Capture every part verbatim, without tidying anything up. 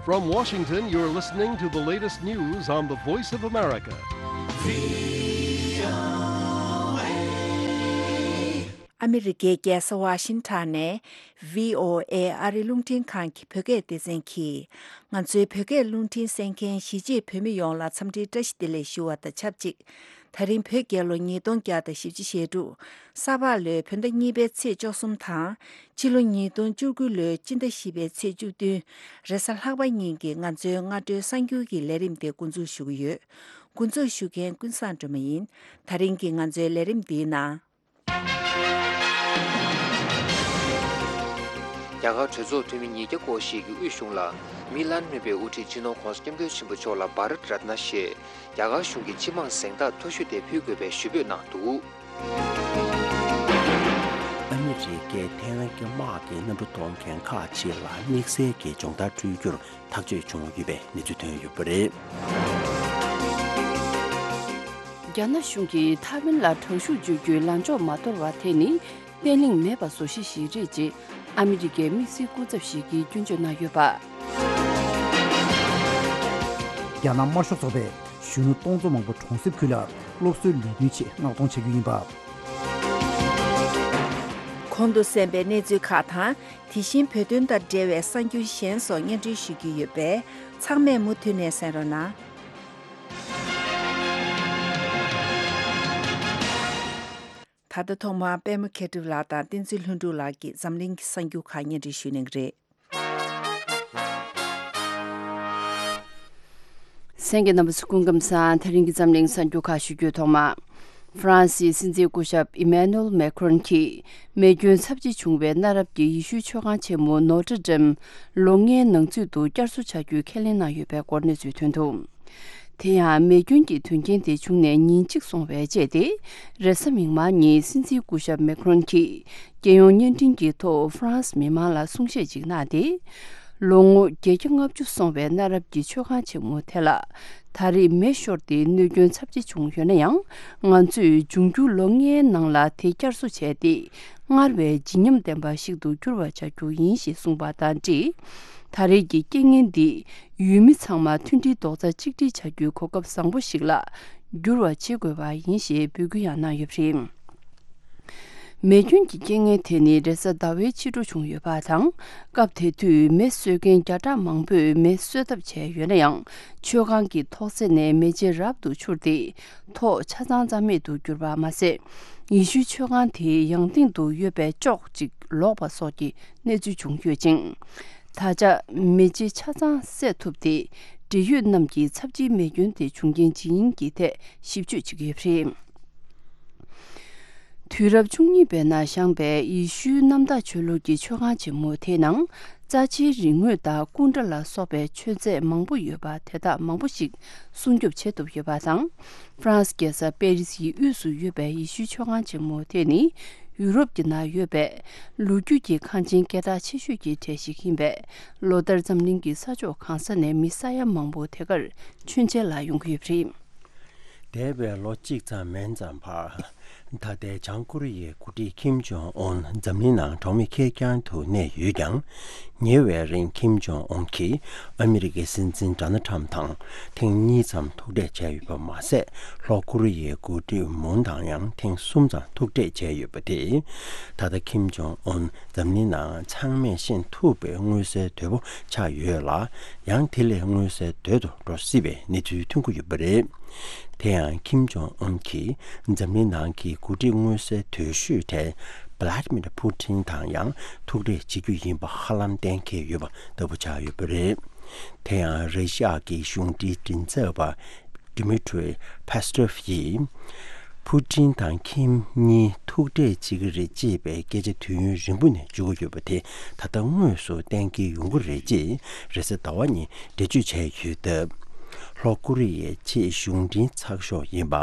From Washington, you're listening to the latest news on the Voice of America. ཨ་མི་རི་ཀའི་རྒྱལ་ས་ཝ་ཤིང་ཊོན་ནས་བྷི་ཨོ་ཨེ་ཨ་རིའི་རླུང་འཕྲིན་ཁང་གི་བོད་སྐད་སྡེ་ཚན་གྱིས། ང་ཚོའི་བོད་སྐད་རླུང་འཕྲིན་གསན་མཁན་གཞིས་བྱེས་བོད་མི་ཡོངས་ལ་འཚམས་འདྲིའི་བཀྲ་ཤིས་བདེ་ལེགས་ཞུ་བ་དང་ཆབས་ཅིག་ད་རིང་བོད་རྒྱལ་ལོ་ཉིས་སྟོང་བརྒྱ་དང་བཞི་བཅུ་ཞེ་དྲུག་ས་ཕག་ལོའི་བོད་ཟླ་གཉིས་པའི་ཚེས་བཅུ་གསུམ་དང་། ཕྱི་ལོ་ཉིས་སྟོང་བཅུ་དགུ་ལོའི་སྤྱི་ཟླ་བཞི་པའི་ཚེས་བཅུ་བདུན། རེས་གཟའ་ལྷག་པ་ཉིན་གྱི་ང་ཚོའི་སྔ་དྲོའི་གསར་འགྱུར་གྱི་ལས་རིམ་དེ་འགོ་འཛུགས་ཞུ་གི་ཡོད། འགོ་འཛུགས་ཞུ་མཁན་ཀུན་བཟང་སྒྲོལ་མ་ཡིན། ད་རིང་གི་ང་ཚོའི་ལས་རིམ་འདིའི་ནང་། རྒྱ་གར་གྲོས་ཚོགས་འཐུས་མི་ཉིས་བརྒྱ་སྐོར་ཞིག་གིས་དབུས་གཞུང་ལ་མི་ལན་སྨན་པའི་དབུ་ཁྲིད་སྤྱི་ནོར་༧གོང་ས་༧སྐྱབས་མགོན་ཆེན་པོ་མཆོག་ལ་བྷ་རཏ་རཏ་ན་ཞེས་རྒྱ་གར་གཞུང་གི་སྤྱི་དམངས་གཟེངས་རྟགས་མཐོ་ཤོས་དེ་ཕུལ་དགོས་པའི་ཞུ་འབོད་གནང་འདུག། ཨ་མི་རི་ཀས་ཐའེ་ཝན་གྱི་དམག་གི་གནམ་གྲུ་གཏོང་མཁན་ཁག་ཅིག་ལ་དམིགས་བསལ་གྱི་སྦྱོང་བརྡར་སྤྲོད་རྒྱུར་ཐག་གཅོད་བྱུང་ཡོད་པའི་གནས་ཚུལ་ཐོན་ཡོད་པ་རེད། རྒྱ་ནག་གཞུང་གིས་ཐའེ་ཝན་ལ་དྲག་ཤུགས་སྤྱོད་རྒྱུའི་ལངས་ཕྱོགས་མ་དོར་བ་དེ་ནི་བརྟན་ལྷིང་མེད་པ་བཟོ་གཞི་ཞིག་རེད་ཅེས་ཨ་མི་རི་ཀའི་དམིགས་བསལ་སྐུ་ཚབ་ཞིག་གིས་སྐྱོན་བརྗོད་གནང་ཡོད་པ། རྒྱ་ནག་དམར་ཤོག་ཚོགས་པས་གཞོན་ནུ་སྟོང་ཚོ་མང་པོ་གྲོང་གསེབ་ཁུལ་ལ་སློབ་གསོའི་ལས་དོན་ཆེད་མངགས་གཏོང་བྱ་རྒྱུ་ཡིན་པ། གོང་དུ་གསན་པའི་གནས་ཚུལ་ཁག་དང་། དེ་བཞིན་བོད་དོན་དང་འབྲེལ་བའི་གསར་འགྱུར་གཞན་སོགས་སྙན་སྒྲོན་ཞུ་རྒྱུ་ཡོད་པས། ཚང་མས་མུ་མཐུད་ནས་གསན་རོགས་གནང་། ད་ལྟ་ཐོག་མར་པད་མ་མཁས་གྲུབ་ལགས་དང་བསྟན་འཛིན་ལྷུན་གྲུབ་ལགས་ཀྱིས་འཛམ་གླིང་གི་གསར་འགྱུར་ཁག་སྙན་སྒྲོན་ཞུ་གནང་གི་རེད། གསན་མཁན་རྣམ་པ་ཚོ་སྐུ་ཁམས་བཟང་། ད་རིང་གི་འཛམ་གླིང་གསར་འགྱུར་ཁག་ཞུ་རྒྱུའི་ཐོག་མ། ཧྥ་རན་སིའི་སྲིད་འཛིན་སྐུ་ཞབས་ཨི་མེ་ནུ་ཨེལ་མེ་ཁྲོན་གྱིས་མེ་སྐྱོན་ཚབས་ཆེ་བྱུང་བའི་གནའ་རབས་ཀྱི་ཡེ་ཤུའི་མཆོད་ཁང་ཆེན་མོ་ནོ་ཏྲ་ཌེམ་ལོ་ལྔའི་ནང་ཚུད་དུ་བསྐྱར་གསོ་བྱ་རྒྱུའི་ཁས་ལེན་གནང་ཡོད་པའི་སྐོར་གནས་ཚུལ་ཐོན་འདུག། དེ་ཡང་མེ་སྐྱོན་གྱི་དོན་རྐྱེན་དེ་བྱུང་ནས་ཉིན་གཅིག་སོང་བའི་རྗེས་ཏེ། རེས་གཟའ་མིག་དམར་ཉིན་སྲིད་འཛིན་སྐུ་ཞབས་མེ་ཁྲོན་གྱིས་རྒྱལ་ཡོངས་བརྙན་འཕྲིན་གྱི་ཐོག་ཧྥ་རན་སི་མི་མང་ལ་གསུང་བཤད་ཅིག་གནང་སྟེ། ལོ་ངོ་བརྒྱད་བརྒྱ་ལྔ་བཅུ་སོང་བའི་གནའ་རབས་ཀྱི་མཆོད་ཁང་ཆེན་མོ་དེ་ལ་ད་རེས་མེ་ཤོར་ཏེ་གནོད་སྐྱོན་ཚབས་ཆེ་བྱུང་ཡོད་ན་ཡང་། ང་ཚོས་འབྱུང་འགྱུར་ལོ་ལྔའི་ནང་ལ་དེ་བསྐྱར་གསོ་བྱས་ཏེ། སྔར་བས་བརྗིད་ཉམས་ལྡན་པ་ཞིག་ཏུ་འགྱུར་བར་བྱ་རྒྱུ་ཡིན་ཞེས་གསུངས་པ་དང་འབྲེལ། ད་རེས་ཀྱི་རྐྱེན་ངན་འདིས་ཡུལ་མི་ཚང་མ་མཐུན་སྒྲིལ་རྡོག་རྩ་གཅིག་སྒྲིལ་བྱ་རྒྱུའི་གོ་སྐབས་བཟང་པོ་ཞིག་ལ་འགྱུར་བ་བྱེད་དགོས་པ་ཡིན་ཞེས་འབོད་སྐུལ་ཡང་གནང་ཡོད་པ་རེད། མེ་སྐྱོན་གྱི་རྐྱེན་ངན་དེ་ནི་རེས་གཟའ་ཟླ་བའི་ཕྱི་དྲོ་བྱུང་ཡོད་པ་དང་། སྐབས་དེ་དུས་མེ་གསོད་མཁན་བརྒྱ་ཕྲག་མང་པོས་མེ་གསོད་ཐབས་བྱས་ཡོད་ན་ཡང་། མཆོད་ཁང་གི་ཐོག་རྩེག་ནས་མེ་ལྕེ་རབ་ཏུ་འཕྱུར་ཏེ། ཐོག་ཆ་ཚང་རྩ་མེད་དུ་གྱུར་པ་མ་ཟད། ཡེ་ཤུའི་མཆོད་ཁང་དེའི་ཡང་སྟེང་དུ་ཡོད་པའི་ཅོག་ཅིག་ལོག་པ་སོགས་ཀྱི་གནས་ཚུལ་བྱུང་ཡོད་ཅིང་། ད་ཆ་མེ་ལྕེ་ཆ་ཚང་བསལ་ཐུབ་སྟེ། འབྲེལ་ཡོད་རྣམས་ཀྱིས་ཚབས་ཆེའི་མེ་སྐྱོན་དེ་བྱུང་རྐྱེན་ཇི་ཡིན་གྱི་ཐད་ཞིབ་དཔྱོད་བྱེད་ཀྱི་ཡོད་པ་རེད། དུས་རབས་བཅུ་གཉིས་པའི་ནང་བཞེངས་པའི་ཡེ་ཤུའི་གནམ་བདག་ཆོས་ལུགས་ཀྱི་མཆོད་ཁང་ཆེན་མོ་དེའི་ནང་། རྩ་ཆེའི་རིག་དངོས་དང་སྐུ་འདྲ་ལ་སོགས་པའི་མཆོད་རྫས་མང་པོ་ཡོད་པ་དེ་དག་མང་པོ་ཞིག་སྲུང་སྐྱོབ་བྱེད་ཐུབ་ཡོད་པ་དང་། ཧྥ་རན་སི་རྒྱལ་ས་པེ་རི་སིའི་དབུས་སུ་ཡོད་པའི་ཡེ་ཤུའི་མཆོད་ཁང་ཆེན་མོ་དེ་ནི། ཡུ་རོབ་ཀྱི་ནང་ཡོད་པའི་ལོ་རྒྱུས་ཀྱི་ཁང་ཆེན་སྐད་གྲགས་ཆེ་ཤོས་ཀྱི་གྲས་ཤིག་ཡིན་པས། ལོ་ལྟར་འཛམ་གླིང་གི་ས་ཕྱོགས་གང་ས་ནས་མི་ས་ཡ་མང་པོ་དེ་གར་མཆོད་མཇལ་ལ་ཡོང་གི་ཡོད་པ་རེད། འདས་པའི་ལོ་གཅིག་ཙམ་མན་ཙམ་བར། ད་ལྟའི་བྱང་ཀོ་རི་ཡའི་འགོ་ཁྲིད་ཁིམ་ཇོང་ཨུན་འཛམ་གླིང་ནང་གྲོགས་མེད་ཁེར་རྐྱང་དུ་གནས་ཡོད་ཀྱང་། ཉེ་བའི་རིང་ཁིམ་ཇོང་ཨུན་གྱིས་ཨ་མི་རི་ཀའི་སྲིད་འཛིན་ཌོ་ནལ་ཁྲམ་དང་ཐེངས་གཉིས་ཙམ་ཐུག་འཕྲད་བྱས་ཡོད་པ་མ་ཟད། ལྷོ་ཀོ་རི་ཡའི་འགོ་ཁྲིད་མུན་དང་ཡང་ཐེངས་གསུམ་ཙམ་ཐུག་འཕྲད་བྱས་ཡོད་པ་དེས། ད་ལྟ་ཁིམ་ཇོང་ཨུན་འཛམ་གླིང་ནང་ཚང་མས་ཤེས་ཐུབ་པའི་མངོན་གསལ་དོད་པོ་ཆགས་ཡོད་ལ། ཡང་དེ་ལས་མངོན་གསལ་དོད་དུ་འགྲོ་སྲིད་པའི་གནས་ཚུལ་ཐོན་གྱི་ཡོད་པ་རེད། དེ་ཡང་ཁིམ་ཇོང་ཨུན་གྱིས་འཛམ་གླིང་ནང་གི་འགོ་ཁྲིད་མངོན་གསལ་དོད་ཤོས་གྲས་བྷ་ལ་ཏི་མིར་ཕུ་ཏིན་དང་ཡང་ཐུག་འཕྲད་བྱེད་རྒྱུ་ཡིན་པ་ཧ་ལམ་གཏན་འཁེལ་ཡོད་པ་ལྟ་བུ་ཆགས་ཡོད་པ་རེད། དེ་ཡང་རེ་ཤི་ཡ་གི་གཞུང་འབྲེལ་མགྲིན་ཚབ་པ་Dmitry Peskov་ཡིས། ཕུ་ཏིན་དང་ཁིམ་གཉིས་ཐུག་འཕྲད་བྱེད་ཀྱི་རེད་ཅེས་པའི་སྐད་ཆ་དུས་ཡུན་རིང་པོ་ནས་བརྗོད་ཀྱི་ཡོད་པ་དེ་ད་ལྟ་དངོས་སུ་གཏན་འཁེལ་ཡོང་གི་རེད་ཅེས་རེས་གཟའ་ཟླ་བ་ཉིན་འགྲེལ་བརྗོད་བྱས་ཡོད་སྟབས། ལྷོ་ཀོ་རི་ཡའི་ཆེས་གཞུང་འབྲེལ་ཚགས་ཤོག་ཡིན་པ་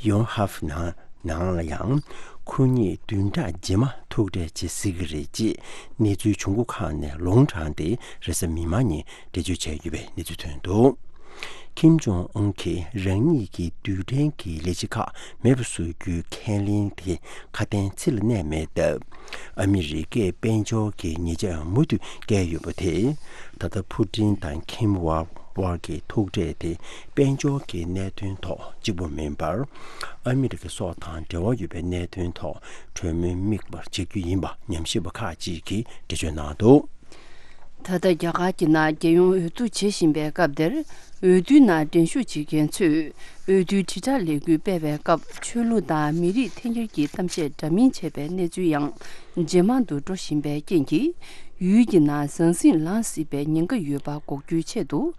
ཡོན་ཧབ་ནང་ནང་ལ་ཡང་ཁོ་གཉིས་བདུན་ཕྲག་རྗེས་མ་ཐུག་འཕྲད་བྱེད་སྲིད་ཀྱི་རེད་ཅེས་གནས་ཚུལ་བྱུང་སྒོ་ཁག་ནས་ལུང་དྲངས་ཏེ་རེས་གཟའ་མིག་དམར་ཉིན་འགྲེལ་བརྗོད་བྱས་ཡོད་པའི་གནས་ཚུལ་ཐོན་འདུག། ཁིམ་ཇོང་ཨུན་གྱིས་རང་ཉིད་ཀྱི་རྡུལ་ཕྲན་གྱི་ལས་བྱེད་ཁག་མེད་པར་བཟོ་རྒྱུའི་ཁས་ལེན་དེ་ཁ་དན་ཚིག་ལ་གནས་མེད་སྟབས། ཨ་མི་རི་ཀས་དཔལ་འབྱོར་གྱི་ཉེས་ཆད་མུ་མཐུད་བཀལ་ཡོད་པ་དེས། ད་ལྟ་ཕུ་ཏིན་དང་ཁིམ་དབར་གྱི་ཐུག་འཕྲད་དེ་དཔལ་འབྱོར་གྱི་གནད་དོན་ཐོག་གཅིག་པུ་མིན་པར། ཨ་མི་རི་ཀ་སོགས་དང་འབྲེལ་བ་ཡོད་པའི་གནད་དོན་ཐོག་གྲོས་མོལ་དམིགས་པར་བྱེད་རྒྱུ་ཡིན་པ་ཉམས་ཞིབ་པ་ཁག་ཅིག་གིས་འགྲེལ་བརྗོད་གནང་འདུག། ད་ལྟ་རྒྱ་གར་གྱི་ནང་རྒྱལ་ཡོངས་འོས་བསྡུ་བྱེད་བཞིན་པའི་སྐབས་འདིར། འོས་བསྡུའི་ནང་འགྲན་ཞུགས་བྱེད་མཁན་ཚོས་འོས་བསྡུའི་དྲིལ་བསྒྲགས་ལས་འགུལ་སྤེལ་བའི་སྐབས། ཆོས་ལུགས་དང་མི་རིགས་འཐེན་འཁྱེར་གྱི་གཏམ་བཤད་འདྲ་མིན་བྱས་པའི་གནས་ཚུལ་ཡང་ཇེ་མང་དུ་འགྲོ་བཞིན་པའི་རྐྱེན་གྱིས། ཡུལ་གྱི་ནང་ཟང་ཟིང་ལངས་སྲིད་པའི་ཉེན་ཁ་ཡོད་པ་འགོག་རྒྱུའི་ཆེད་དུ།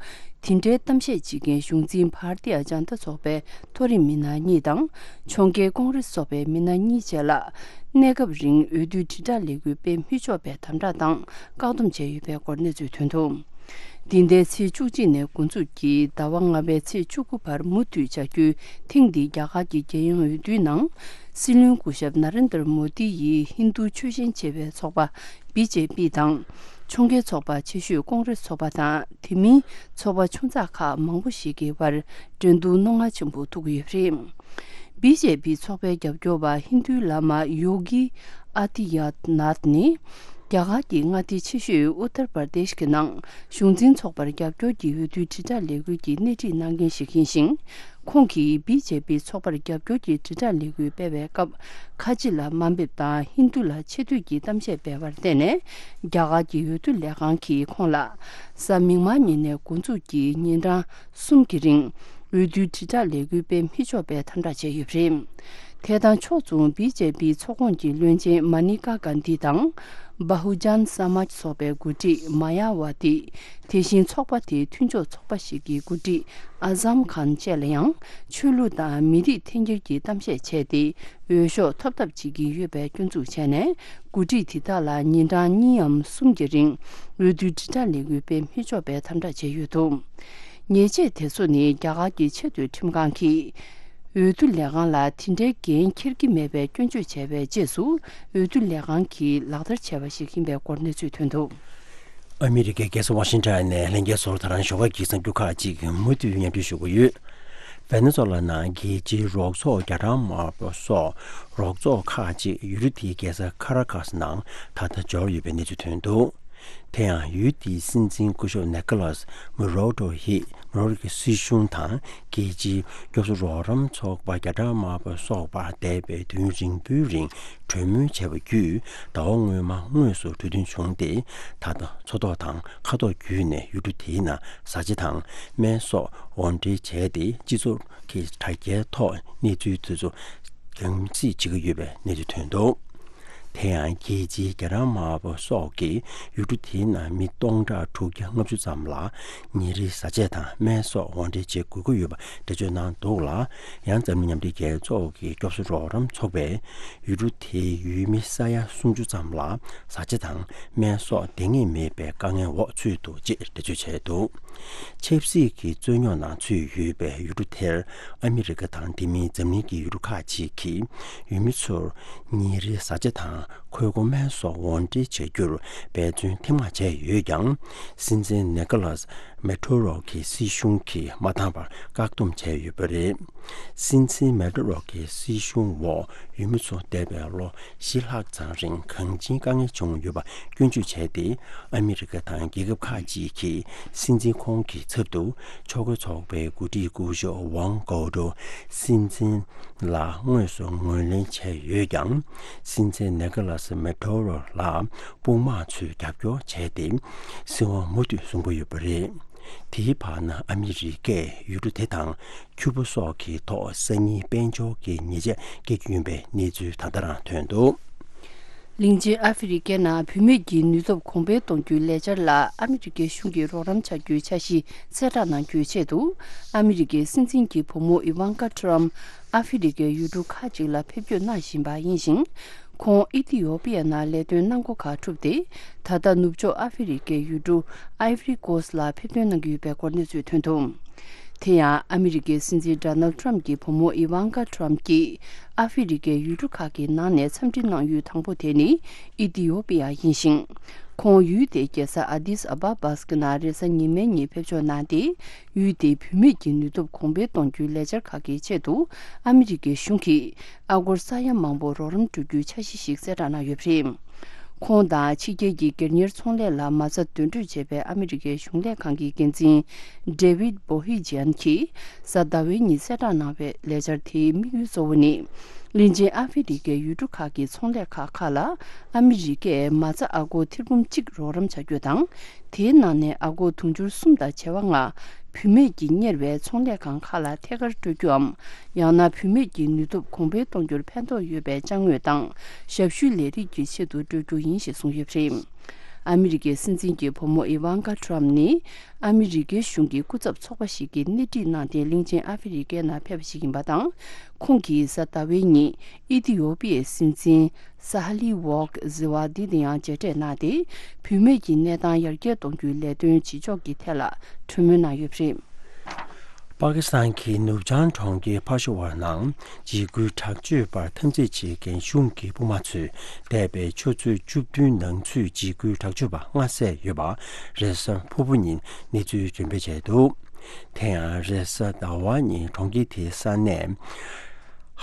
དེ་འདྲའི་གཏམ་བཤད་བྱེད་མཁན་གཞུང་འཛིན་བྷར་ཏི་ཡ་ཇན་ཏ་ཚོགས་པའི་མཐོ་རིམ་མི་སྣ་གཉིས་དང་། ཕྱོགས་འགལ་ཀོང་རེ་སི་ཚོགས་པའི་མི་སྣ་གཉིས་བཅས་ལ། གནས་སྐབས་རིང་འོས་བསྡུའི་དྲིལ་བསྒྲགས་ལས་འགུལ་སྤེལ་མི་ཆོག་པའི་དམ་དྲག་དང་བཀག་སྡོམ་བྱས་ཡོད་པའི་སྐོར་གནས་ཚུལ་ཐོན་འདུག། འདི་ཟླའི་ཚེས་བཅུ་གཅིག་ནས་འགོ་འཛུགས་ཀྱིས་ཟླ་བ་ལྔ་པའི་ཚེས་བཅུ་དགུ་བར་མུ་མཐུད་བྱ་རྒྱུའི་ཐེངས་འདིའི་རྒྱ་གར་གྱི་རྒྱལ་ཡོངས་འོས་བསྡུའི་ནང་། སྲིད་བློན་སྐུ་ཞབས་ན་རེན་དར་མོ་དི་ཡིས་ཧིན་རྡུ་ཆོས་ཞེན་ཆེ་བའི་ཚོགས་པ་བི་ཇེ་པི་དང་། ཕྱོགས་འགལ་ཚོགས་པ་ཆེ་ཤོས་ཀོང་རེ་སི་ཚོགས་པ་དང་། དེ་མིན་ཚོགས་པ་ཆུང་ཙག་ཁག་མང་པོ་ཞིག་གི་བར་འགྲན་བསྡུར་རྣོ་ངར་ཆེན་པོ་ཐུག་གི་ཡོད་པ་རེད། བི་ཇེ་པི་ཚོགས་པའི་རྒྱབ་སྐྱོར་བ་ཧིན་རྡུའི་བླ་མ་ཡོ་གི་ཨ་ཏི་ཡ་ནཱཐ་ནི། རྒྱ་གར་གྱི་མངའ་སྡེ་ཆེ་ཤོས་ཨུ་ཏར་པར་དེཤ་གི་ནང་གཞུང་འཛིན་ཚོགས་པར་རྒྱབ་སྐྱོར་གྱི་འོས་བསྡུའི་དྲིལ་བསྒྲགས་ལས་འགུལ་གྱི་སྣེ་ཁྲིད་གནང་མཁན་ཞིག་ཡིན་ཞིང་། ཁོང་གིས་བི་ཇེ་པི་ཚོགས་པར་རྒྱབ་སྐྱོར་གྱི་དྲིལ་བསྒྲགས་ལས་འགུལ་སྤེལ་བའི་སྐབས། ཁ་ཆེ་ལ་དམའ་འབེབས་དང་ཧིན་རྡུ་ལ་ཆེ་བསྟོད་ཀྱི་གཏམ་བཤད་སྤེལ་བར་བརྟེན་ནས། རྒྱ་གར་གྱི་འོས་བསྡུ་ལས་ཁང་གིས་ཁོང་ལ། གཟའ་མིག་དམར་ཉིན་ནས་འགོ་འཛུགས་ཀྱིས་ཉིན་གྲངས་གསུམ་གྱི་རིང་། འོས་བསྡུའི་དྲིལ་བསྒྲགས་ལས་འགུལ་སྤེལ་མི་ཆོག་པའི་དམ་དྲག་བྱས་ཡོད་པ་རེད། དེ་དང་ཕྱོགས་མཚུངས་བི་ཇེ་པི་ཚོགས་ཁོངས་ཀྱི་བློན་ཆེན་མ་ནི་ཀ་གྷན་དྷི་དང་། བྷ་ཧུ་ཇན་ས་མཱཇ་ཚོགས་པའི་འགོ་ཁྲིད་མ་ཡ་ཝ་ཏི། དེ་བཞིན་ཚོགས་པ་དེའི་མཐུན་ཕྱོགས་ཚོགས་པ་ཞིག་གི་འགོ་ཁྲིད་ཨ་ཟམ་ཁཱན་བཅས་ལ་ཡང་ཆོས་ལུགས་དང་མི་རིགས་འཐེན་འཁྱེར་གྱི་གཏམ་བཤད་བྱས་ཏེ། འོས་ཤོག་ཐོབ་ཐབས་བྱེད་ཀྱི་ཡོད་པའི་སྐྱོན་འཛུགས་བྱས་ནས། འགོ་ཁྲིད་དེ་དག་ལ་ཉིན་གྲངས་གཉིས་འམ་གསུམ་གྱི་རིང་འོས་བསྡུའི་དྲིལ་བསྒྲགས་ལས་འགུལ་སྤེལ་མི་ཆོག་པའི་དམ་དྲག་བྱས་ཡོད་འདུག། ཉེས་ཆད་དེ་ཚོ་ནི་རྒྱ་གར་གྱི་ཆེས་མཐོའི་ཁྲིམས་ཁང་གིས། འོས་བསྡུ་ལས་ཁང་ལ་དེ་འདྲའི་འགན་འཁྱེར་གྱི་མེད་པའི་སྐྱོན་བརྗོད་བྱས་པའི་རྗེས་སུ། འོས་བསྡུ་ལས་ཁང་གིས་ལག་བསྟར་བྱས་པ་ཞིག་ཡིན་པའི་སྐོར་གནས་ཚུལ་ཐོན་འདུག། ཨ་མི་རི་ཀའི་རྒྱལ་ས་ཝ་ཤིང་ཊོན་ནས་ལྷན་རྒྱས་ཚོར་ད་རང་ཞོགས་ཀ་གི་གསར་འགྱུར་ཁག་ཅིག་མུ་མཐུད་སྙན་སྒྲོན་ཞུ་གི་ཡོད། ཝེ་ནེ་ཛུ་ཝེ་ལ་ནང་རྒྱལ་སྤྱིའི་རོགས་ཚོགས་རྒྱ་གྲམ་དམར་པོ་སོགས་རོགས་ཚོགས་ཁག་ཅིག་ཡུལ་གྲུ་དེའི་རྒྱལ་ས་ཁ་ར་ཁཱས་ནང་ད་ལྟ་འབྱོར་ཡོད་པའི་གནས་ཚུལ་ཐོན་འདུག། དེ་ཡང་ཡུལ་དེའི་སྲིད་འཛིན་སྐུ་ཞབས་ནེ་ཀོ་ལཱས་མུ་རོ་ཏོ་ཡིས། མུ་རོ་ཏོ་གི་སྲིད་གཞུང་དང་རྒྱལ་སྤྱིའི་སྐྱོབ་གསོ་རོགས་རམ་ཚོགས་པ་རྒྱ་གྲམ་དམར་པོ་སོགས་པ་འདས་པའི་དུས་ཡུན་རིང་པོའི་རིང་གྲོས་མོལ་བྱས་པ་བརྒྱུད། ཟླ་བ་སྔོན་མ་དངོས་སུ་གྲོས་མཐུན་བྱུང་སྟེ། ད་ལྟ་མཚོ་ཐོག་དང་མཁའ་ཐོག་བརྒྱུད་ནས་ཡུལ་གྲུ་དེའི་ནང་བཟའ་བཅའ་དང་སྨན་སོགས་དབོར་འདྲེན་བྱས་ཏེ། སྤྱི་ཚོགས་ཀྱི་དྲ་རྒྱའི་ཐོག་གནས་ཚུལ་དེ་ཚོ་གྱང་སྲིད་བྱེད་ཀྱི་ཡོད་པའི་གནས་ཚུལ་ཐོན་འདུག། དེ་ཡང་རྒྱལ་སྤྱིའི་རྒྱ་གྲམ་དམར་པོ་སོགས་ཀྱིས་ཡུལ་གྲུ་དེའི་ནང་མི་སྟོང་ཕྲག་དྲུག་བརྒྱ་ལྔ་བཅུ་ཙམ་ལ་ཉིན་རེའི་བཟའ་ཆས་དང་སྨན་སོགས་དབོར་འདྲེན་བྱེད་དགོས་ཀྱི་ཡོད་པ་འགྲེལ་བརྗོད་གནང་འདུག་ལ། ཡང་འཛམ་གླིང་མཉམ་འབྲེལ་རྒྱལ་ཚོགས་ཀྱི་སྐྱོབ་གསོ་རོགས་རམ་ཚོགས་པས་ཡུལ་གྲུ་དེའི་ཡུལ་མི་ས་ཡ་སུམ་ཅུ་ཙམ་ལ་བཟའ་ཆས་དང་སྨན་སོགས་འདང་ངེས་མེད་པའི་དཀའ་ངལ་འོག་ཚུད་འདུག་ཅེས་འགྲེལ་བརྗོད་བྱས་འདུག། ཆབ་སྲིད་ཀྱི་རྩོད་རྙོག་ནང་ཚུད་ཡོད་པའི་ཡུལ་གྲུ་དེར་ཨ་མི་རི་ཀ་དང་དེ་མིན་འཛམ་གླིང་གི་ཡུལ་གྲུ་ཁག་ཅིག་གིས་ཡུལ་མི་ཚོར་ཉིན་རེའི་བཟའ་ཆས་དང་འཁོས་སྒོ་སྨན་སོགས་དབོར་འདྲེན་བྱ་རྒྱུར་འབད་བརྩོན་ཐེངས་མང་བྱས་ཡོད་ཀྱང་། སྲིད་འཛིན་ནེ་ཀོ་ལཱས་མེ་ཏོ་རོ་གི་སྲིད་གཞུང་གིས་མ་འདང་བར་བཀག་སྡོམ་བྱས་ཡོད་པ་རེད། སྲིད་འཛིན་མེ་ཏོ་རོ་གི་སྲིད་གཞུང་འོག་ཡུལ་མི་ཚོ་འདས་པའི་ལོ་བཞི་ལྷག་ཙམ་རིང་གངས་ཅན་དཀའ་ངལ་བྱུང་ཡོད་པ་སྐྱོན་བརྗོད་བྱས་ཏེ། ཨ་མི་རི་ཀ་དང་རྒྱལ་ཁབ་ཁག་ཅིག་གིས་སྲིད་འཛིན་ཁོང་གི་ཚབ་ཏུ་ཕྱོགས་འགལ་ཚོགས་པའི་འགོ་ཁྲིད་སྐུ་ཞབས་ཝང་གའོ་ཏོ་སྲིད་འཛིན་ལ་དངོས་སུ་ངོས་ལེན་བྱས་ཡོད་ཀྱང་། སྲིད་འཛིན་ནེ་ཀོ་ལཱས་མེ་ཏོ་རོ་ལ་དཔུང་དམག་ཚོས་རྒྱབ་སྐྱོར་བྱས་ཏེ། སྲིད་དབང་མུ་མཐུད་བཟུང་གི་ཡོད་པ་རེད། དེའི་བར་ན་ཨ་མི་རི་ཀས་ཡུལ་གྲུ་དེ་དང་ཁྱུ་པ་སོགས་ཀྱི་ཐོག་སང་ཉིན་དཔལ་འབྱོར་གྱི་ཉེས་ཆད་བཀལ་རྒྱུ་ཡིན་པའི་གནས་ཚུལ་ད་ལྟ་རང་ཐོན་འདུག། གླིང་ཆེན་ཨ་ཧྥེ་རི་ཀའི་ནང་བུད་མེད་ཀྱི་ནུས་སྟོབས་གོང་འཕེལ་གཏོང་རྒྱུའི་ལས་འཆར་ལ་ཨ་མི་རི་ཀའི་གཞུང་གིས་རོགས་རམ་བྱ་རྒྱུའི་འཆར་གཞི་གསལ་བསྒྲགས་གནང་རྒྱུའི་ཆེད་དུ། ཨ་མི་རི་ཀའི་སྲིད་འཛིན་གྱི་བུ་མོ་ཨི་ཝང་ཀ་ཏྲམ་ཨ་ཧྥེ་རི་ཀའི་ཡུལ་གྲུ་ཁག་ཅིག་ལ་ཕེབས་སྐྱོད་གནང་བཞིན་པ་ཡིན་ཞིང་། ཁོང་ཨི་ཐི་ཡོ་པི་ཡ་ནང་ལས་དོན་གནང་སྒོ་ཁག་གྲུབ་སྟེ། ད་ལྟ་ནུབ་ཕྱོགས་ཨ་ཧྥེ་རི་ཀའི་ཡུལ་གྲུ་ཨའི་ཝི་རི་ཀོ་སི་ལ་ཕེབས་ཐོན་གནང་གི་ཡོད་པའི་སྐོར་གནས་ཚུལ་ཐོན་འདུག། དེ་ཡང་ཨ་མི་རི་ཀའི་སྲིད་འཛིན་ཌོ་ནལ་ཌི་ཊརམ་གྱི་བུ་མོ་ཨི་ཝང་ཀ་ཊརམ་གྱིས་ཨ་ཧྥེ་རི་ཀའི་ཡུལ་གྲུ་ཁག་གི་ནང་ནས་འཚམས་འདྲི་གནང་ཡུལ་དང་པོ་དེ་ནི་ཨི་ཐི་ཡོ་པི་ཡ་ཡིན་ཞིང་། ཁོང་ཡུལ་དེའི་རྒྱལ་ས་ཨ་དིས་ཨ་བ་བཱས་ཀྱི་ནང་རེས་གཟའ་ཉི་མའི་ཉིན་ཕེབས་འབྱོར་གནང་སྟེ། ཡུལ་དེའི་བུད་མེད་ཀྱི་ནུས་སྟོབས་གོང་འཕེལ་གཏོང་རྒྱུའི་ལས་འཆར་ཁག་གི་ཆེད་དུ། ཨ་མི་རི་ཀའི་གཞུང་གིས་ཨ་སྒོར་ས་ཡ་མང་པོ་རོགས་རམ་སྤྲོད་རྒྱུའི་འཆར་གཞི་ཞིག་གསལ་བསྒྲགས་གནང་ཡོད་པ་རེད། ཁོང་དང་ཕྱི་རྒྱལ་གྱི་སྒེར་གཉེར་ཚོང་ལས་ལ་མ་རྩ་འདོན་སྤྲོད་བྱས་པའི་ཨ་མི་རི་ཀའི་གཞུང་ལས་ཁང་གི་འགན་འཛིན་ཌེ་ཝིད་བྷོ་ཧི་ཇན་གྱིས་གཟའ་ཟླ་བའི་ཉིན་གསལ་བསྒྲགས་གནང་བའི་ལས་འཆར་དེའི་དམིགས་ཡུལ་གཙོ་བོ་ནི། གླིང་ཆེན་ཨ་ཧྥེ་རི་ཁའི་ཡུལ་གྲུ་ཁག་གི་ཚོང་ལས་ཁག་ཁག་ལ་ཨ་མི་རི་ཀས་མ་རྩ་ཨ་སྒོར་ཐེར་འབུམ་གཅིག་རོགས་རམ་བྱ་རྒྱུ་དང་། དེའི་ནང་ནས་ཨ་སྒོར་དུང་ཕྱུར་གསུམ་དང་བྱེ་བ་ལྔ་བུད་མེད་ཀྱིས་གཉེར་བའི་ཚོང་ལས་ཁང་ཁག་ལ་ཐད་ཀར་སྤྲོད་རྒྱུའམ། ཡང་ན་བུད་མེད་ཀྱི་ནུས་སྟོབས་གོང་འཕེལ་གཏོང་རྒྱུར་ཕན་ཐོགས་ཡོད་པའི་ཅ་དངོས་དང་ཞབས་ཞུའི་ལས་རིགས་ཀྱི་ཆེད་དུ་སྤྲོད་རྒྱུ་ཡིན་ཞེས་གསུངས་ཡོད་པ་རེད། ཨ་མི་རི་ཀའི་སྲིད་འཛིན་གྱི་བུ་མོ་ཨི་ཝང་ཀ་ཏྲམ་ནི། ཨ་མི་རི་ཀའི་གཞུང་གི་སྐུ་ཚབ་ཚོགས་པ་ཞིག་གིས་སྣེ་ཁྲིད་གནང་སྟེ་གླིང་ཆེན་ཨ་ཧྥེ་རི་ཁའི་ནང་ཕེབས་པ་ཞིག་ཡིན་པ་དང་། ཁོང་གིས་གཟའ་ཟླ་བའི་ཉིན་ཨི་ཐི་ཡོ་པི་ཡའི་སྲིད་འཛིན་ས་ཧ་ལི་ཝོག་ཟི་ཝ་དི་དང་ཡང་མཇལ་འཕྲད་གནང་སྟེ། བུད་མེད་ཀྱི་གནས་སྟངས་ཡར་རྒྱས་གཏོང་རྒྱུའི་ལས་དོན་བྱེད་ཕྱོགས་ཀྱི་ཐད་ལ་གྲོས་མོལ་གནང་ཡོད་པ་རེད། པ་ཀི་སི་ཐན་གྱི་ནུབ་བྱང་གྲོང་ཁྱེར་ཕ་ཤོ་ཝར་ནང་འཇིགས་སྐུལ་དྲག་སྤྱོད་པར་འཐབ་འཛིང་བྱེད་མཁན་གཞུང་གི་དཔུང་དམག་ཚོས་འདས་པའི་ཆུ་ཚོད་བཅུ་བདུན་ནང་ཚུད་འཇིགས་སྐུལ་དྲག་སྤྱོད་པ་ལྔ་བསད་ཡོད་པ་རེས་གཟའ་ཕུར་བུ་ཉིན་གནས་ཚུལ་འགྲེམས་སྤེལ་བྱས་འདུག་དེ་ཡང་རེས་གཟའ་ཟླ་བ་ཉིན་གྲོང་ཁྱེར་དེའི་ས་གནས་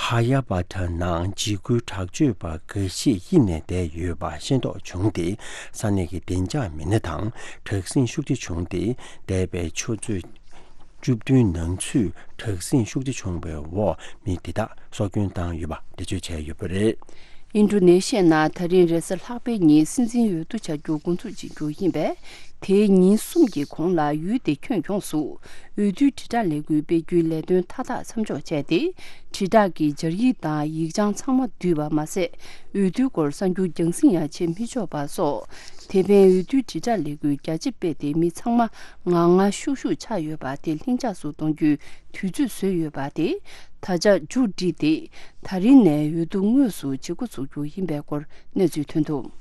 ཧ་ཡ་བྷ་ཏ་ནང་འཇིགས་སྐུལ་དྲག་སྤྱོད་པ་འགའ་ཤས་དབྱིབས་ནས་བསྡད་ཡོད་པ་ཤེས་རྟོགས་བྱུང་སྟེ། ས་གནས་ཀྱི་བདེ་འཇགས་མི་སྣ་དང་དྲག་ཟིང་ཤུགས་ཆེ་བྱུང་སྟེ། འདས་པའི་ཆུ་ཚོད་བཅུ་བདུན་ནང་ཚུད་དྲག་ཟིང་ཤུགས་ཆེ་བྱུང་བའི་འོག་མི་དེ་དག་སྲོག་སྐྱོན་བཏང་ཡོད་པ་འགྲེལ་བརྗོད་བྱས་ཡོད་པ་རེད། ཨིན་ཌོ་ནེ་ཤི་ཡའི་ནང་ད་རིང་རེས་གཟའ་ལྷག་པའི་ཉིན་སྲིད་འཛིན་འོས་བསྡུ་བྱ་རྒྱུ་འགོ་འཛུགས་བྱེད་རྒྱུ་ཡིན་པས། དེའི་ཉིན་གསུམ་གྱི་གོང་ལ་ཡུལ་དེ་ཁྱོན་ཡོངས་སུ་འོས་བསྡུའི་དྲིལ་བསྒྲགས་ལས་འགུལ་སྤེལ་རྒྱུའི་ལས་དོན་མཐའ་དག་མཚམས་འཇོག་བྱས་ཏེ། དྲིལ་བསྒྲགས་ཀྱི་སྦྱར་ཡིག་དང་ཡིག་བྱང་ཚང་མ་བསྡུས་པ་མ་ཟད། འོས་བསྡུའི་སྐོར་གསར་འགྱུར་རྒྱང་སྲིང་ཡང་བྱེད་མི་ཆོག་པ་སོགས། དེ་ཕན་འོས་བསྡུའི་དྲིལ་བསྒྲགས་ལས་འགུལ་རྒྱ་ཆེ་སྤེལ་ཏེ་མི་ཚང་མ་ངང་ངང་ཤུགས་ཤུགས་ཆགས་ཡོད་པ་དེ་ལྷིང་འཇགས་སུ་གཏོང་རྒྱུའི་དུས་ཚོད་བཟོས་ཡོད་པ་དེ་ད་ཆ་མཇུག་བསྒྲིལ་ཏེ། ད་རིང་ནས་འོས་བསྡུ་དངོས་སུ་བྱེད་འགོ་ཚུགས་རྒྱུ་ཡིན་པའི་སྐོར་གནས་ཚུལ་ཐོན་འདུག་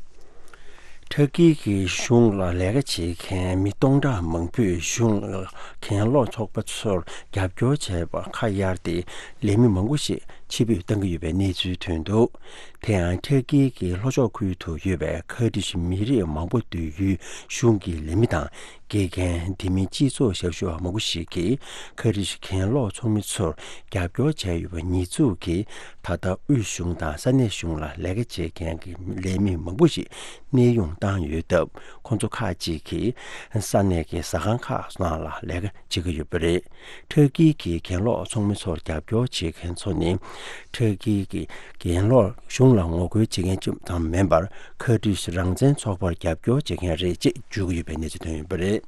ཊར་ཀི་གི་གཞུང་ལ་ལས་ཀ་བྱེད་མཁན་མི་སྟོང་ཕྲག་མང་པོས་གཞུང་ལ་གྱེན་ལོག་ཚོགས་པ་ཚོར་རྒྱབ་སྐྱོར་བྱས་པར་ཁ་གཡར་ཏེ། ལས་མི་མང་པོ་ཞིག་ཕྱིར་འབུད་གཏང་གི་ཡོད་པའི་གནས་ཚུལ་ཐོན་འདུག་དེ་ཡང་ཊར་ཀི་གི་ལྷོ་ཕྱོགས་ཁུལ་དུ་ཡོད་པའི་ཁར་ཏི་ཤི་མི་རིགས་མང་པོ་སྡོད་ཡུལ་གཞུང་གི་ལས་མི་དང་། དགེ་རྒན། དེ་མིན་སྤྱི་ཚོགས་ཞབས་ཞུ་བ་མང་པོ་ཞིག་གིས་ཁ་རི་ཤི་གྱེན་ལོག་ཚོགས་མི་ཚོར་རྒྱབ་སྐྱོར་བྱས་ཡོད་པ་ཉེས་འཛུགས་ཀྱིས། ད་ལྟ་དབུས་གཞུང་དང་ས་གནས་གཞུང་ལ་ལས་ཀ་བྱེད་མཁན་གྱི་ལས་མི་མང་པོ་ཞིག་གནས་དབྱུང་བཏང་ཡོད་སྟབས། ཁོང་ཚོ་ཁག་ཅིག་གིས་ས་གནས་ཀྱི་ཟ་ཁང་ཁག་ནང་ལ་ལས་ཀ་བྱེད་ཀྱི་ཡོད་པ་རེད། ཊར་ཀི་གི་གྱེན་ལོག་ཚོགས་མི་ཚོར་རྒྱབ་སྐྱོར་བྱེད་མཁན་ཚོ་ནི། ཊར་ཀི་གི་གྱེན་ལོག་གཞུང་ལ་ངོ་རྒོལ་བྱེད་མཁན་ཙམ་མིན་པར། ཁར་ཏི་ཤི་རང་བཙན་ཚོགས་པར་རྒྱབ་སྐྱོར་བྱེད་མཁན་རེད་ཅེས་བརྗོད་ཀྱི་ཡོད་པའི་གནས་ཚུལ་ཐོན་ཡོད་པ་རེད།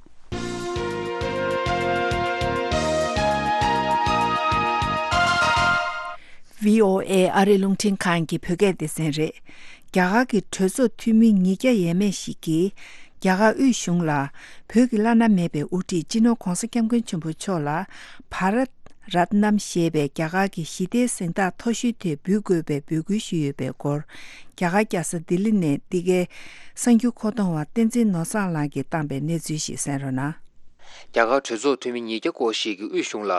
བྷི་ཨོ་ཨེ་ཨ་རིའི་རླུང་འཕྲིན་ཁང་གི་བོད་སྐད་སྡེ་ཚན་རེད། རྒྱ་གར་གྱི་གྲོས་ཚོགས་འཐུས་མི་ཉིས་བརྒྱ་ཡས་མས་ཤིག་གིས། རྒྱ་གར་དབུས་གཞུང་ལ། བོད་ཀྱི་བླ་ན་མེད་པའི་དབུ་ཁྲིད་སྤྱི་ནོར་༧གོང་ས་༧སྐྱབས་མགོན་ཆེན་པོ་མཆོག་ལ། བྷ་རཏ་རཏྣམ་ཞེས་པའི་རྒྱ་གར་གྱི་ཞི་བདེའི་གཟེངས་རྟགས་མཐོ་ཤོས་དེ་འབུལ་དགོས་པའི་འབོད་སྐུལ་ཞུས་ཡོད་པའི་སྐོར། རྒྱ་གར་རྒྱལ་ས་ལྡི་ལི་ནས་འདི་གའི་གསར་འགྱུར་མཁོ་གཏོང་བ་བསྟན་འཛིན་ནོར་བཟང་ལགས་ཀྱིས་བཏང་པའི་གནས་ཚུལ་ཞིག་གསན་རོགས་གནང་། རྒྱ་གར་གྲོས་ཚོགས་འཐུས་མི་ཉིས་བརྒྱ་སྐོར་ཞིག་གིས་དབུས་གཞུང་ལ།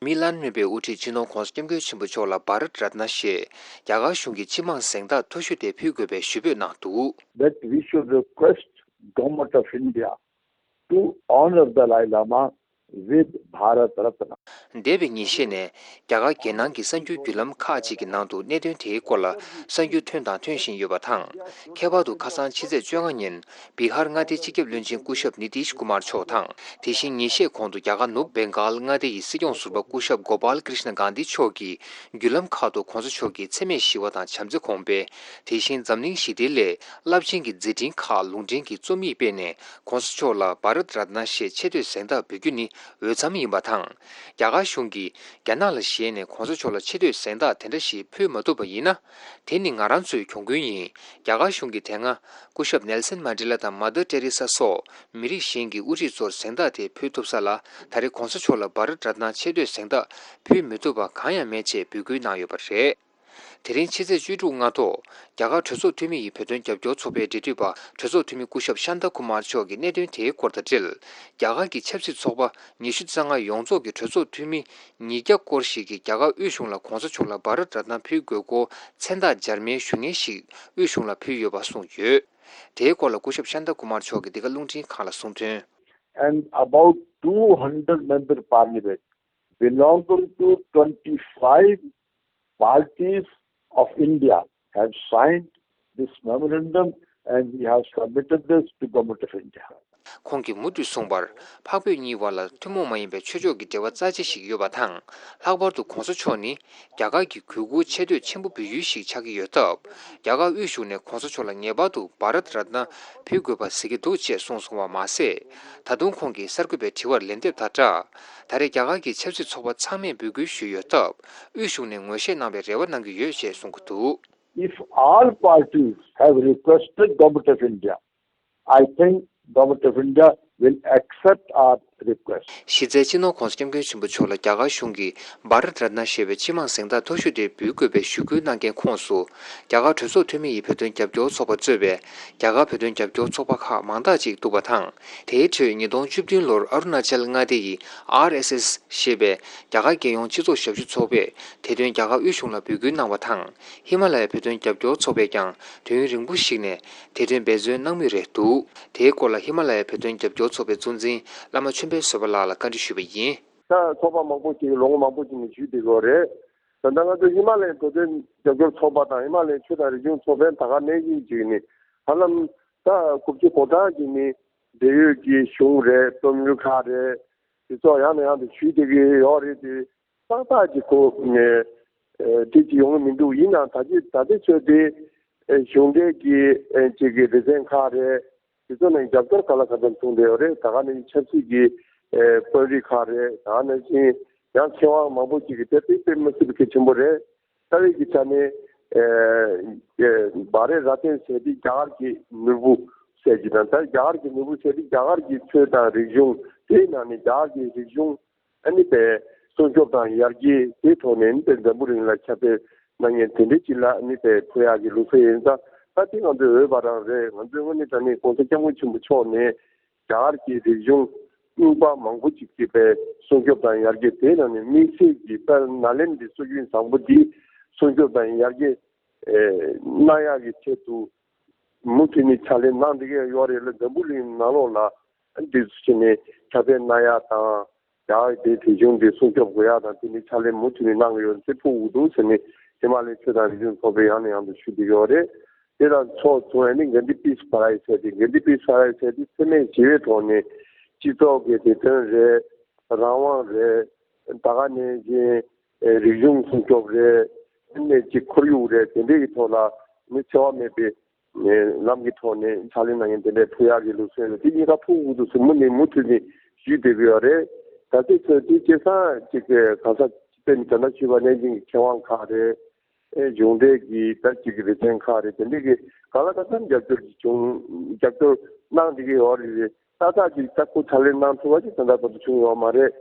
མི་བླ་ན་མེད་པའི་དབུ་ཁྲིད་སྤྱི་ནོར་༧གོང་ས་༧སྐྱབས་མགོན་ཆེན་པོ་མཆོག་ལ་བྷ་རཏ་རཏྣ་ཞེས་རྒྱ་གར་གཞུང་གི་སྤྱི་དམངས་གཟེངས་རྟགས་མཐོ་ཤོས་དེ་ཕུལ་དགོས་པའི་ཞུ་འབོད་གནང་འདུག། That we should request Government of India to honor the Dalai Lama with Bharat Ratna. འདས་པའི་ཉིན་ཤས་ནས་རྒྱ་གར་རྒྱལ་ནང་གི་གསར་འགྱུར་བརྒྱུད་ལམ་ཁག་ཅིག་གི་ནང་དུ་གནད་དོན་དེའི་སྐོར་ལ་གསར་འགྱུར་ཐོན་དང་ཐོན་བཞིན་ཡོད་པ་དང་། ཁྱད་པར་དུ་ཁ་སང་ཕྱི་ཚེས་བཅོ་ལྔ་ཉིན་བི་ཧར་མངའ་སྡེའི་སྤྱི་ཁྱབ་བློན་ཆེན་སྐུ་ཞབས་ནི་ཏིཤ་ཀུ་མར་མཆོག་དང་། དེ་བཞིན་ཉིན་ཤས་གོང་དུ་རྒྱ་གར་ནུབ་བེང་གཱལ་མངའ་སྡེ་ཡི་སྲིད་སྐྱོང་ཟུར་པ་སྐུ་ཞབས་གོ་པཱལ་ཀྲིཤ་ན་གྷན་དྷི་མཆོག་གིས་བརྒྱུད་ལམ་ཁག་ཏུ་༧གོང་ས་མཆོག་གི་འཚེ་མེད་ཞི་བ་དང་བྱམས་བརྩེ་གོང་སྤེལ། དེ་བཞིན་འཛམ་གླིང་ཞི་བདེའི་སླད་རླབས་ཆེན་གྱི་མཛད་འཕྲིན་ཁག་ལུང་འདྲེན་གྱི་རྩོམ་ཡིག་སྤེལ་ནས། ༧གོང་ས་མཆོག་ལ་བྷ་རཏ་རཏྣ་ཞེས་ཆེ་བསྟོད་གཟེངས་རྟགས་འབུལ་རྒྱུ་ནི་འོས་འཚམ་ཡིན་པ་དང་། རྒྱ་གར་གཞུང་གིས་རྒྱ་ནག་ལ་ཞེད་ནས་༧གོང་ས་མཆོག་ལ་ཆེ་བསྟོད་གཟེངས་རྟགས་དེ་འདྲ་ཞིག་ཕུལ་མ་ཐུབ་པ་ཡིན་ན། དེ་ནི་ང་རང་ཚོའི་གྱོང་གུན་ཡིན། རྒྱ་གར་གཞུང་གིས་དེ་སྔ་སྐུ་ཞབས་ནེལ་སན་མན་ཌེ་ལ་དང་མ་དར་ཏེ་རེ་ས་སོགས་མི་རིགས་གཞན་གྱི་དབུ་ཁྲིད་ཚོར་གཟེངས་རྟགས་དེ་ཕུལ་ཐུབ་ས་ལ། ད་རེས་༧གོང་ས་མཆོག་ལ་བྷ་རཏ་རཏྣ་ཆེ་བསྟོད་གཟེངས་རྟགས་ཕུལ་མི་ཐུབ་པ་གང་ཡང་མེད་ཅེས་འབོད་སྐུལ་གནང་ཡོད་པ་རེད། དེ་རིང་ཕྱི་ཚེས་བཅུ་དྲུག་སྔ་དྲོ། རྒྱ་གར་གྲོས་ཚོགས་འཐུས་མི་ཡི་བོད་དོན་རྒྱབ་སྐྱོར་ཚོགས་པའི་འབྲེལ་མཐུད་པ་གྲོས་ཚོགས་འཐུས་མི་སྐུ་ཞབས་ཤཱན་ཏཱ་ཀུ་མར་མཆོག་གིས་གནད་དོན་དེའི་སྐོར་དང་འབྲེལ། རྒྱ་གར་གྱི་ཆབ་སྲིད་ཚོགས་པ་ཉི་ཤུ་རྩ་ལྔ་ཡོངས་རྫོགས་ཀྱི་གྲོས་ཚོགས་འཐུས་མི་ཉིས་བརྒྱ་སྐོར་ཞིག་གིས་རྒྱ་གར་དབུས་གཞུང་ལ་གོང་ས་མཆོག་ལ་བྷ་རད་རཏ་ན་ཕུལ་དགོས་སྐོར་མཚན་རྟགས་འབྱར་མའི་ཞུ་སྙན་ཞིག་དབུས་གཞུང་ལ་ཕུལ་ཡོད་པ་གསུངས་ཡོད། དེའི་སྐོར་ལ་སྐུ་ཞབས་ཤཱན་ཏཱ་ཀུ་མར་མཆོག་གིས་འདི་ག་རླུང་འཕྲིན་ཁང་ལ་གསུངས་དོན། And about two hundred member parliament belonging to twenty-five parties of India have signed this memorandum and we have submitted this to Government of India. ཁོང་གིས་མུ་མཐུད་གསུངས་པར། འཕགས་བོད་གཉིས་བར་ལ་ཐུན་མོང་མ་ཡིན་པའི་ཆོས་ཕྱོགས་ཀྱི་འབྲེལ་བ་རྩ་ཆེ་ཞིག་ཡོད་པ་དང་། ལྷག་པར་དུ་གོང་ས་མཆོག་ནི་རྒྱ་གར་གྱི་གུས་བཀུར་ཆེ་བསྟོད་ཆེན་པོ་འབུལ་ཡུལ་ཞིག་ཆགས་ཀྱི་ཡོད་སྟབས། རྒྱ་གར་དབུས་གཞུང་ནས་གོང་ས་མཆོག་ལ་ངེས་པར་དུ་བྷ་རད་རཏ་ན་ཕུལ་དགོས་པ་གཟིགས་ཀྱི་འདུག་ཅེས་གསུངས་སོང་བ་མ་ཟད། ད་དུང་ཁོང་གིས་གསར་འགོད་པའི་དྲི་བར་ལན་འདེབས་དང་སྦྲགས། ད་རེས་རྒྱ་གར་གྱི་ཆབ་སྲིད་ཚོགས་པ་ཚང་མས་འབོད་སྐུལ་ཞུས་ཡོད་སྟབས། དབུས་གཞུང་ནས་ངོས་བཞེས་གནང་བའི་རེ་བ་གནང་གི་ཡོད་ཅེས་གསུང་གི་འདུག། If all parties have requested Government of India, I think Government of India will accept our request. གཞི་རྩའི་སྤྱི་ནོར་༸གོང་ས་༸སྐྱབས་མགོན་ཆེན་པོ་མཆོག་ལ་རྒྱ་གར་གཞུང་གིས་བྷ་རད་རཏ་ན་ཞེས་པའི་སྤྱི་དམངས་གཟེངས་རྟགས་མཐོ་ཤོས་དེ་འབུལ་དགོས་པའི་ཞུ་སྐུལ་གནང་མཁན་ཁོངས་སུ། རྒྱ་གར་གྲོས་ཚོགས་འཐུས་མི་ཡི་བོད་དོན་རྒྱབ་སྐྱོར་ཚོགས་པ་གཙོས་པའི་རྒྱ་གར་བོད་དོན་རྒྱབ་སྐྱོར་ཚོགས་པ་ཁག་མང་དག་ཅིག་འདུག་པ་དང་། དེའི་ཁྲོད་ཉིས་སྟོང་བཅུ་བདུན་ལོར་ཨ་རུ་ན་ཅལ་མངའ་སྡེ་ཡི་ཨར་ཨེས་ཨེས་ཞེས་པའི་རྒྱ་གར་རྒྱལ་ཡོངས་སྤྱི་ཚོགས་ཞབས་ཞུ་ཚོགས་པས་དེ་དོན་རྒྱ་གར་དབུས་གཞུང་ལ་འབོད་སྐུལ་གནང་བ་དང་། ཧི་མ་ལ་ཡའི་བོད་དོན་རྒྱབ་སྐྱོར་ཚོགས་པས་ཀྱང་དུས་ཡུན་རིང་པོ་ཞིག་ནས་དེ་དོན་འབད་བརྩོན་གནང་མུས་རེད་འདུག། དེའི་སྐོར་ལ་ཧི་མ་ལ་ཡའི་བོད་དོན་རྒྱབ་སྐྱོར་ཚོགས་པའི་གཙོ་འཛིན་བླ་མ་ཆོས་འཕེལ་བཟོད་པ་ལགས་ལ་བཀའ་འདྲི་ཞུས་པ་ཡིན། ད་ཚོགས་པ་མང་པོ་ཞིག་ལོ་ངོ་མང་པོ་ཞིག་ནས་ཞུས་བསྡད་ཡོད་རེད། ད་ལྟ་ང་ཚོ་ཧི་མ་ལ་ཡའི་བོད་དོན་རྒྱབ་སྐྱོར་ཚོགས་པ་དང་ཧི་མ་ལ་ཡའི་ཆོས་དང་རིག་གཞུང་ཚོགས་པའི་ད་ག་ནང་བཞིན་ཅིག་ནི་ཧ་ལམ་ད་དགུ་བཅུ་གོ་གྲངས་ཀྱི་ནི་འབྲེལ་ཡོད་ཀྱི་གཞུང་རེད། རྩོམ་རིག་ཁག་རེད། དེ་ཚོ་ཡང་ནས་ཡང་དུ་ཞུས་བསྡད་ཀྱི་ཡོད་རེད་དེ། ཏག་ཏག་ཅིག་གོ་ནས་ཨེ་དེ་ཅིག་ཡོང་གི་མི་འདུག། ཡིན་ནའང་ད་ཅི་ད་ལྟའི་ཆོས་དེ་ཨེ་གཞུང་འབྲེལ་གྱི་ཨེ་ཅིག་གི་སྡེ་ཚན་ཁག་རེད། དེ་ཚོ་ནས་རྒྱབ་སྐྱོར་ག་ལ་ག་ཚོད་བྱུང་བསྡད་ཡོད་རེད། ད་ག་ནས་ཆབ་སྲིད་ཀྱི་ཨེ་དཔོན་རིགས་ཁག་རེད། ད་ག་ནང་བཞིན་ཡང་མཁས་དབང་མང་པོ་ཅིག་གིས་དེ་དཔེ་དཔེ་མི་སྲིད་པའི་གལ་ཆེན་པོ་རེད། རྩ་བའི་གི་ཆ་ནས་ཨེ་ཨེ་བྷ་རེ་ར་ཏན་ཟེར་དེ་རྒྱ་གར་གྱི་ནོར་བུ་ཟེར་གྱི་དང་། ད་རྒྱ་གར་གྱི་ནོར་བུ་ཟེར་དེ་རྒྱ་གར་གྱི་ཆོས་དང་རིག་གཞུང་། དེའི་ནང་ནས་རྒྱ་གར་གྱི་རིག་གཞུང་ཨ་ནི་པའི་སྲུང་སྐྱོབ་དང་ཡར་རྒྱས་དེའི་ཐོག་ནས་ཨ་ནི་པའི་འཛམ་བུ་གླིང་ལ་ཁྱབ་སྤེལ་གནང་མཁན་དེ་འདྲའི་ཅིག་ལ་ཨ་ནི་པའི་ཕུལ་ཡག་གི་ལུགས་སྲོལ་ཡིན་ཙང་། ད་དེ་ང་ཚོའི་འོས་འབབ་རང་རེད། ང་ཚོའི་དངོས་གནས་དྲང་གནས་༸གོང་ས་༸སྐྱབས་མགོན་ཆེན་པོ་མཆོག་ནས་རྒྱ་གར་གྱི་རིག་གཞུང་རྙིང་པ་མང་པོ་ཅིག་གི་པའི་སྲུང་སྐྱོབ་དང་ཡར་རྒྱས། དེའི་ནང་ནས་དམིགས་བསལ་གྱི་དཔལ་ནཱ་ལེནྡྲའི་སྲོལ་རྒྱུན་བཟང་པོ་འདི་སྲུང་སྐྱོབ་དང་ཡར་རྒྱས་ཨེ་གནང་ཡག་གི་ཆེད་དུ། མུ་མཐུད་ནས་ཕྱག་ལས་གནང་བསྡད་ཀྱི་ཡོད་རེད་ལ། འཛམ་བུ་གླིང་ནང་ལོགས་ལ་འདི་ཚོ་བྱས་ནས་ཁྱབ་སྤེལ་གནང་ཡག་དང་། རྒྱ་གར་དེའི་རིག་གཞུང་འདི་སྲུང་སྐྱོབ་དགོས་ཡག་དང་། དེ་ནི་ཕྱག་ལས་མུ་མཐུད་ནས་གནང་གི་ཡོད་ཚུལ་ཕུལ་དགོས་འདུག་ཟེར་ནས་ཧི་མ་ལའི་ཆོས་དང་རིག་གཞུང་ཚོགས་པས་ཡང་ནས་ཡང་དུ་ཞུ་བསྡད་ཡོད་རེད། དེ་དང་ཕྱོགས་མཚུངས་ནི་གྷན་དྷི་པིས་པ་ར་ཡི་ཟེར་ཏེ། གྷན་དྷི་པིས་པ་ར་ཡི་ཟེར་ཏེ་འཚེ་མེད་ཞི་བའི་ཐོག་ནས་སྤྱི་ཚོགས་ཀྱི་བདེ་དོན་རེད། རང་དབང་རེད། ད་ག་ནང་བཞིན་རིག་གཞུང་སྲུང་སྐྱོབ་རེད། ནས་ཀྱི་ཁོར་ཡུག་རེད། དེ་འདྲའི་གི་ཐོག་ལ་ནི་འཚེ་བ་མེད་པའི་ལམ་གྱི་ཐོག་ནས་ཕྱག་ལས་གནང་མཁན་དེ་འདྲའི་ཕུལ་ཡག་གི་ལུགས་སྲོལ་ཡོད། དེ་གཉིས་ཀ་ཕུལ་དགོས་འདུག་ཟེར་མུ་ནས་མུ་མཐུད་ནས་ཞུས་བསྡད་ཀྱི་ཡོད་རེད། ད་ལྟའི་ཆར་དེ་སྐལ་བཟང་ཅིག་གི་ག་ས་དཔེར་ན་ད་ལྟ་ཞུས་པ་ནང་བཞིན་གྱི་མཁས་དབང་ཁག་རེད། ཨེ་གཞུང་འབྲེལ་གྱི་ད་ཅིག་གི་སྡེ་ཚན་ཁག་རེད། དེ་འདྲའི་གི་གང་ལ་གང་འཚམ་རྒྱབ་སྐྱོར་ཅིག་བྱུང་། རྒྱབ་སྐྱོར་གནང་བསྡད་ཀྱི་ཡོད་རེད། ཏག་ཏག་ཅིག་ད་ཁོ་ཕྱག་ལས་གནང་ཐུབ་པ་ཅིག་ད་ལྟ་བར་དུ་བྱུང་ཡོད་མ་རེད།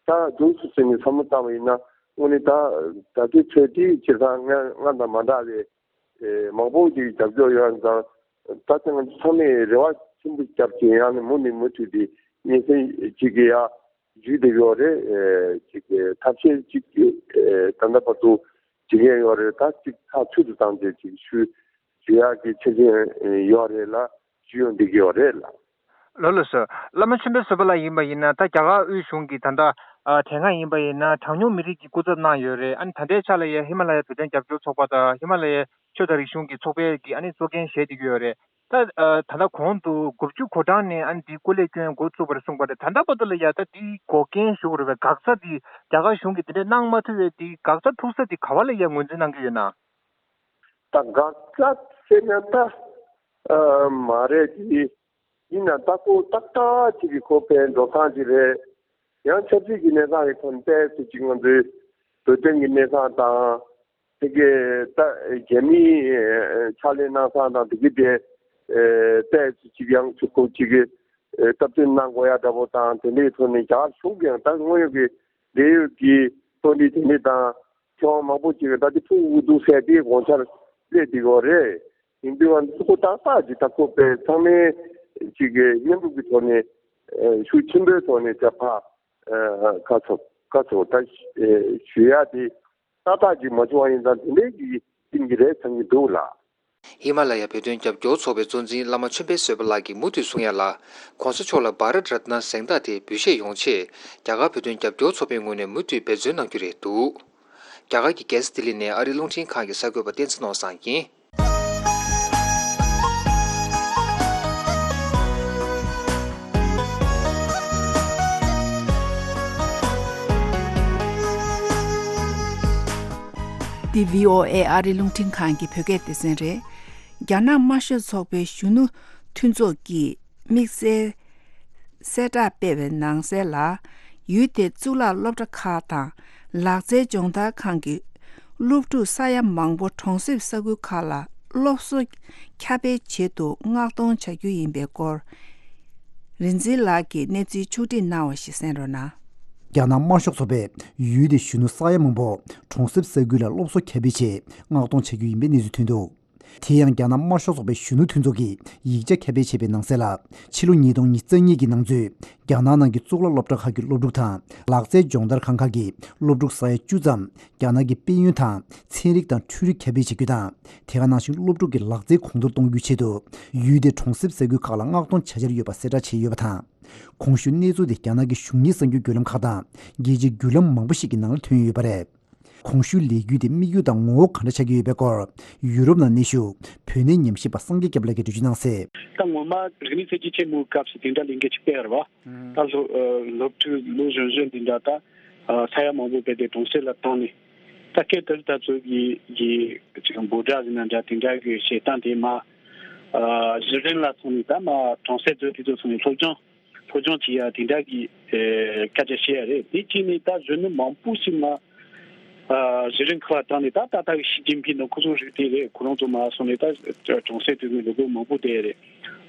ད་འདུག་སེ་བྱས་ནས་བསམ་བློ་བཏང་བ་ཡིན་ན། དངོས་གནས་ད་ད་ལྟའི་ཆོས་དེ་སྤྱིར་བཏང་སྔ་སྔ་དང་མ་འདྲ་བའི་ཨེ་མང་པོ་ཅིག་རྒྱབ་སྐྱོར་ཡོད་ཙང་། ད་ལྟ་ང་ཚོ་ཚང་མས་རེ་བ་ཆེན་པོ་བརྒྱབ་ཀྱིན་ཡང་ནས་མུ་ནས་མུ་མཐུད་དེ་སྙན་སེང་ཅིག་གི་ཡ་ཞུས་བསྡད་ཡོད་རེད། ཨེ་ཅིག་གི་ཐབས་ཤེས་ཅིག་ཨེ་ད་ལྟ་བར་དུ་བྱེད་མཁན་ཡོད་རེད། ད་ཅིག་ཐག་ཆོད་དུ་བཏང་བྱས་ཅིག་ཞུ་ཞུ་ཡག་གི་ཆ་རྐྱེན་ཡོད་རེད་ལ། ཞུ་ཡོང་བསྡད་ཀྱི་ཡོད་རེད་ལ། ལགས་ལགས་སོ། བླ་མ་ཆོས་འཕེལ་བཟོད་པ་ལགས་ཡིན་པ་ཡིན་ན། ད་རྒྱ་གར་དབུས་གཞུང་གིས་ད་ལྟ་ཨ་དེ་སྔ་ཡིན་པ་ཡིན་ན་གྲངས་ཉུང་མི་རིགས་ཀྱི་སྐུ་ཚབ་གནང་ཡོད་རེད། ཨ་ནི་ད་ལྟའི་ཆ་ལ་ཡ་ཧི་མ་ལ་ཡའི་བོད་དོན་རྒྱབ་སྐྱོར་ཚོགས་པ་དང་ཧི་མ་ལ་ཡའི་ཆོས་དང་རིག་གཞུང་གི་ཚོགས་པའི་གི་ཨ་ནི་གཙོ་འགན་བཞེས་བསྡད་ཀྱི་ཡོད་རེད། ད་ཨ་ད་ལྟ་གོང་དུ་དགུ་བཅུ་གོ་གྲངས་ནས་ཨ་ནི་འདི་སྐུ་ལས་བསྐྱོན་འགོ་བཙུགས་པ་རེད་གསུངས་པ་རེད། ད་ལྟ་བར་དུ་ལ་ཡ་ད་འདི་འགོག་རྐྱེན་ཞུ་དགོས་རེད་པས། འགག་རྩ་འདི་རྒྱ་གར་གཞུང་གིས་འདི་འདྲ་གནང་མ་ཐུབ་པའི་འདི་འགག་རྩ་འཁྲུག་ས་འདི་ག་བ་ལ་ཡ་ངོས་འཛིན་གནང་གི་ཡོད་ན། ད་འགག་རྩ་ཟེར་ན་ད་ཨ་མ་རེད་དེ། ཡིན་ན་ད་ཁོ་ཏག་ཏག་ཅིག་གི་ཁོ་ཕན་འགྲོ་སྟངས་ཅིག་རེད། ཡང་ཆབ་སྲིད་ཀྱི་གནས་སྟངས་ཀྱི་ཐོག་ནས་ཏོག་ཙམ་ཅིག་ང་ཚོའི་བོད་དོན་གྱི་གནས་སྟངས་དང་། དེ་གའི་ད་རྒྱ་མིའི་ཕྱག་ལས་གནང་སྟངས་དང་དེ་གའི་དེ་ཏོག་ཙམ་ཅིག་ཡང་ཅིག་ཁོ་ཅིག་གི་སྟབས་བསྟུན་གནང་དགོས་ཡ་འདྲ་པོ་དང་། དེ་འདྲའི་ཐོག་ནས་རྒྱ་གར་གཞུང་གིས་ཡང་ད་དངོས་ཡོད་ཀྱི་འབྲེལ་ཡོད་ཀྱི་དཔོན་རིགས་དེ་འདྲ་དང་། ཁྱོད་མང་པོ་ཅིག་གིས་ད་དེ་ཕུག་འུ་འདུག་ཟེར་དེ་དགོངས་འཆར་སླེབས་བསྡད་ཡོད་རེད། ཡིན་དུས་ང་ཚོ་ཏག་ཏག་ཅིག་ད་ཁོ་པའི་ཚང་མས་ཅིག་གི་མཉམ་རུབ་ཀྱི་ཐོག་ནས་ཤུགས་ཆེན་པོའི་ཐོག་ནས་ད་ཕ་ཁ་ཚོ་ཁ་ཚོ་ད་ཞུ་ཡ་དེ་ཏག་ཏག་ཅིག་མ་བྱུང་བ་ཡིན་ཙང་དེ་འདྲའི་གི་ཡིན་གྱི་རེད་བསམ་གྱི་འདུག་ལགས། ཧི་མ་ལ་ཡ་བོད་དོན་རྒྱབ་སྐྱོར་ཚོགས་པའི་གཙོ་འཛིན་བླ་མ་ཆོས་འཕེལ་བཟོད་པ་ལགས་ཀྱིས་མུ་མཐུད་གསུང་ཡ་ལ། ༸གོང་ས་མཆོག་ལ་བྷ་རཏ་རཏ་ན་གཟེངས་རྟགས་དེ་འབུལ་བཞེས་ཡོང་ཆེད་རྒྱ་གར་བོད་དོན་རྒྱབ་སྐྱོར་ཚོགས་པའི་ངོས་ནས་མུ་མཐུད་འབད་བརྩོན་གནང་རྒྱུ་རེད་འདུག། རྒྱ་གར་གྱི་རྒྱལ་ས་ལྡི་ལི་ནས་ཨ་རིའི་རླུང་འཕྲིན་ཁང་གི་གསར་འགོད་པ་བསྟན་འཛིན་ནོར་བཟང་ཡིན། འདི་བྷི་ཨོ་ཨེ་ཨ་རིའི་རླུང་འཕྲིན་ཁང་གི་བོད་སྐད་སྡེ་ཚན་རེད། རྒྱ་ནག་དམར་ཤོག་ཚོགས་པའི་གཞོན་ནུ་མཐུན་ཚོགས་ཀྱིས་དམིགས་བསལ་གསལ་བསྒྲགས་སྤེལ་བའི་ནང་གསལ་ལ། ཡུལ་དེའི་གཙུག་ལག་སློབ་གྲྭ་ཁག་དང་། ལག་རྩལ་སྦྱོང་བརྡར་ཁང་གི་སློབ་ཕྲུག་ས་ཡ་མང་པོ་གྲོང་གསེབ་ས་ཁུལ་ཁག་ལ་སློབ་གསོ་ཁྱབ་སྤེལ་ཆེད་དུ་མངགས་གཏོང་བྱ་རྒྱུ་ཡིན་པའི་སྐོར། རིག་འཛིན་ལགས་ཀྱིས་གནས་ཚུལ་ཕྱོགས་སྒྲིག་གནང་བ་ཞིག་གསན་རོགས་གནང་། རྒྱ་ནག་དམར་ཤོག་ཚོགས་པས་ཡུལ་དེའི་གཞོན་ནུ་ས་ཡ་མང་པོ་གྲོང་གསེབ་ས་ཁུལ་ལ་སློབ་གསོ་ཁྱབ་སྤེལ་ཆེད་མངགས་གཏོང་བྱ་རྒྱུ་ཡིན་པའི་གནས་ཚུལ་ཐོན་འདུག། དེ་ཡང་རྒྱ་ནག་དམར་ཤོག་ཚོགས་པའི་གཞོན་ནུ་མཐུན་ཚོགས་ཀྱིས་ཡིག་ཆ་ཁྱབ་སྤེལ་བྱས་པའི་ནང་གསལ་ལ། ཕྱི་ལོ་ཉིས་སྟོང་ཉི་ཤུ་རྩ་གཉིས་ཀྱི་ནང་ཚུད་རྒྱ་ནག་ནང་གི་གཙུག་ལག་སློབ་གྲྭ་ཁག་གི་སློབ་ཕྲུག་དང་། ལག་རྩལ་སྦྱོང་བརྡར་ཁང་ཁག་གི་སློབ་ཕྲུག་ས་ཡ་བཅུ་ཙམ་རྒྱ་ནག་གི་དཔལ་ཡོན་དང་ཚན་རིག་དང་འཕྲུལ་རིག་ཁྱབ་སྤེལ་བྱེད་རྒྱུ་དང་། དེ་ག་ནང་བཞིན་སློབ་ཕྲུག་གི་ལག་རྩལ་གོང་མཐོར་གཏོང་རྒྱུའི་ཆེད་དུ། ཡུལ་དེའི་གྲོང་གསེབ་ས་ཁུལ་ཁག་ལ་མངགས་གཏོང་བྱ་འཆར་ཡོད་པ་གསལ་བསྒྲགས་བྱས་ཡོད་པ་དང་། གོང་ཞུས་གནས་ཚུལ་དེ་རྒྱ་ནག་གི་གཞུང་གཉེར་གསར་འགྱུར་བརྒྱུད་ལམ་ཁག་དང་རྒྱལ་སྤྱིའི་བརྒྱུད་ལམ་མང་པོ་ཞིག་གི་ནང་ལ་ཐོན་ཡོད་པ་རེད། གོང་ཞུས་ལས་འགུལ་དེ་དམིགས་ཡུལ་དང་ངོ་བོ་ག་འདྲ་ཆགས་ཀྱི་ཡོད་པའི་སྐོར། ཡུ་རོབ་ནང་གནས་བཞུགས་བོད་གནས་ཉམས་ཞིབ་པ་སངས་རྒྱས་སྐྱབས་ལགས་ཀྱིས་འགྲེལ་བརྗོད་གནང་གསལ། ད་ངོ་མ་རིག་གནས་གསར་བརྗེ་ཆེན་མོའི་སྐབས་སུ་དེ་འདྲ་ལས་འགུལ་ཅིག་སྤེལ་བ་རེད་བ། ད་སློབ་སློབ་ཕྲུག་ལོ་གཞོན་གཞོན་དེ་འདྲ་ད་ས་ཡ་མང་པོ་སྤེལ་ཏེ་གྲོང་གསེབ་ལ་བཏང་ནས། ད་སྐབས་དེར་ད་ཚོ་གི་གི་ཅིག་འབོད་སྒྲ་ཟེར་ན་འདྲ་དེ་འདྲ་གི་བྱེད་སྟངས་དེ་མ་གཞི་རིམ་ལ་སོང་ནས་ད་མ་གྲོང་གསེབ་ཚོ་དེ་ཚོ་སོང་ནས་སློབ་སྦྱོང་སློབ་སྦྱོང་བྱེད་ཡ་དེ་འདྲ་གི་སྐད་ཆ་བཤད་ཡ་རེད། དེ་བྱས་ནས་ད་གཞོན་ནུ་མང་པོ་ཞིག་མ་གཞི་རིམ་ཁག་ལ་བཏང་ནས་ད་ད་ལྟ་གི་ཞི་ཅིན་ཕིང་དང་ཁོ་ཚོ་རིགས་དེ་རེད། ཁོ་རང་ཚོ་མ་སོང་ནས་ད་གྲོང་གསེབ་དེ་ཚོ་ལུག་གུ་མང་པོ་བསྡད་ཡ་རེད།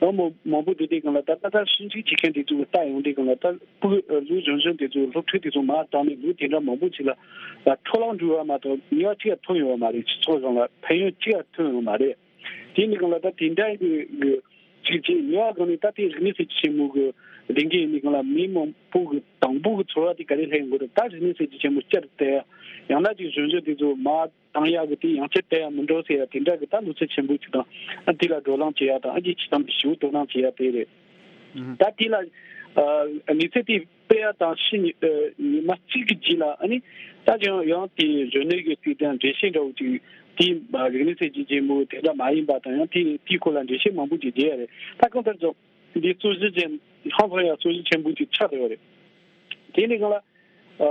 ཨ་མོ་མང་པོ་དེ་དེ་གང་ལ་ད་ལྟ་ད་ཞིབ་འཇུག་བྱེད་མཁན་དེ་ཚོ་ལྟ་ཡོང་དུས་གང་ལ་ད་ཕྲུ་གུ་ལོ་གཞོན་གཞོན་དེ་ཚོ་སློབ་ཕྲུག་དེ་ཚོ་མར་བཏང་ནས་ལོ་དེ་འདྲ་མང་པོ་ཅིག་ལ་ད་འཕྲོ་བརླག་འགྲོ་བ་མ་གཏོགས་ནུས་པ་ཅི་ཡང་ཐོན་ཡོད་མ་རེད། སྤྱི་ཚོགས་རང་ལ་ཕན་ཡོན་ཅི་ཡང་ཐོན་ཡོད་མ་རེད། དེ་ནི་གང་ལ་ད་དེ་འདྲ་གི་ཅིག་ཅིག་ནུས་པ་གང་ནས་ད་དེ་རིག་གནས་གསར་བརྗེ་ཆེན་མོ་གི་ལས་འགན་ཡིན་ནི་གང་ལ་མི་མང་པོ་གི་དང་པོ་གི་ཚོར་བ་དེ་ག་རེ་སླེབས་ཡོང་གི་རེད། ད་རིག་གནས་གསར་བརྗེ་ཆེན་མོ་བསྐྱར་དུ་ཡང་ན་ཅིག་གཞོན་གཞོན་དེ་ཚོ་མར་བཏང་ཡག་གི་དེ་ཡང་བསྐྱར་བལྟ་ཡག་མི་འགྲོ་ཟེར་ཡ་དེ་འདྲ་གི་ད་ལོ་ཚད་ཆེན་པོ་ཅིག་དང་ཨ་དེ་ལ་བགྲོ་གླེང་བྱེད་ཡ་དང་ཨ་ཅེ་ཅི་ཙམ་གྱི་ཞིབ་དོ་སྣང་བྱེད་ཡ་དེ་རེད། ད་དེ་ལ་ཨ་གནས་ཚུལ་དེ་སྤེལ་ཡ་དང་ཕྱི་ཉི་ཨ་ཉི་མ་གཅིག་གི་རྗེས་ལ་ཨ་ནི་ད་ཀྱང་ཡང་དེ་གཞོན་ནུ་གི་དེ་དང་འགྲེལ་བཤད་འདྲ་བོ་ཅིག་དེ་རིག་གནས་གསར་བརྗེ་ཆེན་མོ་དེ་འདྲ་མ་ཡིན་པ་དང་ཡང་དེ་དེའི་སྐོར་ལ་འགྲེལ་བཤད་མང་པོ་ཅིག་བརྒྱབ་ཡ་རེད། ད་གང་ལྟར་ཀྱང་འདི་རྩོད་གཞི་ཅན་ཧང་སང་ཡ་རྩོད་གཞི་ཆེན་པོ་ཅིག་ཆགས་བསྡད་ཡོད་རེད། དེ་ནི་གང་ལ། ཨ་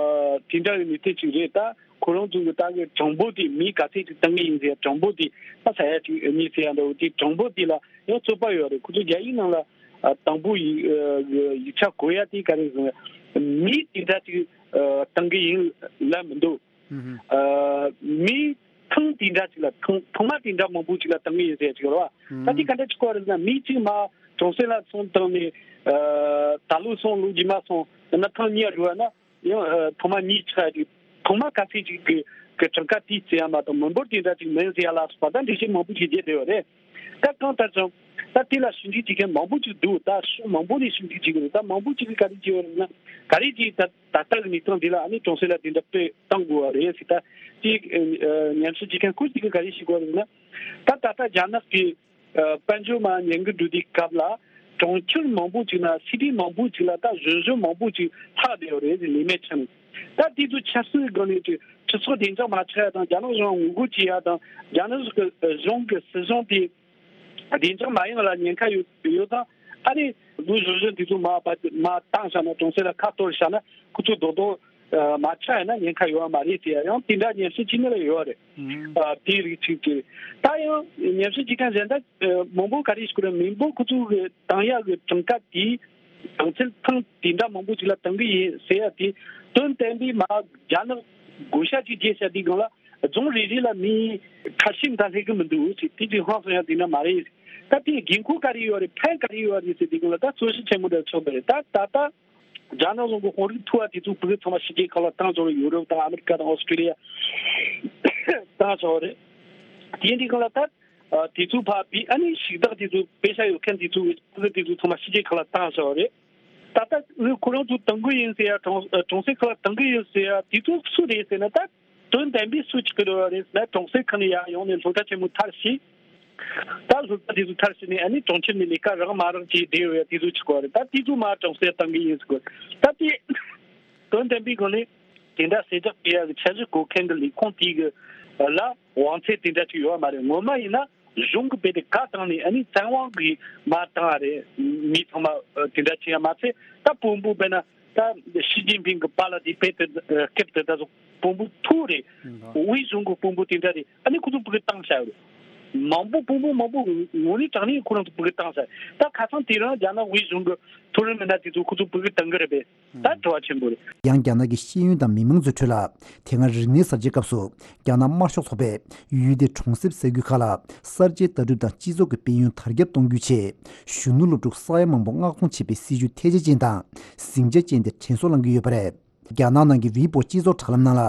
དེ་འདྲ་གི་མི་ཚེ་ཅིག་རེད། ད་ཁོ་རང་ཚོ་གི་ད་གི་གྲངས་འབོར་དེ་མི་ག་ཚད་ཅིག་བཏང་གི་ཡིན་ཟེར་ཡ་གྲངས་འབོར་དེ་ད་ས་ཡ་གཅིག་གཉིས་ཟེར་ཡ་འདྲ་བོ་དེ་གྲངས་འབོར་དེ་ལ་ཡང་རྩོད་པ་ཡོད་རེད། ཁོ་ཚོ་རྒྱ་ཡིག་ནང་ལ་ཨ་དང་པོ་ཡིག་ཨ་ཡིག་ཆ་གོ་ཡ་དེ་ག་རེ་ཟེར་ན་མི་དེ་འདྲ་ཅིག་ཨ་བཏང་གི་ཡིན་ལབ་མི་འདུག། ཨ་མི་ཐེངས་དེ་འདྲ་ཅིག་ལ་ཐེངས་ཐེངས་མ་དེ་འདྲ་མང་པོ་ཅིག་ལ་བཏང་གི་ཡིན་ཟེར་ཡ་ཅིག་ཡོད་རེད་བ། ད་དེ་ག་འདྲ་ཅིག་གོ་རེད་ཟེར་ན་མི་གཅིག་མ་གྲོང་གསེབ་ལ་སོང་བཏང་ནས་ཨ་ད་ལོ་སོང་ལོ་རྗེས་མ་སོང་ཡང་ན་ཐེངས་གཉིས་འགྲོ་བ་ན། ཡང་ཨ་ཐོག་མ་གཉིས་ཆགས་ཀྱི་ཐོག་མ་ག་ཚད་ཅིག་གི་གི་གྲངས་ཀ་དེ་བརྩི་ཡ་མ་གཏོགས་མི་འབོར་དེ་འདྲ་ཅིག་མིན་ཟེར་ཡ་ལ་སོགས་པ་ད་འགྲེལ་བཤད་མང་པོ་ཞིག་བརྒྱབ་བསྡད་ཡོད་རེད། ད་གང་ལྟར་ཀྱང་ད་དེ་ལ་ཞིབ་འཇུག་བྱེད་མཁན་མང་པོ་ཅིག་འདུག། ད་ཕྱོགས་མང་པོ་ནས་ཞིབ་འཇུག་བྱེད་ཀྱི་རེད། ད་མང་པོ་ཅིག་གིས་ག་རེ་བྱས་ཡོད་རེད་ན་ག་རེ་ཅིག་ད་ད་ལྟ་གི་གནས་སྟངས་འདི་ལ་ཨ་ནི་གྲོང་གསེབ་ལ་དེ་འདྲ་དཔེ་བཏང་དགོས་པ་རེད་ཟེར། ད་དེ་ཨ་ཉམས་ཞིབ་བྱེད་མཁན་ཁོ་ཅིག་གིས་ག་རེ་བཤད་ཀྱི་ཡོད་རེད་ན་ད་ད་ལྟ་རྒྱ་ནག་གི་ཨ་དཔལ་འབྱོར་མར་ཉམས་རྒུད་འགྲོ་དུས་སྐབས་ལ་གྲོང་ཁྱེར་མང་པོ་ཅིག་ན་སི་ཊི་མང་པོ་ཅིག་ལ་ད་གཞོན་གཞོན་མང་པོ་ཅིག་ལྷག་བསྡད་ཡོད་རེད་ཟེར། ལས་མེད་ཆགས་ནས་ད་དེ་ཚོ་ཆབ་སྲིད་སྒང་ནས་ཅིག་སྤྱི་ཚོགས་བདེ་འཇགས་མ་ཆགས་ཡ་དང་རྒྱ་ནག་གཞུང་ངོ་རྒོལ་བྱེད་ཡ་དང་རྒྱ་ནག་གཞུང་གི་སྲིད་གཞུང་དེ་བདེ་འཇགས་མ་ཡིན་པ་ལ་ཉེན་ཁ་ཡོད་ཡོད་ཙང་ཨ་རེ་ལོ་གཞོན་གཞོན་དེ་ཚོ་མར་མར་བཏང་བཞག་ན་གྲོང་གསེབ་ལ་ཁ་གཏོར་བཞག་ན་ཁོ་ཚོ་རྡོག་རྡོག་མ་ཆགས་ཡ་ན་ཉེན་ཁ་ཡོད་པ་མ་རེད་ཟེར་ཡ་ཡང་དེ་འདྲ་ཉམས་ཞིབ་བྱེད་མཁན་ལ་ཡོད་རེད། ཨ་དེའི་རིགས་ཅིག་ཅིག་རེད། ད་ཡང་ཉམས་ཞིབ་བྱེད་མཁན་གཞན་དག་མང་པོ་ག་རེ་ཞིག་གོ་རེད། མི་འབོར་ཁོ་ཚོ་གི་བཏང་ཡག་གི་གྲངས་ཀ་དེ་གྲངས་ཚད་ཐེངས་དེ་འདྲ་མང་པོ་ཅིག་ལ་བཏང་གི་ཡིན་ཟེར་ཡ་དེ་དོན་བསྟན་པའི་མ་རྒྱ་ནག་བགོ་བཤའ་ཅིག་རྒྱས་བྱ་དེའི་སྒང་ལ་རྫོང་རེ་རེ་ལ་མི་ཁ་ཤས་མ་གཏོགས་སླེབས་གི་མི་འདུག་ཟེར། དེ་ཅིག་ཧང་སང་ཡ་དེ་འདྲ་མ་རེད། ད་དེའི་དགོས་མཁོ་ག་རེ་ཡོད་རེད། ཕན་ག་རེ་ཡོད་རེད་ཟེར་དེའི་སྒང་ལ་ད་རྩོད་གཞི་ཆེན་མོ་འདྲ་ཆགས་པ་རེད། ད་ད་ལྟ་ རྒྱ་ནག་གཞུང་གི་དཔོན་རིགས་མཐོ་བ་དེ་ཚོ་ཕྲུ་གུ་ཚང་མ་ཕྱི་རྒྱལ་ཁག་ལ་བཏང་ཆོག་རེད། ཡུ་རོབ་དང་ཨ་མི་རི་ཀ་དང་ཨོ་སི་ཀྲི་ལི་ཡ་བཏང་ཆོག་རེད། དེ་འདྲའི་སྒང་ལ་ད་དེ་ཚོ་ཕར་བུད། ཨ་ནི་ཞིང་བདག་དེ་ཚོ་པེ་ཤ་ཡོད་མཁན་དེ་ཚོ་ཕྲུ་གུ་དེ་ཚོ་ཚང་མ་ཕྱི་རྒྱལ་ཁག་ལ་བཏང་ཆོག་རེད། ད་ལྟ་ཁོ་རང་ཚོ་གཏོང་གི་ཡིན་ཟེར་ཡ། གྲོང་གྲོང་གསེབ་ཁག་ལ་གཏོང་གི་ཡིན་ཟེར་ཡ་དེ་ཚོ་སུ་རེད་ཟེར་ན། ད་དོན་དམ་པའི་སུ་ཆགས་ཀྱི་ཡོད་རེད་ཟེར་ན། གྲོང་གསེབ་ཁག་ནས་ཡར་ཡོང་ནས་སློབ་གྲྭ་ཆེན་མོ་མཐར་ཕྱིན། ད་སློབ་གྲྭ་དེ་ཚོ་མཐར་ཕྱིན་ནས་ཨ་ནི་གྲོང་ཁྱེར་ནས་ལས་ཀ་རག་མ་རག་བྱས་བསྡད་ཡོད་ཡ་དེ་ཚོ་ཆགས་ཀྱི་ཡོད་རེད། ད་དེ་ཚོ་མར་གྲོང་གསེབ་གཏོང་གི་ཡིན་ཟེར་གི། ད་དེ་དོན་དམ་པའི་སྒང་ནས་དེ་འདྲ་གསལ་བསྒྲགས་སྤེལ་ཡ་གི་འཆར་གཞི་བཀོད་མཁན་གྱི་ལས་ཁུངས་དེ་གི་ལ་དབང་ཚད་དེ་འདྲ་ཅིག་ཡོད་མ་རེད། ངོ་མ་ཡིན་ན་གཞུང་གི་དཔེ་དེ་བཀའ་བཏང་ནས་ཨ་ནི་བཙན་དབང་གིས་མར་བཏང་བ་རེད། མི་ཚང་མ་ཨ་དེ་འདྲ་བྱས་ཡ་མ་ཚད། ད་དཔོན་པོ་དཔེར་ན་ད་ཞི་ཅིན་ཕིང་གི་པཱ་ལགས་དེ་དཔེ་དེ་ཨ་སྐབས་དེ་ད་དཔོན་པོ་མཐོ་རེད། ཨང་། དབུས་གཞུང་གི་དཔོན་པོ་དེ་འདྲ་རེད། ཨ་ནི་ཁོ་ཚོ་ཕྲུ་གུ་བཏང་བཞག་ཡོད་རེད། མང་པོ་དཔོན་པོ་མང་པོ་ངོ་ནས་དྲང་ནས་ཁོ་རང་ཚོ་ཕྲུ་གུ་བཏང་བཞག་ད་ཁ་སང་དེ་རིང་རྒྱ་ནག་དབུས་གཞུང་གི་མཐོ་རིམ་མི་སྣ་དེ་ཚོ་ཁོ་ཚོ་ཕྲུ་གུ་བཏང་གི་རེད་པས། ད་དྲི་བ་ཆེན་པོ་རེད། ཡང་རྒྱ་ནག་གི་ཤེས་ཡོན་དང་མི་མང་ཚོའི་ཁྲོད་ལ། དེ་སྔ་རིག་གནས་གསར་བརྗེའི་སྐབས་སུ་རྒྱ་ནག་དམར་ཤོག་ཚོགས་པས་ཡུལ་དེའི་གྲོང་གསེབ་ས་ཁུལ་ཁག་ལ་གསར་བརྗེའི་ལྟ་གྲུབ་དང་སྤྱི་ཚོགས་ཀྱི་དཔལ་ཡོན་དར་ཁྱབ་གཏོང་རྒྱུའི་ཆེད། གཞོན་ནུ་སློབ་ཕྲུག་ས་ཡ་མང་པོ་མངགས་གཏོང་བྱེད་པའི་སྲིད་ཇུས་ཐལ་ཆ་ཅན་དང་ཟིང་ཆ་ཅན་དེ་དྲན་གསོ་བསླང་གི་ཡོད་པ་རེད། རྒྱ་ནག་ནང་གི་ཝི་པོ་སྤྱི་ཚོགས་དྲ་ལམ་ནང་ལ་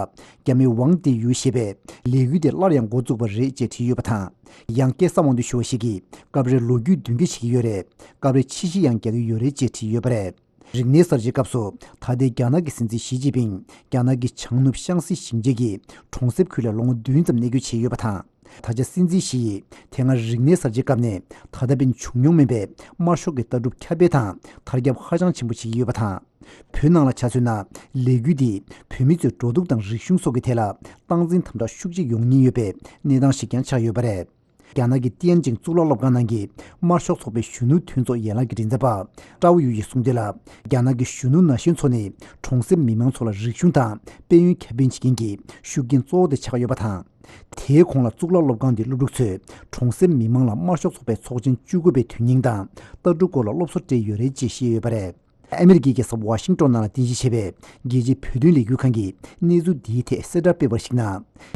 རྒྱ་མི་ཝང་ཏེ་ཡུ་ཞེས་པས་ལས་འགུལ་དེ་སླར་ཡང་འགོ་བཙུགས་པ་རེད་ཅེས་བྲིས་ཡོད་པ་དང་། ཡང་སྐལ་བཟང་དབང་འདུས་ཞུ་བ་ཞིག་གིས་སྐབས་རེ་ལོ་རྒྱུས་བདུན་སྐྱོར་བྱེད་ཀྱི་ཡོད་རེད། སྐབས་རེ་ཕྱི་བཤིག་ཡང་རྒྱག་གི་ཡོད་རེད་ཅེས་བྲིས་ཡོད་པ་རེད། རིག་གནས་གསར་བརྗེའི་སྐབས་སུ་ད་ལྟའི་རྒྱ་ནག་གི་སྲིད་འཛིན་ཞི་ཅིན་ཕིང་རྒྱ་ནག་གི་བྱང་ནུབ་ཤང་སི་ཞིང་ཆེན་གྱི་གྲོང་གསེབ་ཁུལ་ལ་ལོ་ངོ་བདུན་ཙམ་གནས་སྐྱོད་བྱས་ཡོད་པ་དང་། ད་ཆ་སྲིད་འཛིན་ཞི་ཡིས་དེ་སྔ་རིག་གནས་གསར་བརྗེའི་སྐབས་ནས་ད་ལྟ་བར་བྱུང་མྱོང་མེད་པའི་དམར་ཤོག་གི་ལྟ་གྲུབ་ཁྱབ་སྤེལ་དང་དར་ཁྱབ་ཧ་ཅང་ཆེན་པོ་བྱེད་ཀྱི་ཡོད་པ་དང་། བོད་ནང་ལ་ཆ་མཚོན་ན་ལས་འགུལ་འདིས་བོད་མི་ཚོའི་འགྲོ་འདུག་དང་རིག་གཞུང་སོགས་ཀྱི་ཐད་ལ་སྟངས་འཛིན་དམ་དྲག་ཤུགས་ཆེ་ཡོང་ཉེན་ཡོད་པའི་གནས་སྟངས་ཤིག་ཀྱང་ཆགས་ཡོད་པ་རེད། རྒྱ་ནག་གི་ཏིའན་ཅིང་གཙུག་ལག་སློབ་ཁང་ནང་གི་དམར་ཤོག་ཚོགས་པའི་གཞོན་ནུ་མཐུན་ཚོགས་ཡན་ལག་གི་མགྲིན་ཚབ་པ་ཀྲའོ་ཡུ་ཡིས་གསུངས་དོན་ལ། རྒྱ་ནག་གི་གཞོན་ནུ་ན་གཞོན་ཚོ་ནི་གྲོང་གསེབ་མི་མང་ཚོ་ལ་རིག་གཞུང་དང་དཔལ་ཡོན་ཁྱབ་སྤེལ་བྱེད་མཁན་གྱི་ཤུགས་རྐྱེན་གཙོ་བོ་དེ་ཆགས་ཡོད་པ་དང་། དེའི་གོང་ལ་གཙུག་ལག་སློབ་ཁང་འདིའི་སློབ་ཕྲུག་ཚོས་གྲོང་གསེབ་མི་མང་ལ་དམར་ཤོག་ཚོགས་པའི་ཚོགས་ཆེན་བཅུ་དགུ་པའི་དོན་སྙིང་དང་ལྟ་གྲུབ་སྐོར་ལ་སློབ་གསོ་སྤྲད་ཡོད་རེད་ཅེས་བཤད་ཡོད་པ་རེད། ཨ་མི་རི་ཀའི་རྒྱལ་ས་ཝ་ཤིང་ཏོན་ནང་ལ་རྟེན་གཞི་བྱས་པའི་རྒྱལ་སྤྱིའི་བོད་དོན་ལས་འགུལ་ཁང་གིས་གནས་ཚུལ་འདིའི་ཐད་གསལ་བསྒྲགས་སྤེལ་བར་གཞིགས་ན།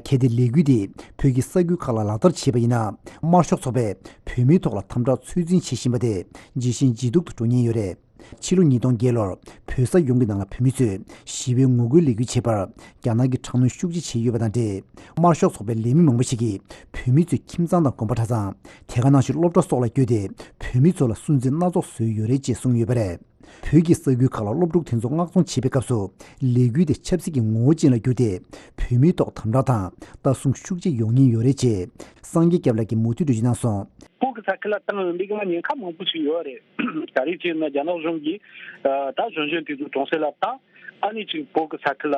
གལ་ཏེ་ལས་འགུལ་འདི་བོད་ཀྱི་ས་ཁུལ་ཁག་ལ་ལག་བསྟར་བྱས་པ་ཡིན་ན། དམར་ཤོག་ཚོགས་པས་བོད་མིའི་ཐོག་ལ་དམ་དྲག་ཚོད་འཛིན་བྱེད་བཞིན་པ་དེ་ཇེ་ཞན་ཇེ་སྡུག་ཏུ་འགྲོ་ཉེན་ཡོད་རེད། ཕྱི་ལོ་ཉིས་སྟོང་བརྒྱད་ལོར་བོད་ས་ཡོངས་ཀྱི་ནང་ལ་བོད་མི་ཚོས་ཞི་བའི་ངོ་རྒོལ་ལས་འགུལ་བྱེད་པར་རྒྱ་ནག་གིས་དྲག་གནོན་ཤུགས་ཆེ་བྱས་ཡོད་པ་དང་འབྲེལ། དམར་ཤོག་ཚོགས་པའི་ལས་མི་མང་པོ་ཞིག་གིས་བོད་མི་ཚོའི་ཁྱིམ་ཚང་དང་དགོན་པ་གྲྭ་ཚང་། དེ་ག་ནང་བཞིན་སློབ་གྲྭ་སོགས་ལ་བསྐྱོད་དེ་བོད་མི་ཚོ་ལ་སུན་གཙེར་སྣ་ཚོགས་བཟོས་ཡོད་རེད་ཅེས་གསུངས་ཡོད་པ་རེད། བོད་ཀྱི་ས་ཁུལ་ཁག་ལ་སློབ་ཕྲུག་དེ་ཚོ་མངགས་གཏོང་བྱེད་པའི་སྐབས་སུ་ལས་འགུལ་དེ་ཆབ་སྲིད་ཀྱི་ངོ་བོ་ཅན་ལ་བསྒྱུར་ཏེ་བོད་མིའི་ཐོག་དམ་དྲག་དང་ལྟ་སྲུང་ཤུགས་ཆེ་ཡོང་ཉེན་ཡོད་རེད་ཅེས་སངས་རྒྱས་སྐྱབས་ལགས་ཀྱིས་མུ་མཐུད་འགྲེལ་བརྗོད་གནང་སོང་། བོད་ཀྱི་ས་ཁུལ་ལ་བཏང་ཡོང་དུས་ཀྱང་ཉེན་ཁ་མང་པོ་ཞིག་ཡོད་རེད། ག་རེ་བྱས་ན་རྒྱ་ནག་གཞུང་གིས་ད་གཞོན་གཞོན་དེ་ཚོ་གྲོང་གསེབ་ལ་བཏང་། ཨ་ནི་ཅིག་བོད་ཀྱི་ས་ཁུལ་ལ་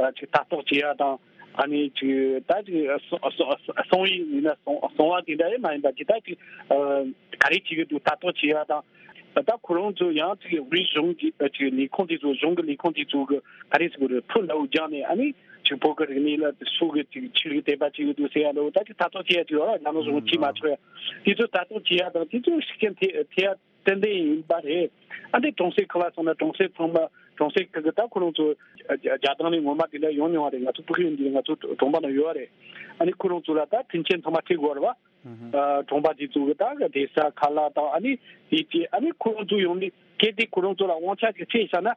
ཨ་ཅིག་ལྟ་རྟོག་བྱེད་ཡ་དང་། ཨ་ནི་ཅིག་ད་ཅིག་སྲུང་སྲུང་སྲུང་བ་ཡིན་ན་སྲུང་སྲུང་བ་དེ་འདྲ་ཡང་མ་ཡིན་པ་ཅིག་ད་ཅིག་ག་རེ་བྱེད་ཀྱི་འདུག་ལྟ་རྟོག་བྱེད་ཡ་དང་། ད་ཁོ་རང་ཚོ་ཡང་ཅིག་དབུས་གཞུང་གི་ཅིག་ལས་ཁུངས་དེ་ཚོ་གཞུང་གི་ལས་ཁུངས་དེ་ཚོ་གི་ག་རེ་ཟེར་དགོས་རེད། ཕུ་ལ་འུ་རྒྱག་ནས་ཨ་ནི་ཅིག་བོད་ཀྱི་རིག་གནས་ལ་སུ་གི་ཅིག་ཕྱི་རིགས་དད་པ་བྱེད་ཀྱི་འདུག་ཟེར་ཡ་འདྲ་བོ་ད་ཅིག་ལྟ་རྟོག་བྱེད་ཡ་ཅིག་ཡོད་ར། རྒྱ་ནག་གཞུང་གིས་བྱེད་མ་ཆོག་ཡ་དེ་ཚོ་ལྟ་རྟོག་བྱེད་ཡ་དང་དེ་ཚོ་ཤུགས་རྐྱེན་ཐེབས་ཐེབས་ཡ་ཏན་ཏན་ཡིན་པ་རེད། ཨ་འདི་གྲོང་གསེབ་ཁག་ལ་སོང་ན་གྲོང་གསེབ་ཚང་མ་གྲོང་གསེབ་ཁག་གི་ད་ཁོ་རང་ཚོ་རྒྱ་རྒྱ་ཐང་ནས་ངོ་མ་དེ་འདྲ་ཡོང་མྱོང་བ་རེད། ང་ཚོ་ཕྲུ་གུ་ཡོད་དུས་ང་ཚོ་གྲོང་པ་ན་ཡོད་རེད། ཨ་ནི་ཁོ་རང་ཚོ་ལ་ད་མཐུན་རྐྱེན་ཚང་མ་སྤྲད་དགོས་རེད་བ། ཨ་གྲོང་པ་དེ་ཚོ་གི་ད་གི་བསྡད་ས་ཁ་ལག་དང་ཨ་ནི་དེ་བྱས། ཨ་ནི་ཁོ་རང་ཚོ་ཡོང་ནས་གལ་ཏེ་ཁོ་རང་ཚོ་ལ་དབང་ཆ་ཅིག་སྤྲད་བཞག་ན།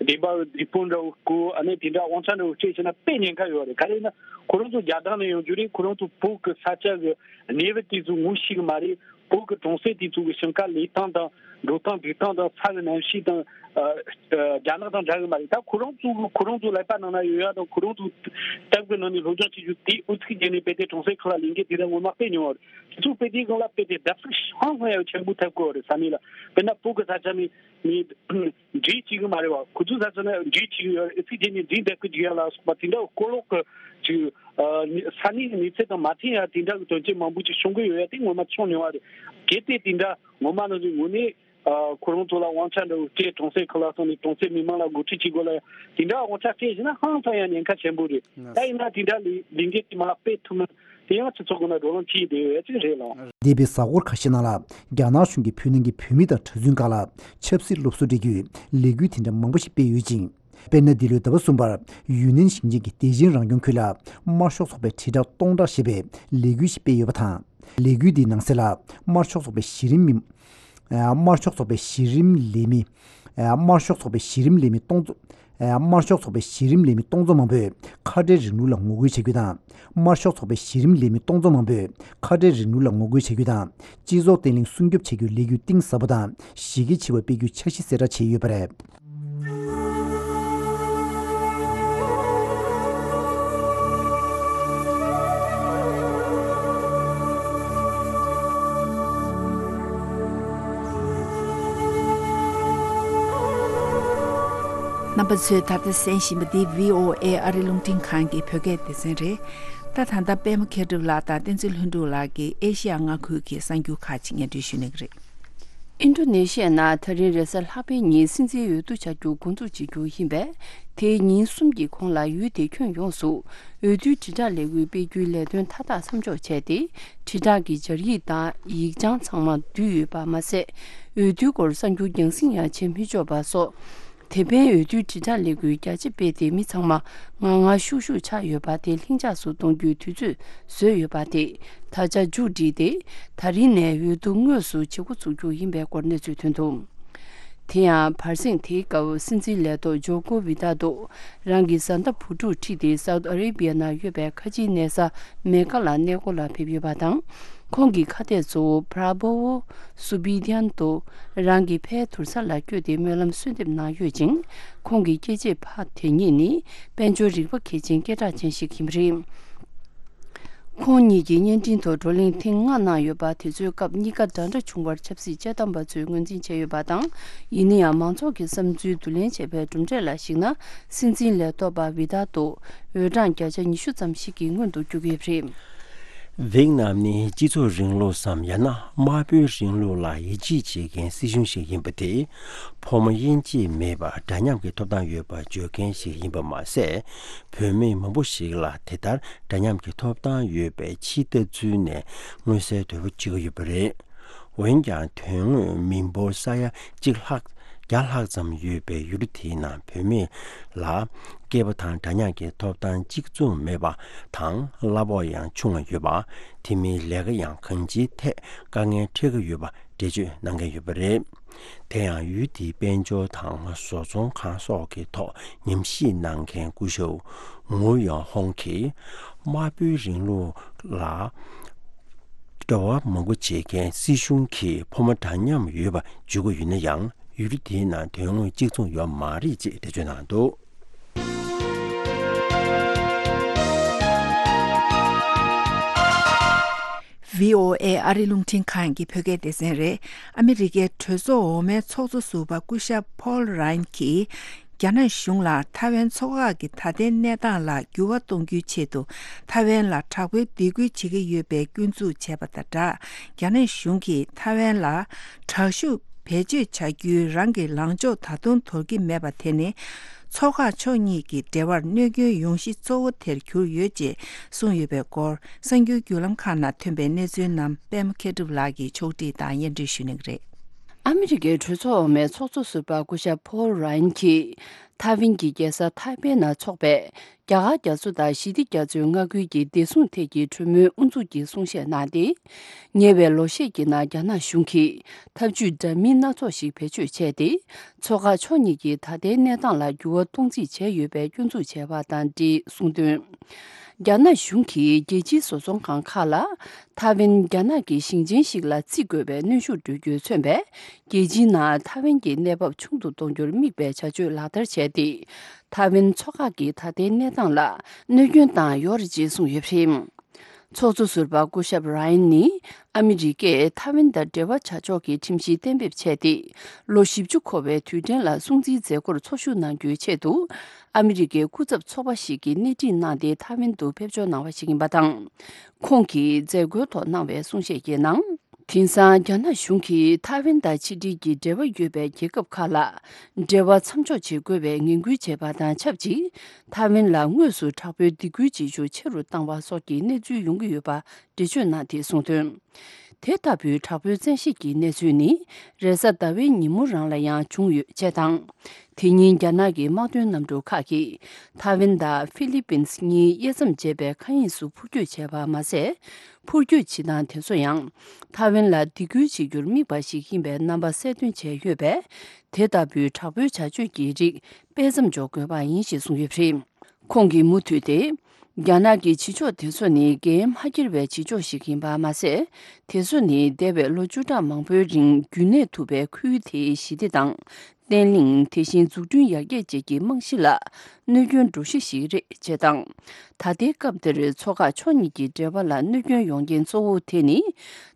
བདེན་པ་བདེ་སྤུན་འདྲ་བོ་བསྐོ། ཨ་ནི་དེ་འདྲ་དབང་ཆ་འདྲ་བོ་སྤྲད་བཞག་ན་དཔེ་ཉེན་ཁ་ཡོད་རེད། ག་རེ་ཡིན་ན་ཁོ་རང་ཚོ་རྒྱ་ཐང་ནས་ཡོང་རྒྱུ་རེད། ཁོ་རང་ཚོ་བོད་ཀྱི་ས་ཆ་གི་གནས་བབ་དེ་ཚོ་ངོ་ཤེས་གི་མ་རེད། བོད་ཀྱི་གྲོང་གསེབ་དེ་ཚོ་གི་ཞིང་ཁ་ལས་སྟངས་དང་འགྲོ་སྟངས་འདུག་སྟངས་དང་ས་གི་གནམ་གཤིས་དང་། ཨ་ཨ་རྒྱ་ནག་དང་འདྲ་གི་མ་རེད། ད་ཁོ་རང་ཚོ་གི་ཁོ་རང་ཚོ་ལག་པ་ནང་ན་ཡོད་ཡ་དང་ཁོ་རང་ཚོ་སྟབས་ཀྱི་ནང་ནས་སློབ་སྦྱོང་བྱེད་རྒྱུ་དེ་ཨུ་ཚུགས་བྱས་ནས་དཔེ་དེ་གྲོང་གསེབ་ཁག་ལ་ལས་འགུལ་དེ་འདྲ་ངོ་མ་སྤེལ་མྱོང་བ་རེད། དེ་ཚོ་དཔེ་དེའི་སྒང་ལ་དཔེ་དེ་བརྡབ་གསིག་ཧང་སང་ཡ་ཆེན་པོ་ཐེབས་ཀྱི་ཡོད་རེད། ས་གནས་ལ་དཔེར་ན་བོད་ཀྱི་ས་ཆ་ནས་ནས་འགྲིག་བྱེད་གི་མ་རེད་བ། ཁོ་ཚོའི་ས་ཆ་ན་འགྲིག་བྱེད་གི་ཡོད་རེད། ཨུ་ཚུགས་བྱས་ནས་འགྲིག་འདེད་གི་འཇུག་ཡ་ལ་སོགས་པ་དེ་འདྲ་གོ་ལོག་གི་ཅིག་ཨ་ས་གནས་ཀྱི་གནས་ཚད་དང་མ་མཐུན་ཡ་དེ་འདྲ་གི་དོན་རྐྱེན་མང་པོ་ཅིག་བྱུང་གི་ཡོད་ཡ་དེ་ངོ་མ་བྱུང་མྱོང་བ་རེད། གལ་ཏེ་དེ་འདྲ་ངོ་མ་ནང་བཞིན་ངོས་ནས་ཨ་ཁོ་རང་ཚོ་ལ་དབང་ཆ་འདྲ་བོ་སྤྲད། གྲོང་གསེབ་ཁག་ལ་སོང་ནས་གྲོང་གསེབ་མི་མང་ལ་འགོ་ཁྲིད་བྱེད་དགོས་ལ་དེ་འདྲ་དབང་ཆ་སྤྲད་ཟིན་ན་ཧང་སང་ཡ་ཉེན་ཁ་ཆེན་པོ་རེད། ད་ཡིན་ན་དེ་འདྲ་ལས་ལས་འགན་དེ་མ་སྤེལ་ཐུབ་ན། དེ་ཡང་སྤྱི་ཚོགས་ཀྱི་ནང་བགྲོ་གླེང་བྱས་བསྡད་ཡོད་ཅིག་རེད་ལགས། འདས་པའི་གཟའ་འཁོར་ཁ་ཤས་ནང་ལ་རྒྱ་ནག་གཞུང་གིས་བོད་ནང་གི་བོད་མི་དང་གྲྭ་བཙུན་ཁག་ལ་ཆབ་སྲིད་སློབ་གསོ་སྤྲད་རྒྱུའི་ལས་འགུལ་དེ་འདྲ་མང་པོ་ཞིག་སྤེལ་ཡོད་ཅིང་། དཔེར་ན་འདི་ལོའི་ཟླ་བ་གསུམ་པར་ཡུན་ནན་ཞིང་ཆེན་གྱི་བདེ་ཆེན་རང་སྐྱོང་ཁུལ་ལ་དམར་ཤོག་ཚོགས་པའི་དྲིལ་བསྒྲགས་སྟོང་ཕྲག་ཞེས་པའི་ལས་འགུལ་ཞིག་སྤེལ་ཡོད་པ་དང་། ལས་འགུལ་འདིའི་ནང་གསལ་ལ་དམར་ཤོག་ཚོགས་པའི་གཞི་རིམ་མི་དམར་ཤོག་ཚོགས་པའི་གཞི་རིམ་ལས་མི་ དམར་ཤོག་ཚོགས་པའི་གཞི་རིམ་ལས་མི་སྟོང་ཚོ། དམར་ཤོག་ཚོགས་པའི་གཞི་རིམ་ལས་མི་སྟོང་ཚོ་མང་པོས་ཁ་བྲལ་རིང་ལུགས་ལ་ངོ་རྒོལ་བྱ་རྒྱུ་དང་། དམར་ཤོག་ཚོགས་པའི་གཞི་རིམ་ལས་མི་སྟོང་ཚོ་མང་པོས་ཁ་བྲལ་རིང་ལུགས་ལ་ངོ་རྒོལ་བྱ་རྒྱུ་དང་། སྤྱི་ཚོགས་བརྟན་ལྷིང་སྲུང་སྐྱོབ་བྱ་རྒྱུའི་ལས་འགུལ་གཏིང་ཟབ་པོ་དང་གཞི་རྒྱ་ཆེ་བ་སྤེལ་རྒྱུའི་འཆར་གཞི་གསལ་བསྒྲགས་བྱས་ཡོད་པ་རེད། རྣམ་པ་ཚོས་ད་ལྟ་གསན་བཞིན་པ་འདི་བྷི་ཨོ་ཨེ་ཨ་རི་རླུང་འཕྲིན་ཁང་གི་བོད་སྐད་སྡེ་ཚན་རེད། ད་ད་ལྟ་པད་མ་མཁས་གྲུབ་ལགས་དང་བསྟན་འཛིན་ལྷུན་གྲུབ་ལགས་ཀྱིས་ཨེ་ཤི་ཡ་མངའ་ཁུལ་གྱི་གསར་འགྱུར་ཁག་ཅིག་སྙན་སྒྲོན་ཞུ་གནང་གི་རེད། ཨིན་ཌོ་ནེ་ཤི་ཡ་ནང་ད་རིང་རེས་གཟའ་ལྷག་པའི་ཉིན་སྲིད་འཛིན་འོས་བསྡུ་བྱ་རྒྱུ་འགོ་འཛུགས་བྱེད་རྒྱུ་ཡིན་པས། དེའི་ཉིན་གསུམ་གྱི་གོང་ལ་ཡུལ་དེའི་ཁྱོན་ཡོངས་སུ་འོས་བསྡུའི་དྲིལ་བསྒྲགས་ལས་འགུལ་སྤེལ་རྒྱུའི་ལས་དོན་མཐའ་དག་མཚམས་འཇོག་བྱས་ཏེ། དྲིལ་བསྒྲགས་ཀྱི་སྦྱར་ཡིག་དང་ཡིག་བྱང་ཚང་མ་བསྡུས་ཡོད་པ་མ་ཟད། འོས་བསྡུའི་སྐོར་གསར་འགྱུར་རྒྱང་སྲིང་ཡང་བྱེད་མི་ཆོག་པ་སོགས། དེ་ཕན་འོས་བསྡུའི་དྲིལ་བསྒྲགས་ལས་འགུལ་རྒྱ་ཆེ་སྤེལ་ཏེ། མི་ཚང་མ་ངར་ངར་ཤུགས་ཤུགས་ཆགས་ཡོད་པ་དེ་ལྷིང་འཇགས་སུ་གཏོང་རྒྱུའི་དུས་ཚོད་བཟོས་ཡོད་པ་དེ་ད་ཆ་མཇུག་བསྒྲིལ་ཏེ། ད་རིང་ནས་འོས་བསྡུ་དངོས་སུ་བྱེད་འགོ་ཚུགས་རྒྱུ་ཡིན་པའི་སྐོར་གནས་ཚུལ་ཐོན་འདུག་དེ་ཡང་བར་གསེང་དེའི་སྐབས་སྲིད་འཛིན་ལས་ཐོག་ཇོ་ཀོ་ཝི་ཏ་དོ་རང་གི་བཟའ་ཟླ་བུ་ཕྲུག་ཁྲིད་དེ་སའུ་ཏི་ཨ་རེ་བྷི་ཡ་ནང་ཡོད་པའི་ཁ་ཆེའི་གནས་ས་མེ་ཀ་ལ་གནས་སྐོར་ལ་ཕེབས་ཡོད་པ་དང་། ཁོང་གི་ཁ་གཏད་གཙོ་བོ་པྲ་བྷོ་ཝོ་སུ་བི་དྷྱན་དོ་རང་གི་ཕའི་དུར་ས་ལ་བསྐྱོད་དེ་སྨོན་ལམ་གསོལ་འདེབས་གནང་ཡོད་ཅིང་། ཁོང་གི་སྐྱེས་ཆེན་ཕ་དེ་ཉིད་ནི་དཔལ་འབྱོར་རིག་པ་མཁས་ཅན་སྐད་གྲགས་ཅན་ཞིག་ཡིན་པ་རེད། ཁོང་གཉིས་ཀྱིས་བརྙན་འཕྲིན་ཐོག་བགྲོ་གླེང་ཐེངས་ལྔ་གནང་ཡོད་པ། དེ་ཚོའི་སྐབས་གཉིས་ཀ་འདྲ་འདྲ་བྱུང་བར་ཆབ་སྲིད་དཔྱད་གཏམ་པ་ཚོས་ངོས་འཛིན་བྱས་ཡོད་པ་དང་། ཡིན་ན་ཡང་མང་ཚོགས་ཀྱི་བསམ་ཚུལ་བསྡུ་ལེན་བྱས་པའི་གྲུབ་འབྲས་ལ་གཞིགས་ན། སྲིད་འཛིན་ལས་ཐོག་པ་ཝི་ཏཱ་ཏོ་འོས་གྲངས་བརྒྱ་ཆ་ཉི་ཤུ་ཙམ་ཞིག་གིས་སྔོན་དུ་བསྐྱོད་ཀྱི་ཡོད་པ་རེད། ཝེག་ནམ་ནི་སྤྱི་ཚོགས་རིང་ལུགས་སམ་ཡང་ན་དམར་པོའི་རིང་ལུགས་ལ་ཡིད་ཆེས་བྱེད་མཁན་སྲིད་གཞུང་ཞིག་ཡིན་པ་དེས། ཕོ་མོ་དབྱེ་འབྱེད་མེད་པར་འདྲ་མཉམ་གྱི་ཐོབ་ཐང་ཡོད་པར་བརྗོད་མཁན་ཞིག་ཡིན་པ་མ་ཟད། བུད་མེད་མང་པོ་ཞིག་ལ་དེ་ལྟར་འདྲ་མཉམ་གྱི་ཐོབ་ཐང་ཡོད་པའི་ཕྱི་ལྟ་ཚུལ་ནས་མངོན་གསལ་དོད་པོ་བྱེད་ཀྱི་ཡོད་པ་རེད། འོན་ཀྱང་། དོན་དངོས་མི་འབོར་ས་ཡ་གཅིག་ལྷག་བརྒྱ་ལྷག་ཙམ་ཡོད་པའི་ཡུལ་གྲུ་དེའི་ནང་བུད་མེད་ལ་སྐྱེས་པ་དང་འདྲ་མཉམ་གྱི་ཐོབ་ཐང་གཅིག་མཚུངས་མེད་པ་དང་། གླ་ཕོགས་ཡང་ཆུང་བ་ཡོད་པ། དེ་མིན་ལས་ཀ་ཡང་གང་ཅིའི་ཐད་དཀའ་ངལ་འཕྲད་ཀྱི་ཡོད་པ་འགྲེལ་བརྗོད་གནང་མཁན་ཡོད་པ་རེད། དེ་ཡང་ཡུལ་དེའི་དཔལ་འབྱོར་དང་བཟོ་ཚོང་ཁང་སོགས་ཀྱི་ཐོག་ཉམས་ཞིབ་གནང་མཁན་སྐུ་ཞབས་ངུ་ཡོང་ཧོང་གིས། དམར་པོའི་རིང་ལུགས་ལ་འབྲེལ་བ་མང་པོ་བྱེད་མཁན་སྲིད་གཞུང་གིས་ཕོ་མོ་འདྲ་མཉམ་ཡོད་པ་བརྗོད་ཀྱི་ཡོད་ན་ཡང་། ཡུལ་གྲུ་དེའི་ནང་དོན་དངོས་གཅིག་མཚུངས་ཡོད་མ་རེད་ཅེས་འགྲེལ་བརྗོད་གནང་འདུག་བྷི་ཨོ་ཨེ་ཨ་རི་རླུང་འཕྲིན་ཁང་གི་བོད་སྐད་སྡེ་ཚན་རེད། ཨ་མི་རི་ཀའི་གྲོས་ཚོགས་འོག་མའི་ཚོགས་གཙོ་ཟུར་པ་སྐུ་ཞབས་ཕོལ་རཱན་གྱིས། རྒྱ་ནག་གཞུང་ལ་ཐའེ་ཝན་མཚོ་འགག་གི་ད་ལྟའི་གནས་སྟངས་ལ་འགྱུར་བ་གཏོང་རྒྱུའི་ཆེད་དུ། ཐའེ་ཝན་ལ་དྲག་པོའི་སྡིགས་སྐུལ་བྱེད་ཀྱི་ཡོད་པའི་སྐྱོན་འཛུགས་བྱས་པ་དང་སྦྲགས། རྒྱ་ནག་གཞུང་གིས་ཐའེ་ཝན་ལ་དྲག་ཤུགས་བེད་སྤྱོད་བྱ་རྒྱུའི་རང་གི་ལངས་ཕྱོགས་ད་དུང་དོར་གྱི་མེད་པ་དེ་ནི། མཚོ་འགག་ཕྱོགས་གཉིས་ཀྱི་འབྲེལ་བར་གནོད་སྐྱོན་ཡོང་གཞི་གཙོ་བོ་དེར་གྱུར་ཡོད་ཅེས་གསུངས་ཡོད་པའི་སྐོར། གསར་འགྱུར་བརྒྱུད་ལམ་ཁག་ནང་ཐོན་པའི་གནས་ཚུལ་རྣམས་པད་མ་མཁས་གྲུབ་ལགས་ཀྱིས་ཕྱོགས་སྒྲིག་དང་སྙན་སྒྲོན་ཞུ་གནང་གི་རེད། ཨ་མི་རི་ཀའི་གྲོས་ཚོགས་འོག་མའི་ཚོགས་གཙོ་ཟུར་པ་སྐུ་ཞབས་ཕོལ་རཱན་གྱིས། ཐའེ་ཝན་གྱི་རྒྱལ་ས་ཐའེ་པེ་ནང་འཚོགས་པའི་རྒྱ་གར་རྒྱ་མཚོ་དང་ཞི་བདེ་རྒྱ་མཚོའི་མངའ་ཁུལ་གྱི་བདེ་སྲུང་ཐད་ཀྱི་གྲོས་མོལ་དབུ་འཛུགས་ཀྱི་གསུང་བཤད་གནང་སྟེ། ཉེ་བའི་ལོ་ཤས་ཀྱི་ནང་རྒྱ་ནག་གཞུང་གིས་ཐབས་ཇུས་འདྲ་མིན་སྣ་ཚོགས་ཤིག་བེད་སྤྱོད་བྱས་ཏེ། མཚོ་འགག་ཕྱོགས་གཉིས་ཀྱི་ད་ལྟའི་གནས་སྟངས་ལ་འགྱུར་བ་གཏོང་རྩིས་བྱས་ཡོད་པའི་སྐྱོན་འཛུགས་བྱས་པ་དང་འབྲེལ་གསུངས་དོན། རྒྱ་ནག་གཞུང་གིས་རྒྱལ་སྤྱིའི་བཟོ་ཚོང་ཁང་ཁག་ལ། ཐའེ་ཝན་རྒྱ་ནག་གི་ཞིང་ཆེན་ཞིག་ལ་བརྩི་དགོས་པའི་གནོན་ཤུགས་སྤྲོད་རྒྱུས་མཚོན་པས། རྒྱལ་སྤྱིའི་ནང་ཐའེ་ཝན་གྱི་གནས་བབ་ཆུང་དུ་གཏོང་རྒྱུར་དམིགས་པའི་བྱ་སྤྱོད་ལག་བསྟར་བྱས་ཏེ། ཐའེ་ཝན་མཚོ་འགག་གི་ད་ལྟའི་གནས་སྟངས་ལ་གནོད་སྐྱོན་བཏང་ཡོད་རེད་ཅེས་གསུངས་ཡོད་པ་རེད། ཚོགས་གཙོ་ཟུར་པ་སྐུ་ཞབས་རཱ་ཡན་ནི། ཨ་མི་རི་ཀས་ཐའེ་ཝན་དང་འབྲེལ་བ་བྱ་ཕྱོགས་ཀྱི་ཁྲིམས་གཞི་གཏན་འབེབས་བྱས་ཏེ། ལོ་བཞི་བཅུ་འཁོར་བའི་དུས་དྲན་ལ་སྲུང་བརྩིའི་མཛད་སྒོར་འཚོ་བཞུགས་གནང་རྒྱུའི་ཆེད་དུ། ཨ་མི་རི་ཀའི་སྐུ་ཚབ་ཚོགས་པ་ཞིག་གིས་སྣེ་ཁྲིད་གནང་སྟེ་ཐའེ་ཝན་དུ་ཕེབས་འབྱོར་གནང་བ་ཞིག་ཡིན་པ་དང་། ཁོང་གིས་མཛད་སྒོའི་ཐོག་གནང་བའི་གསུང་བཤད་ཀྱི་ནང་། དེང་སང་རྒྱ་ནག་གཞུང་གིས་ཐའེ་ཝན་དང་ཕྱི་འབྲེལ་གྱི་འབྲེལ་བ་ཡོད་པའི་རྒྱལ་ཁབ་ཁག་ལ་འབྲེལ་བ་མཚམས་འཇོག་བྱེད་དགོས་པའི་ངན་སྐུལ་བྱས་པ་དང་ཆབས་ཅིག་ཐའེ་ཝན་ལ་དངོས་སུ་དྲག་པོའི་སྡིགས་སྐུལ་བྱེད་ཤུགས་ཆེ་རུ་བཏང་བ་སོགས་ཀྱི་གནས་ཚུལ་ཡོང་གི་ཡོད་པ་འགྲེལ་བརྗོད་གནང་སྟེ་གསུངས་དོན། དེ་ལྟ་བུའི་དྲག་པོའི་བཙན་ཤེད་ཀྱི་གནས་ཚུལ་ནི་རེས་གཟའ་ཟླ་བའི་ཉིན་མོ་རང་ལ་ཡང་བྱུང་ཡོད་ཅེས་དང་། དེ་ཉིན་རྒྱ་ནག་གི་དམག་དོན་གནམ་གྲུ་ཁག་གིས་ཐའེ་ཝན་དང་ཧྥི་ལི་པིན་གཉིས་དབྱེ་མཚམས་འབྱེད་པའི་མཁའ་དབྱིངས་སུ་འཕུར་སྐྱོད་བྱས་པ་མ་ཟད། འཕུར་སྐྱོད་བྱེད་སྟངས་དེ་ཚོ་ཡང་ཐའེ་ཝན་ལ་སྡིགས་སྐུལ་བྱེད་རྒྱུར་དམིགས་པ་ཞིག་ཡིན་པའི་རྣམ་པ་གསལ་སྟོན་བྱས་ཡོད་པས། དེ་ལྟ་བུའི་དྲག་པོའི་བྱ་སྤྱོད་ཀྱི་རིགས་སྤེལ་མཚམས་འཇོག་དགོས་པ་ཡིན་ཞེས་གསུངས་ཡོད་པ་རེད། ཁོང་གིས་མུ་མཐུད་དེ། རྒྱ་ནག་གི་བྱེད་ཕྱོགས་དེ་ཚོ་ནི་འགན་མ་འཁྱེར་བའི་བྱེད་ཕྱོགས་ཤིག་ཡིན་པ་མ་ཟད། དེ་ཚོ་ནི་འདས་པའི་ལོ་བཅུ་ཕྲག་མང་པོའི་རིང་རྒྱུན་གནས་ཐུབ་པའི་ཁུལ་དེའི་ཞི་བདེ་དང་། བརྟན་ལྷིང་། དེ་བཞིན་འཛུགས་སྐྲུན་ཡར་རྒྱས་བཅས་ཀྱི་རྨང་གཞི་ལ་གནོད་སྐྱོན་འགྲོ་གཞི་ཞིག་རེད་ཅེས་དང་། ད་ལྟའི་སྐབས་འདིར་མཚོ་འགག་ཕྱོགས་གཉིས་ཀྱི་འབྲེལ་བ་ལ་གནོད་སྐྱོན་ཡོང་རྐྱེན་གཙོ་བོ་དེ་ནི།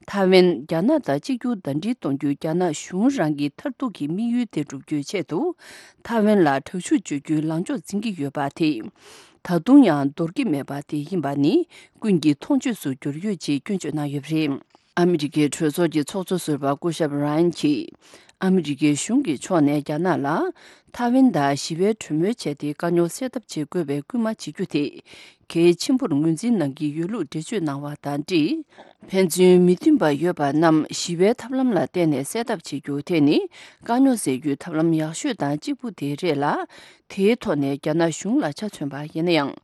ཐའེ་ཝན་རྒྱ་ནག་དང་གཅིག་གྱུར་ཟླ་སྒྲིལ་གཏོང་རྒྱུའི་རྒྱ་ནག་གཞུང་རང་གི་མཐར་ཐུག་གི་དམིགས་ཡུལ་དེ་བསྒྲུབ་རྒྱུའི་ཆེད་དུ། ཐའེ་ཝན་ལ་དྲག་ཤུགས་སྤྱོད་རྒྱུའི་ལངས་ཕྱོགས་འཛིན་གྱི་ཡོད་པ་དེ། ད་དུང་ཡང་འདོར་གྱི་མེད་པ་དེ་ཡིན་པ་ནི་ཀུན་གྱིས་མཐོང་ཆོས་སུ་གྱུར་ཡོད་ཅེས་སྐྱོན་བརྗོད་གནང་ཡོད་པ་རེད། ཨ་མི་རི་ཀའི་གྲོས་ཚོགས་ཀྱི་ཚོགས་གཙོ་ཟུར་པ་སྐུ་ཞབས་ར་ཡན་གྱིས། ཨ་མི་རི་ཀའི་གཞུང་གི་ཕྱོགས་ནས་རྒྱ་ནག་ལ། ཐའེ་ཝན་དང་ཞི་བའི་གྲོས་མོལ་བྱས་ཏེ་དཀའ་རྙོག་སེལ་ཐབས་བྱེད་དགོས་པའི་སྐུལ་མ་བྱེད་རྒྱུ་དེ། གལ་ཆེན་པོར་ངོས་འཛིན་གནང་གི་ཡོད་ལུགས་འགྲེལ་བརྗོད་གནང་བ་དང་འབྲེལ། ཕན་ཚུན་མི་མཐུན་པ་ཡོད་པ་རྣམས་ཞི་བའི་ཐབས་ལམ་ལ་བརྟེན་ནས་སེལ་ཐབས་བྱེད་རྒྱུ་དེ་ནི་དཀའ་རྙོག་སེལ་རྒྱུའི་ཐབས་ལམ་ཡག་ཤོས་དང་གཅིག་པུ་དེ་རེད་ལ། དེའི་ཐོག་ནས་རྒྱ་ནག་གཞུང་ལ་ཆ་མཚོན་པ་ཡིན་ན་ཡང་།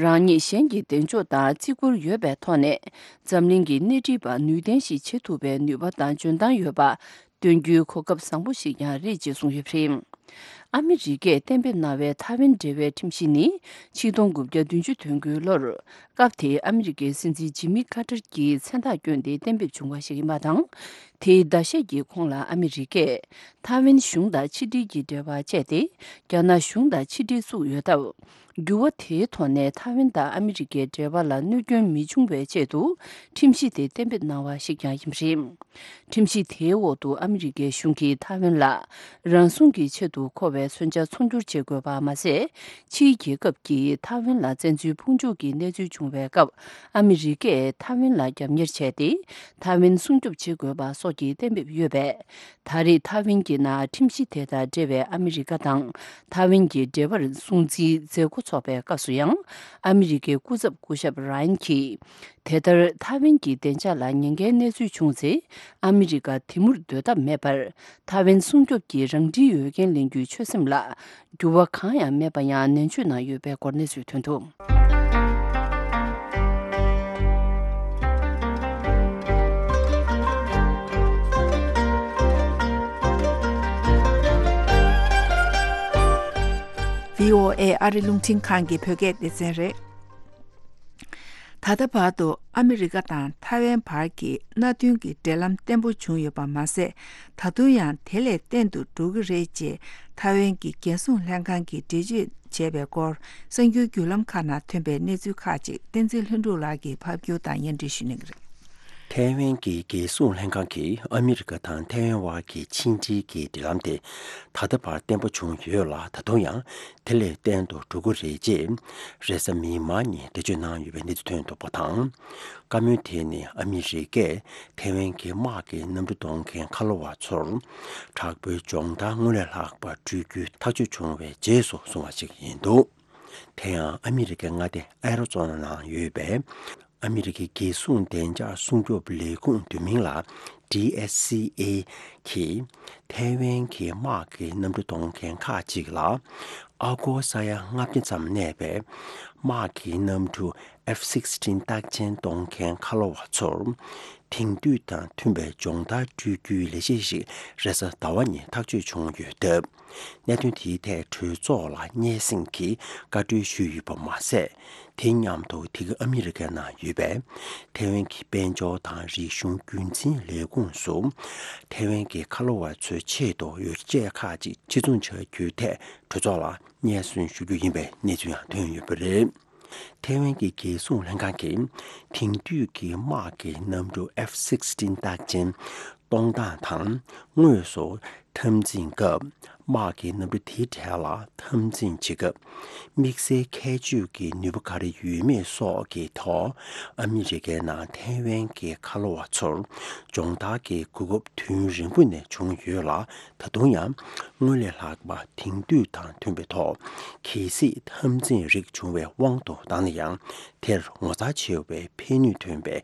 རང་ཉིད་གཞན་གྱི་གདེང་འཇོག་དང་བརྩི་བཀུར་ཡོད་པའི་ཐོག་ནས་འཛམ་གླིང་གི་སྣེ་ཁྲིད་པ་ནུས་ལྡན་ཞིག་བྱེད་ཐུབ་པའི་ནུས་པ་དང་འཇོན་ཐང་ཡོད་པ། སྟོན་རྒྱུའི་གོ་སྐབས་བཟང་པོ་ཞིག་ཀྱང་རེད་ཅེས་གསུངས་ཡོད་པ་རེད། ཨ་མི་རི་ཀས་གཏན་འབེབས་གནང་བའི་ཐའེ་ཝན་འབྲེལ་བའི་ཁྲིམས་གཞི་ནི་ཆིག་སྟོང་དགུ་བརྒྱ་བདུན་ཅུ་དོན་དགུའི་ལོར། སྐབས་དེའི་ཨ་མི་རི་ཀའི་སྲིད་འཛིན་ཇི་མི་ཀ་ཏར་གྱིས་མཚན་རྟགས་བསྐྱོན་ཏེ་གཏན་འབེབས་བྱུང་བ་ཞིག་ཡིན་པ་དང་། དེའི་ཟླ་ཤས་ཀྱི་གོང་ལ་ཨ་མི་རི་ཀས་ཐའེ་ཝན་གཞུང་དང་ཕྱི་འབྲེལ་གྱི་འབྲེལ་བ་བཅད་དེ། རྒྱ་ནག་གཞུང་དང་ཕྱི་འབྲེལ་བཙུགས་ཡོད་སྟབས། འགྱུར་བ་དེའི་ཐོག་ནས་ཐའེ་ཝན་དང་ཨ་མི་རི་ཀའི་འབྲེལ་བ་ལ་གནོད་སྐྱོན་མི་འབྱུང་བའི་ཆེད་དུ་ཁྲིམས་གཞི་དེ་གཏན་འབེབས་གནང་བ་ཞིག་ཀྱང་ཡིན་པ་རེད། ཁྲིམས་གཞི་དེའི་འོག་ཏུ་ཨ་མི་རི་ཀའི་གཞུང་གིས་ཐའེ་ཝན་ལ་རང་སྲུང་གི་ཆེད་དུ་མཁོ་བའི་མཚོན་ཆ་ཚོང་སྒྱུར་བྱེད་དགོས་པ་མ་ཟད། ཕྱིའི་རྒྱལ་ཁབ་ཀྱིས་ཐའེ་ཝན་ལ་བཙན་འཛུལ་ཕོག་འཇུག་གི་གནས་ཚུལ་བྱུང་བའི་སྐབས་ཨ་མི་རི་ཀས་ཐའེ་ཝན་ལ་རྒྱབ་གཉེར་བྱས་ཏེ། ཐའེ་ཝན་སྲུང་སྐྱོབ་བྱེད་དགོས་པ་སོགས་ཀྱི་གཏན་འབེབས་ཡོད་པས། ད་རེས་ཐའེ་ཝན་གྱི་ནང་ཁྲིམས་གཞི་དེ་དང་འབྲེལ་བའི་ཨ་མི་རི་ཀ་དང་ཐའེ་ཝན་གྱི་འབྲེལ་བར་སྲུང་བརྩིའི་མཛད་སྒོ་འཚོགས་པའི་སྐབས་སུ་ཡང་། ཨ་མི་རི་ཀའི་སྐུ་ཚབ་སྐུ་ཞབས་ར་ཡན་གྱིས། དེ་ལྟར་ཐའེ་ཝན་གྱི་བདེ་འཇགས་ལ་ཉེན་ཁའི་གནས་ཚུལ་བྱུང་ཚེ། ཨ་མི་རི་ཀ་དེ་མུར་སྡོད་ཐབས་མེད་པར། ཐའེ་ཝན་སྲུང་སྐྱོབ་ཀྱི་རང་འཁྲིའི་འོས་འགན་ལེན་རྒྱུའི་ཆོད་སེམས་ལ། འགྱུར་བ་གང་ཡང་མེད་པ་ཡང་ནན་བརྗོད་གནང་ཡོད་པའི་སྐོར་གནས་ཚུལ་ཐོན་འདུག་བྷི་ཨོ་ཨེ་ཨ་རི་རླུང་འཕྲིན་ཁང་གི་བོད་སྐད་སྡེ་ཚན་རེད། ད་ལྟ་བར་དུ་ཨ་མི་རི་ཀ་དང་ཐའེ་ཝན་བར་གྱི་མནའ་མཐུན་གྱི་འབྲེལ་ལམ་བརྟན་པོ་བྱུང་ཡོད་པ་མ་ཟད། ད་དུང་ཡང་དེ་ལས་བརྟན་དུ་འགྲོ་གི་རེད་ཅེས་ཐའེ་ཝན་གྱི་རྒྱལ་སྲུང་ལྷན་ཁང་གིས་འགྲེལ་བརྗོད་བྱས་པའི་སྐོར། གསར་འགྱུར་བརྒྱུད་ལམ་ཁག་ནང་ཐོན་པའི་གནས་ཚུལ་ཁག་ཅིག་བསྟན་འཛིན་ལྷུན་གྲུབ་ལགས་ཀྱིས་ཕབ་སྒྱུར་དང་སྙན་སྒྲོན་ཞུ་གནང་གི་རེད། ཐའེ་ཝན་གྱི་རྒྱལ་སྲུང་ལྷན་ཁང་གིས་ཨ་མི་རི་ཀ་དང་ཐའེ་ཝན་བར་གྱི་ཕྱི་འབྲེལ་གྱི་འབྲེལ་ལམ་དེ་ད་ལྟ་བར་བརྟན་པོ་བྱུང་ཡོད་ལ། ད་དུང་ཡང་དེ་ལས་བརྟན་དུ་འགྲོ་གི་རེད་ཅེས་རེས་གཟའ་མིག་དམར་ཉིན་འགྲེལ་བརྗོད་གནང་ཡོད་པའི་གནས་ཚུལ་ཐོན་འདུག་པ་དང་། བཀའ་མོལ་དེ་ནི་ཨ་མི་རི་ཀས་ཐའེ་ཝན་གྱི་དམག་གི་གནམ་གྲུ་གཏོང་མཁན་ཁ་ལོ་བ་ཚོར་དྲག་པོའི་སྦྱོང་བརྡར་སྔོན་ལས་ལྷག་པ་སྤྲོད་རྒྱུའི་ཐག་གཅོད་བྱུང་བའི་རྗེས་སུ་བྱུང་བ་ཞིག་ཡིན་འདུག་དེ་ཡང་ཨ་མི་རི་ཀའི་མངའ་སྡེ་ཨ་རོ་ཙོ་ན་ནང་ཡོད་པའི་ཨ་མི་རི་ཀའི་རྒྱལ་སྲུང་བདེ་འཇགས་སྲུང་སྐྱོབ་ལས་ཁུངས་བསྡུས་མིང་ལ་ཌི་ཨེས་སི་ཨེ་གིས་ཐའེ་ཝན་གྱི་དམག་གི་གནམ་གྲུ་གཏོང་མཁན་ཁག་ཅིག་ལ་ཨ་སྒོར་ས་ཡ་ལྔ་བརྒྱ་ཙམ་གནས་པའི་དམག་གི་གནམ་གྲུ་ཨེཕ་སིག་སི་ཊིན་རྟགས་ཅན་གཏོང་མཁན་ཁ་ལོ་བ་ཚོར་དེང་དུས་དང་མཐུན་པའི་སྦྱོང་བརྡར་སྤྲོད་རྒྱུའི་ལས་གཞི་ཞིག་རེས་གཟའ་ཟླ་བ་ཉིན་ཐག་གཅོད་བྱུང་ཡོད་སྟབས། གནད་དོན་དེའི་ཐད་གྲོས་ཚོགས་ལ་སྙན་སེང་གིས་བཀའ་འཁྲོལ་ཞུས་ཡོད་པ་མ་ཟད། དེ་མཉམ་དུ་དེ་ག་ཨ་མི་རི་ཀའི་ནང་ཡོད་པའི་ཐའེ་ཝན་གྱི་དཔལ་འབྱོར་དང་རིག་གཞུང་རྒྱུན་འཛིན་ལས་ཁུངས་སུ་ཐའེ་ཝན་གྱི་ཁ་ལོ་བ་ཚོའི་ཆེད་དུ་ཡོ་བྱད་ཁག་ཅིག་ཕྱིར་ཚོང་བྱ་རྒྱུའི་ཐད་གྲོས་ཚོགས་ལ་སྙན་སེང་ཞུ་རྒྱུ་ཡིན་པའི་གནས་ཚུལ་ཡང་ཐོན་ཡོད་པ་རེད། ཐའེ་ཝན་གྱི་རྒྱལ་སྲུང་ལྷན་ཁང་གིས་དེང་དུས་ཀྱི་དམག་གི་གནམ་གྲུ་ཨེཕ་སིག་སི་ཊིན་རྟགས་ཅན་གཏོང་སྟངས་དང་དངོས་སུ་འཐབ་འཛིང་སྐབས་ དམག་གི་གནམ་གྲུ་དེའི་གྲས་ལ་འཐབ་འཛིང་བྱེད་སྐབས། དམིགས་བསལ་ཁྱད་ཆོས་ཀྱི་ནུས་པ་ག་རེ་ཡོད་མེད་སོགས་ཀྱི་ཐོག་ཨ་མི་རི་ཀའི་ནང་ཐའེ་ཝན་གྱི་ཁ་ལོ་བ་ཚོར་སྦྱོང་བརྡར་གྱི་གོ་སྐབས་དུས་ཡུན་རིང་པོ་ནས་བྱུང་ཡོད་ལ། ད་དུང་ཡང་སྔོན་ལས་ལྷག་པ་དེང་དུས་དང་མཐུན་པའི་ཐོག་གལ་སྲིད་འཐབ་འཛིང་རིགས་བྱུང་བའི་དབང་དུ་བཏང་ན་ཡང་། དེར་ངོ་མཚར་ཆེ་བའི་ཕན་ནུས་ཐོན་པའི་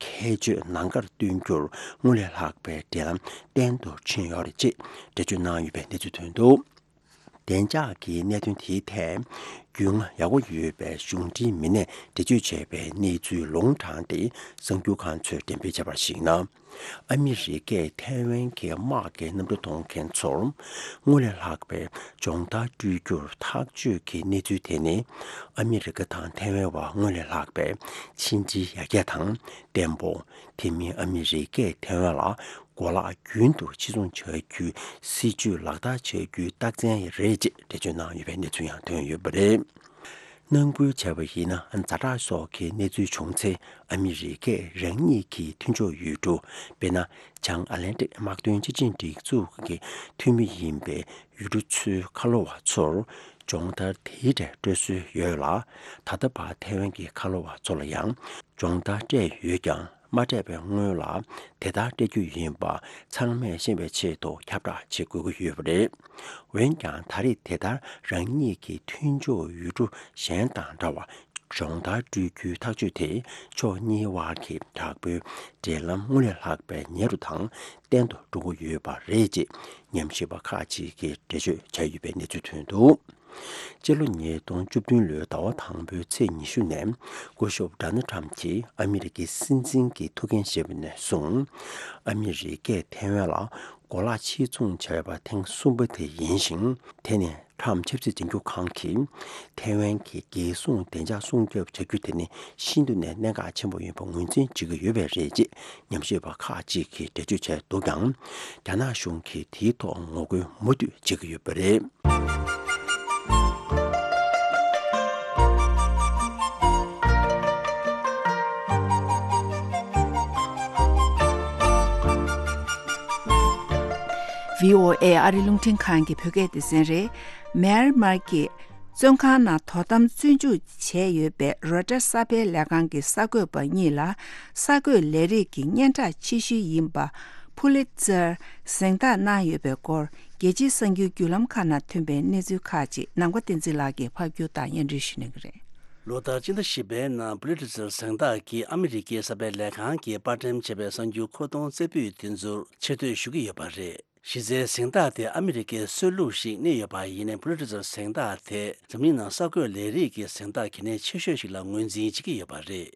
ཁྱད་ཆོས་ནམ་མཁར་སྟོན་རྒྱུར་སྔོན་ལས་ལྷག་པའི་འབྲེལ་ལམ་བརྟན་དུ་ཕྱིན་ཡོད་རེད་ཅེས་འགྲེལ་བརྗོད་གནང་ཡོད་པའི་གནས་ཚུལ་ཐོན་འདུག་བདེ་འཇགས་ཀྱི་གནད་དོན་དེའི་ཐད་རྒྱུས་མངའ་ཡག་པོ་ཡོད་པའི་གཞུང་འབྲེལ་མི་སྣས་འགྲེལ་བརྗོད་བྱས་པའི་གནས་ཚུལ་ལུང་དྲངས་ཏེ། གསར་འགྱུར་ཁང་ཚོས་འགྲེམས་སྤེལ་བྱས་པར་གཞིགས་ན། ཨ་མི་རི་ཀས་ཐའེ་ཝན་གྱི་དམག་གི་གནམ་གྲུ་གཏོང་མཁན་ཚོར་སྔོན་ལས་ལྷག་པའི་སྦྱོང་བརྡར་སྤྲོད་རྒྱུར་ཐག་གཅོད་ཀྱི་གནས་ཚུལ་དེ་ནི། ཨ་མི་རི་ཀ་དང་ཐའེ་ཝན་བར་སྔོན་ལས་ལྷག་པའི་ཕྱི་འབྲེལ་ཡར་རྒྱས་དང་བརྟན་པོ། དེ་མིན་ཨ་མི་རི་ཀས་ཐའེ་ཝན་ལ་གོ་ལག་རྒྱུན་དུ་ཕྱིར་ཚོང་བྱ་རྒྱུའི་སྲིད་ཇུས་ལག་བསྟར་བྱ་རྒྱུའི་རྟགས་མཚན་རེད་ཅེས་འགྲེལ་བརྗོད་གནང་ཡོད་པའི་གནས་ཚུལ་ཡང་ཐོན་ཡོད་པ་རེད། ནང་ཁུལ་བྱས་པ་ཡིན་ན། ཛ་དྲག་སོགས་ཀྱི་གནས་ཚུལ་བྱུང་ཚེ། ཨ་མི་རི་ཀས་རང་ཉིད་ཀྱི་མཐུན་ཕྱོགས་ཡུལ་གྲུ། དཔེར་ན། བྱང་ཨ་ལན་ཏིག་དམག་དོན་སྤྱི་ཆིངས་སྒྲིག་འཛུགས་ཀྱི་འཐུས་མི་ཡིན་པའི་ཡུལ་གྲུ་ཚོའི་ཁ་ལོ་བ་ཚོར་སྦྱོང་བརྡར་དེའི་གྲས་སྤྲོད་སྲོལ་ཡོད་ལ། ད་ལྟ་བར་ཐའེ་ཝན་གྱི་ཁ་ལོ་བ་ཚོ་ལ་ཡང་སྦྱོང་བརྡར་སྤྲད་ཡོད་ཀྱང་། མ་སྤྲད་པའི་སྔོན་ལ་དེ་ལྟར་སྤྲད་རྒྱུ་ཡིན་པ་ཚང་མས་ཤེས་པའི་ཆེད་དུ་ཁྱབ་བསྒྲགས་བྱེད་དགོས་ཀྱི་ཡོད་པ་རེད། འོན་ཀྱང་། ད་རེས་དེ་ལྟར་རང་ཉིད་ཀྱི་མཐུན་ཕྱོགས་ཡུལ་གྲུ་གཞན་དང་འདྲ་བར་སྦྱོང་བརྡར་སྤྲོད་རྒྱུའི་ཐག་གཅོད་དེ། ཕྱོགས་གཉིས་དབར་གྱི་དྲག་པོའི་འབྲེལ་ལམ་སྔོན་ལས་ལྷག་པའི་ཉེ་རུ་དང་བརྟན་དུ་འགྲོ་གི་ཡོད་པ་རེད་ཅེས་ཉམས་ཞིབ་པ་ཁག་ཅིག་གིས་འགྲེལ་བརྗོད་བྱས་ཡོད་པའི་གནས་ཚུལ་ཐོན་འདུག་སྤྱི་ལོ་ཉིས་སྟོང་བཅུ་བདུན་ལོའི་ཟླ་བ་དང་པོའི་ཚེས་ཉི་ཤུ་ནས། སྐུ་ཞབས་ཌོ་ནལ་ཊམ་གྱིས་ཨ་མི་རི་ཀའི་སྲིད་འཛིན་གྱི་ཐུགས་འགན་བཞེས་པ་ནས་བཟུང་། ཨ་མི་རི་ཀས་ཐའེ་ཝན་ལ་གོ་ལག་ཕྱིར་ཚོང་བྱས་པ་ཐེངས་གསུམ་པ་དེ་ཡིན་ཞིང་། དེ་ནི་ཊམ་ཆབ་སྲིད་འཛིན་སྐྱོང་ཁང་གིས་ཐའེ་ཝན་གྱི་རྒྱལ་སྲུང་བདེ་འཇགས་སྲུང་སྐྱོབ་བྱ་རྒྱུ་དེ་ནི་ཤིན་ཏུ་ནས་གནད་འགག་ཆེན་པོ་ཡིན་པ་ངོས་འཛིན་བྱེད་ཀྱི་ཡོད་པས་རེད་ཅེས་ཉམས་ཞིབ་པ་ཁག་ཅིག་གིས་འགྲེལ་བརྗོད་བྱས་འདུག་ཀྱང་། རྒྱ་ནག་གཞུང་གིས་དེའི་ཐོག་ངོ་རྒོལ་མུ་མཐུད་བྱེད་ཀྱི་ཡོད་པ་རེད། བྷི་ཨོ་ཨེ་ཨ་རི་རླུང་འཕྲིན་ཁང་གི་བོད་སྐད་སྡེ་ཚན་རེད། མེན་མར་གྱི་བཙོན་ཁང་ནང་དོ་དམ་བཙོན་འཇུག་བྱས་ཡོད་པའི་རོའི་ཊར་གསར་སྤེལ་ལས་ཁང་གི་གསར་འགོད་པ་གཉིས་ལ་གསར་འགོད་ལས་རིགས་ཀྱི་སྙན་གྲགས་ཆེ་ཤོས་ཡིན་པ་ཕུ་ལི་ཙར་གཟེངས་རྟགས་གནང་ཡོད་པའི་སྐོར། རྒྱལ་སྤྱིའི་གསར་འགྱུར་བརྒྱུད་ལམ་ཁག་ནང་ཐོན་པའི་གནས་ཚུལ་ཁག་ཅིག་ནམ་མཁའ་བསྟན་འཛིན་ལགས་ཀྱིས་ཕབ་སྒྱུར་དང་སྙན་སྒྲོན་ཞུ་གནང་གི་རེད། ལོ་ལྟར་སྤྱི་ཟླ་བཞི་པའི་ནང་ཕུ་ལི་ཙར་གཟེངས་རྟགས་ཀྱིས་ཨ་མི་རི་ཀའི་གསར་སྤེལ་ལས་ཁང་གིས་པར་འགྲེམས་བྱས་པའི་གསར་འགྱུར་མཁོ་གཏོང་རྩེ་ཕུད་དེ་ཚོར་ཆེ་བསྟོད་ཞུ་གི་ཡོད་པ་རེད། གཞི་རྩའི་གཟེངས་རྟགས་དེ་ཨ་མི་རི་ཀའི་སྲོལ་ལུགས་ཤིག་གནས་ཡོད་པ་ཡིན་ནའི། ཕུ་ལི་ཙར་གཟེངས་རྟགས་དེ་འཛམ་གླིང་ནང་གསར་འགོད་ལས་རིགས་ཀྱི་གཟེངས་རྟགས་གལ་གནད་ཆེ་ཤོས་ཤིག་ལ་ངོས་འཛིན་བྱེད་ཀྱི་ཡོད་པ་རེད།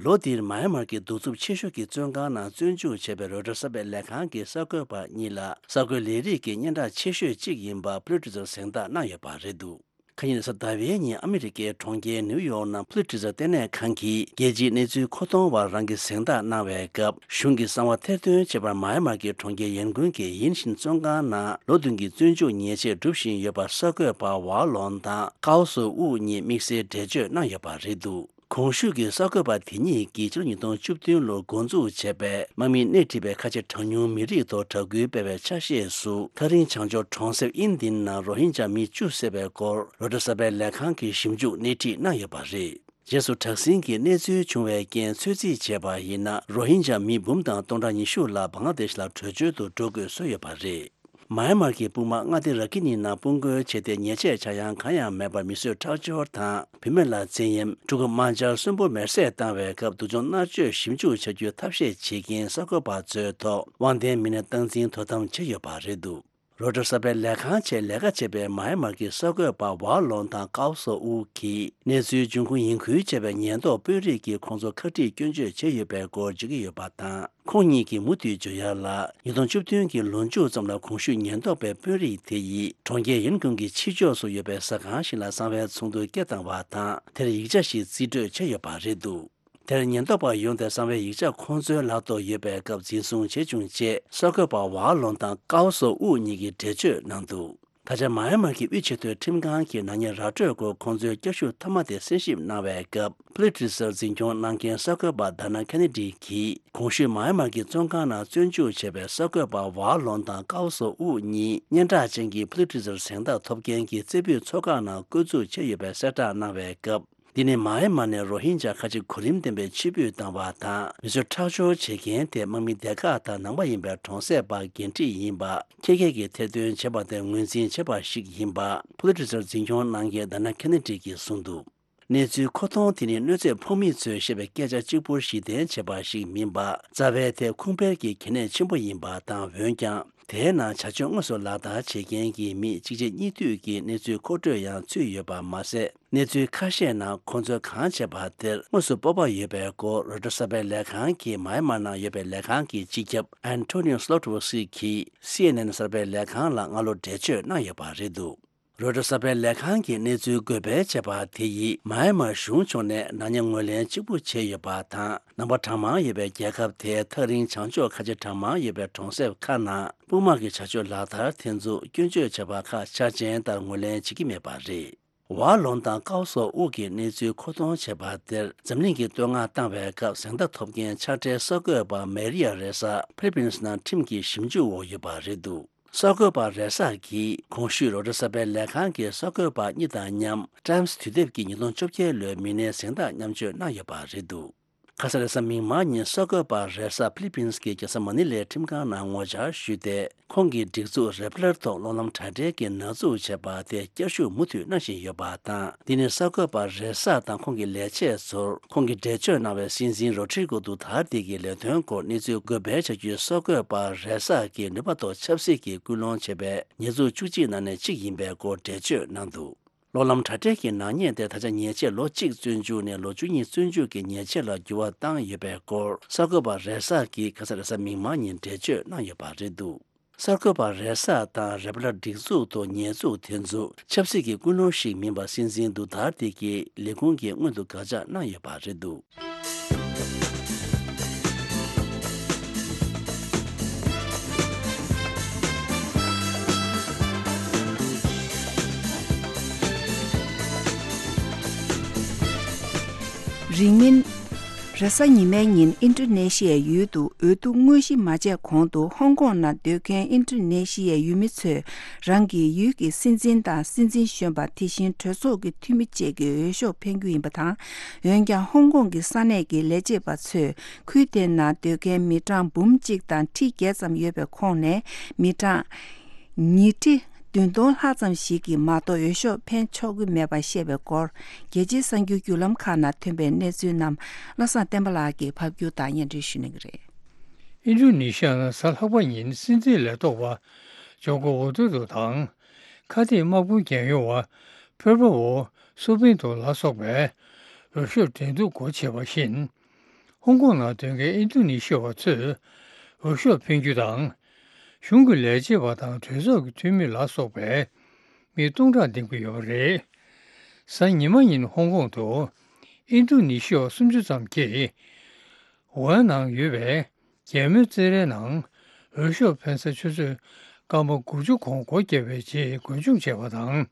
ལོ་འདིར་མཱ་ཡན་མར་གྱི་གདུག་རྩུབ་ཆེ་ཤོས་ཀྱི་བཙོན་ཁང་ནང་བཙོན་འཇུག་བྱས་པའི་རོའི་ཊར་གསར་སྤེལ་ལས་ཁང་གི་གསར་འགོད་པ་གཉིས་ལ་གསར་འགོད་ལས་རིགས་ཀྱི་སྙན་གྲགས་ཆེ་ཤོས་གཅིག་ཡིན་པ་ཕུ་ལི་ཙར་གཟེངས་རྟགས་གནང་ཡོད་པ་རེད་འདུག་ཁ་ཉིན་གཟའ་ཟླ་བའི་ཉིན་ཨ་མི་རི་ཀའི་གྲོང་ཁྱེར་ནིའུ་ཡོག་ནང་ཕུ་ལི་ཙར་ལྟེ་གནས་ཁང་གིས་རྒྱལ་སྤྱིའི་གནས་ཚུལ་མཁོ་གཏོང་བ་རང་གི་གཟེངས་རྟགས་གནང་བའི་སྐབས། གཞུང་གི་གསང་བ་ཐེར་འདོན་བྱས་པར་མཱ་ཡན་མར་གྱི་གྲོང་ཁྱེར་ཡན་ཀུན་གྱི་ཡིན་ཤིན་བཙོན་ཁང་ནང་ལོ་བདུན་གྱི་བཙོན་འཇུག་ཉེས་ཆད་སྒྲུབ་བཞིན་ཡོད་པར་གསར་འགོད་པ་ཝ་ལོང་དང་ཀའོ་སོ་ཨུ་གཉིས་དམིགས་བསལ་འགྲེལ་བརྗོད་གནང་ཡོད་པ་རེད་འདུག་གོང་ཞུས་ཀྱི་གསར་འགོད་པ་དེ་གཉིས་ཀྱིས་ཕྱི་ལོ་ཉིས་སྟོང་བཅུ་བདུན་ལོར་འགོ་འཛུགས་བྱས་པའི་དམག་མིས་སྣེ་ཁྲིད་པའི་ཁ་ཆེ་གྲངས་ཉུང་མི་རིགས་ཐོག་དྲག་སྐུལ་སྤེལ་བའི་ཆ་ཤས་སུ། ཐག་རིང་བྱང་ཕྱོགས་གྲོང་གསེབ་ཨིན་ལྡན་ནང་རོ་ཧིན་ཇཱ་མི་བཅུ་བསད་པའི་སྐོར་རོའི་ཊར་གསར་སྤེལ་ལས་ཁང་གིས་ཞིབ་འཇུག་སྣེ་ཁྲིད་གནང་ཡོད་པ་རེད། རྗེས་སུ་དྲག་ཟིང་གི་གནས་ཚུལ་བྱུང་བའི་རྐྱེན་ཚོད་རྩིས་བྱས་པ་ཡིན་ན། རོ་ཧིན་ཇཱ་མི་འབུམ་དང་སྟོང་ཕྲག་ཉི་ཤུ་ལ་བང་ལ་དེཤ་ལ་བྲོས་བྱོལ་དུ་འགྲོ་དགོས་བཟོས་ཡོད་པ་རེད། མཱ་ཡན་མར་གྱི་དཔུང་དམག་མངའ་སྡེ་ར་ཁི་ནི་ནང་དཔུང་རྒོལ་བྱས་ཏེ། ཉེས་ཆད་ཆག་ཡང་གང་ཡང་མེད་པར་མི་གསོད་ཁྲག་སྦྱོར་དང་བུད་མེད་ལ་བཙན་གཡེམ། ཕྲུ་གུ་དམར་འབྱར་གསོན་པོ་མེར་སྲེག་བཏང་བའི་སྐབས། སྡུག་སྦྱོང་མནར་གཅོད་ཞིབ་འཇུག་བྱ་རྒྱུའི་ཐབས་ཤེས་བྱེད་མཁན་གསར་འགོད་པ་ཚོའི་ཐོག་དབང་ལྡན་མི་སྣས་སྟངས་འཛིན་དོ་དམ་བྱས་ཡོད་པ་རེད་འདུག་རོའི་ཊར་གསར་སྤེལ་ལས་ཁང་ཆེད་ལས་ཀ་བྱེད་པའི་མཱ་ཡན་མར་གྱི་གསར་འགོད་པ་ཝ་ལོང་དང་ཀའོ་སོ་ཨུ་གིས། གནས་ཚུལ་འབྱུང་ཁུངས་ཡིན་ཁུལ་བྱས་པའི་ཉེན་རྟོག་དཔོན་རིགས་ཀྱིས་ཁོང་ཚོ་ཁ་དཀྲིས་སྐྱོན་བརྗོད་བྱས་ཡོད་པའི་སྐོར་བརྗོད་ཀྱི་ཡོད་པ་དང་། ཁོང་གཉིས་ཀྱིས་མུ་མཐུད་བརྗོད་ཡག་ལ། ཉིས་སྟོང་བཅུ་བདུན་གྱི་ལོ་མཇུག་ཙམ་ལ་གོང་ཞུས་ཉེན་རྟོག་པའི་དཔོན་རིགས་དེ་ཡིས་གྲོང་ཁྱེར་ཡིན་ཀུང་གི་ཕྱི་ཕྱོགས་སུ་ཡོད་པའི་ཟ་ཁང་ཞིག་ལ་གསང་བའི་ཚོགས་འདུ་སྐད་བཏང་བ་དང་། དེར་ཡིག་ཆ་ཞིག་རྩིས་སྤྲོད་བྱས་ཡོད་པ་རེད་འདུག་དེར་ཉེན་རྟོག་པ་ཡོང་སྟེ་གསང་བའི་ཡིག་ཆ་ཁོང་ཚོའི་ལག་ཏུ་ཡོད་པའི་སྐབས་འཛིན་བཟུང་བྱས་བྱུང་ཅེས་གསར་འགོད་པ་ཝ་ལོང་དང་ཀའོ་སོ་ཨུ་གཉིས་ཀྱིས་འགྲེལ་བརྗོད་གནང་འདུག་ད་ཆ་མཱ་ཡན་མར་གྱི་དབུས་ཆེས་མཐོའི་ཁྲིམས་ཁང་གིས་ནག་ཉེས་ར་སྤྲོད་སྐོར་ཁོང་ཚོའི་བསྐྱར་ཞིབ་མཐའ་མ་དེ་གསན་ཞིབ་གནང་བའི་སྐབས། ཕུ་ལི་ཏི་ཛར་འཛིན་སྐྱོང་གནང་མཁན་གསར་འགོད་པ་དཱ་ན་ཁེ་ནེ་ཌི་གིས། གོང་ཞུས་མཱ་ཡན་མར་གྱི་བཙོན་ཁང་ནང་བཙོན་འཇུག་བྱས་པའི་གསར་འགོད་པ་ཝཱ་ལོན་དང་ཀའོ་སོ་ཨུ་གཉིས་སྙན་གྲགས་ཅན་གྱི་ཕུ་ལི་ཏི་ཛར་གཟེངས་རྟགས་ཐོབ་མཁན་གྱི་རྩེ་ཕུད་ཚོགས་ཁག་ནང་བསྐོ་འཛུགས་བྱས་ཡོད་པའི་གསལ་བསྒྲགས་གནང་བའི་སྐབས། འདི་ནི་མཱ་ཡན་མར་ནས་རོ་ཧིན་ཇཱ་ཁ་ཆེ་གོ་རིམ་ལྡན་པའི་ཕྱིར་འབུད་བཏང་བ་དང་། མི་ཚོ་ཁྲག་སྦྱོར་བྱེད་མཁན་དེ་དམག་མི་སྡེ་ཁག་དང་ནང་པ་ཡིན་པའི་གྲོང་གསེབ་པ་འགན་འཁྲི་ཡིན་པ། ཁྱེད་ཀྱིས་ཐེར་འདོན་བྱས་པ་དེ་ངོས་འཛིན་བྱས་པ་ཞིག་ཡིན་པ། ཕུ་ལི་ཏི་ཛར་འཛིན་སྐྱོང་གནང་མཁན་དཱ་ན་ཁེ་ནེ་ཌི་གིས་གསུངས་འདུག་གནས་ཚུལ་མཁོ་གཏོང་དེ་ནི་གནོད་འཚེ་ཕོག་མི་ཚོས་བཤད་པའི་སྐད་ཆ་གཅིག་པུར་གཞི་རྟེན་བྱས་པ་ཞིག་མིན་པ། རྩ་བའི་དེ་ཁུངས་སྤེལ་གྱི་གལ་གནད་ཆེན་པོ་ཡིན་པ་དང་། འོན་ཀྱང་། དེའི་ནང་བྱ་སྤྱོད་དངོས་སུ་ལག་བསྟར་བྱེད་མཁན་གྱི་མི་གཅིག་རྗེས་གཉིས་མཐུད་ཀྱིས་གནས་ཚུལ་མཁོ་སྤྲོད་ཡང་ཚུད་ཡོད་པ་མ་ཟད། གནས་ཚུལ་ཁ་ཤས་ནང་ཁོང་ཚོས་གང་བྱས་པ་དེར་དངོས་སུ་སྤོབས་པ་ཡོད་པའི་སྐོར། རོའི་ཊར་གསར་པའི་ལས་ཁང་གི་མཱ་ཡན་མར་ནང་ཡོད་པའི་ལས་ཁང་གི་སྤྱི་ཁྱབ་ཨན་ཐོ་ནིའོ་སློ་ཊི་ཝོ་སི་གིས་སི་ཨེན་ཨེན་གསར་པའི་ལས་ཁང་ལ་སྔ་ལོ་འགྲེལ་བརྗོད་གནང་ཡོད་པ་རེད་འདུག་རོའི་ཊར་གསར་པའི་ལས་ཁང་གིས་གནས་ཚུལ་འགོད་སྤེལ་བྱས་པ་དེ་ཡིས། མཱ་ཡན་མར་གཞུང་ཕྱོགས་ནས་ནག་ཉེས་ངོས་ལེན་གཅིག་པུ་བྱས་ཡོད་པ་དང་། ནང་པ་གྲངས་མང་ཡོད་པའི་རྒྱལ་ཁབ་དེའི་ཐག་རིང་བྱང་ཕྱོགས་ཁ་ཆེ་གྲངས་མང་ཡོད་པའི་གྲོང་གསེབ་ཁག་ནང་དཔུང་དམག་གི་བྱ་སྤྱོད་ལག་བསྟར་དེ་ཚོ་སྐྱོན་བརྗོད་བྱས་པ་ཁག་ཆ་ཅན་ལྟར་ངོས་ལེན་བྱེད་ཀྱི་མེད་པ་རེད། ཝཱ་ལོན་དང་ཀའོ་སོ་ཨུ་གིས་གནས་ཚུལ་མཁོ་གཏོང་བྱས་པ་དེར། འཛམ་གླིང་གིས་བསྟོད་བསྔགས་བཏང་བའི་སྐབས། གཟེངས་རྟགས་ཐོབ་མཁན་ཕྱག་སྦྲེལ་གསར་འགོད་པ་མེ་རི་ཡ་རེ་ས་ཕི་ལི་པིན་སི་ནང་ཁྲིམས་ཀྱི་ཞིབ་འཇུག་འོག་ཡོད་པ་རེད་འདུག་གསར་འགོད་པ་རེ་ས་གིས་གོང་ཞུས་རོའི་ཊར་གསར་པའི་ལས་ཁང་གི་གསར་འགོད་པ་གཉིས་དང་མཉམ། ཊའིམ་སི་དུས་དེབ་ཀྱི་ཉིས་སྟོང་བཅོ་བརྒྱད་ལོའི་མི་སྣའི་གཟེངས་རྟགས་མཉམ་སྤྱོད་གནང་ཡོད་པ་རེད་འདུག་ཁ་ས་རེས་གཟའ་མིག་དམར་ཉིན་གསར་འགོད་པ་རེ་ས་ཕི་ལི་པིན་སི་གི་རྒྱལ་ས་མ་ནི་ལའི་ཁྲིམས་ཁང་ནང་ངོ་བཅར་ཞུས་ཏེ། ཁོང་གི་སྒྲིག་འཛུགས་རེ་པ་ལར་ཐོག་གློག་ལམ་དྲ་སྦྲེལ་གྱི་ནག་འཛུགས་བྱས་པ་དེ་བསྐྱར་ཞུ་མུ་མཐུད་གནང་བཞིན་ཡོད་པ་དང་། འདི་ནི་གསར་འགོད་པ་རེ་ས་དང་ཁོང་གི་ལས་བྱེད་ཚོར་ཁོང་གིས་འགྲེལ་བརྗོད་གནང་བའི་སྲིད་འཛིན་རོ་ཌི་རི་གོ་དུ་ཐར་ཏེ་གི་ལས་དོན་སྐོར་གནས་ཚུལ་འགོད་སྤེལ་བྱ་རྒྱུའི་གསར་འགོད་པ་རེ་ས་གི་ནུས་པ་ཐོག་ཆབ་སྲིད་ཀྱི་སྐུལ་སློང་བྱེད་པའི་ཉེས་འཛུགས་བཅུ་གཅིག་ནང་ནས་གཅིག་ཡིན་པའི་སྐོར་འགྲེལ་བརྗོད་གནང་འདུག་གློག་ལམ་དྲ་སྦྲེལ་གྱི་ནག་ཉེས་དེ་ད་ཆ་ཉེས་ཆད་ལོ་གཅིག་བཙོན་འཇུག་ནས་ལོ་བཅུ་གཉིས་བཙོན་འཇུག་གི་ཉེས་ཆད་ལ་འགྱུར་བ་བཏང་ཡོད་པའི་སྐོར། གསར་འགོད་པ་རེ་ས་གིས་ཁ་ས་རེས་གཟའ་མིག་དམར་ཉིན་འགྲེལ་བརྗོད་གནང་ཡོད་པ་རེད་འདུག་གསར་འགོད་པ་རེ་ས་དང་རེ་པ་ལར་སྒྲིག་འཛུགས་ཐོག་ཉེས་འཛུགས་དེ་ཚོ་ཆབ་སྲིད་ཀྱི་ཀུན་སློང་ཞིག་མིན་པ་སྲིད་འཛིན་དུ་ཐར་ཏེ་གིས་ལས་ཁུངས་ཀྱིས་སྔོན་དུ་དགག་བྱ་གནང་ཡོད་པ་རེད་འདུག་རིང་མིན། རེས་གཟའ་ཉི་མའི་ཉིན་ཨིན་ཌོ་ནེ་ཤི་ཡའི་ཡུལ་དུ་འོས་བསྡུ་དངོས་གཞི་མ་བྱས་གོང་དུ་ཧོང་ཀོང་ནང་སྡོད་མཁན་ཨིན་ཌོ་ནེ་ཤི་ཡའི་ཡུལ་མི་ཚོས་རང་གི་ཡུལ་གྱི་སྲིད་འཛིན་དང་སྲིད་འཛིན་གཞོན་པ། དེ་བཞིན་གྲོས་ཚོགས་ཀྱི་འཐུས་མི་བཅས་ཀྱི་འོས་ཤོག་འཕེན་རྒྱུ་ཡིན་པ་དང་། འོན་ཀྱང་ཧོང་ཀོང་གི་ས་གནས་ཀྱི་ལས་བྱེད་པ་ཚོས་ཁུལ་དེ་ནང་སྡོད་མཁན་མི་གྲངས་འབུམ་གཅིག་དང་ཁྲི་བརྒྱད་ཙམ་ཡོད་པའི་ཁོངས་ནས་མི་གྲངས་ཉིས་ཁྲི་བདུན་སྟོང་ལྷག་ཙམ་ཞིག་གིས་མ་གཏོགས་འོས་ཤོག་འཕེན་ཆོག་གི་མེད་པ་བཤད་པའི་སྐོར། རྒྱལ་སྤྱིའི་གསར་འགྱུར་བརྒྱུད་ལམ་ཁག་ནང་ཐོན་པའི་གནས་ཚུལ་རྣམས་བློ་བཟང་བསྟན་པ་ལགས་ཀྱིས་ཕབ་སྒྱུར་དང་སྙན་སྒྲོན་ཞུ་གནང་གི་རེད། ཨིན་ཌོ་ནེ་ཤི་ཡ་ནང་གཟའ་ལྷག་པ་ཉིན་སྲིད་འཛིན་ལས་ཐོག་པ་ཇོ་ཀོ་ཝི་ཌོ་རོ་དང་། ཁ་གཏད་དམག་དཔུང་རྒྱལ་ཡོངས་པ་ཕེར་པ་ཝོ་སུ་པིན་དོ་ལ་སོགས་པས་འོས་ཤོག་འགྲན་བསྡུར་སྒོ་ཕྱེ་བ་བཞིན། ཧོང་ཀོང་ནང་སྡོད་མཁན་ཨིན་ཌོ་ནེ་ཤི་ཡ་བ་ཚོས་འོས་ཤོག་འཕེན་རྒྱུ་དང་། གཞུང་གི་ལས་བྱེད་པ་དང་གྲོས་ཚོགས་ཀྱི་འཐུས་མི་ལ་སོགས་པའི་མི་སྟོང་ཕྲག་འདེམས་ཀྱི་ཡོད་པ་རེད། གཟའ་ཉི་མ་ཉིན་ཧོང་ཀོང་དུ་ཨིན་ཌོ་ནེ་ཤི་ཡ་བ་སུམ་ཅུ་ཙམ་གྱིས། ཝུ་ཧན་ནང་ཡོད་པའི་རྒྱལ་མོའི་རྩེད་རའི་ནང་འོས་ཤོག་འཕེན་ས་ཆུ་ཚོད་སྐར་མ་དགུ་བཅུ་གོང་སྒོ་བརྒྱབ་པའི་རྗེས་འགོ་མཇུག་བྱས་པ་དང་།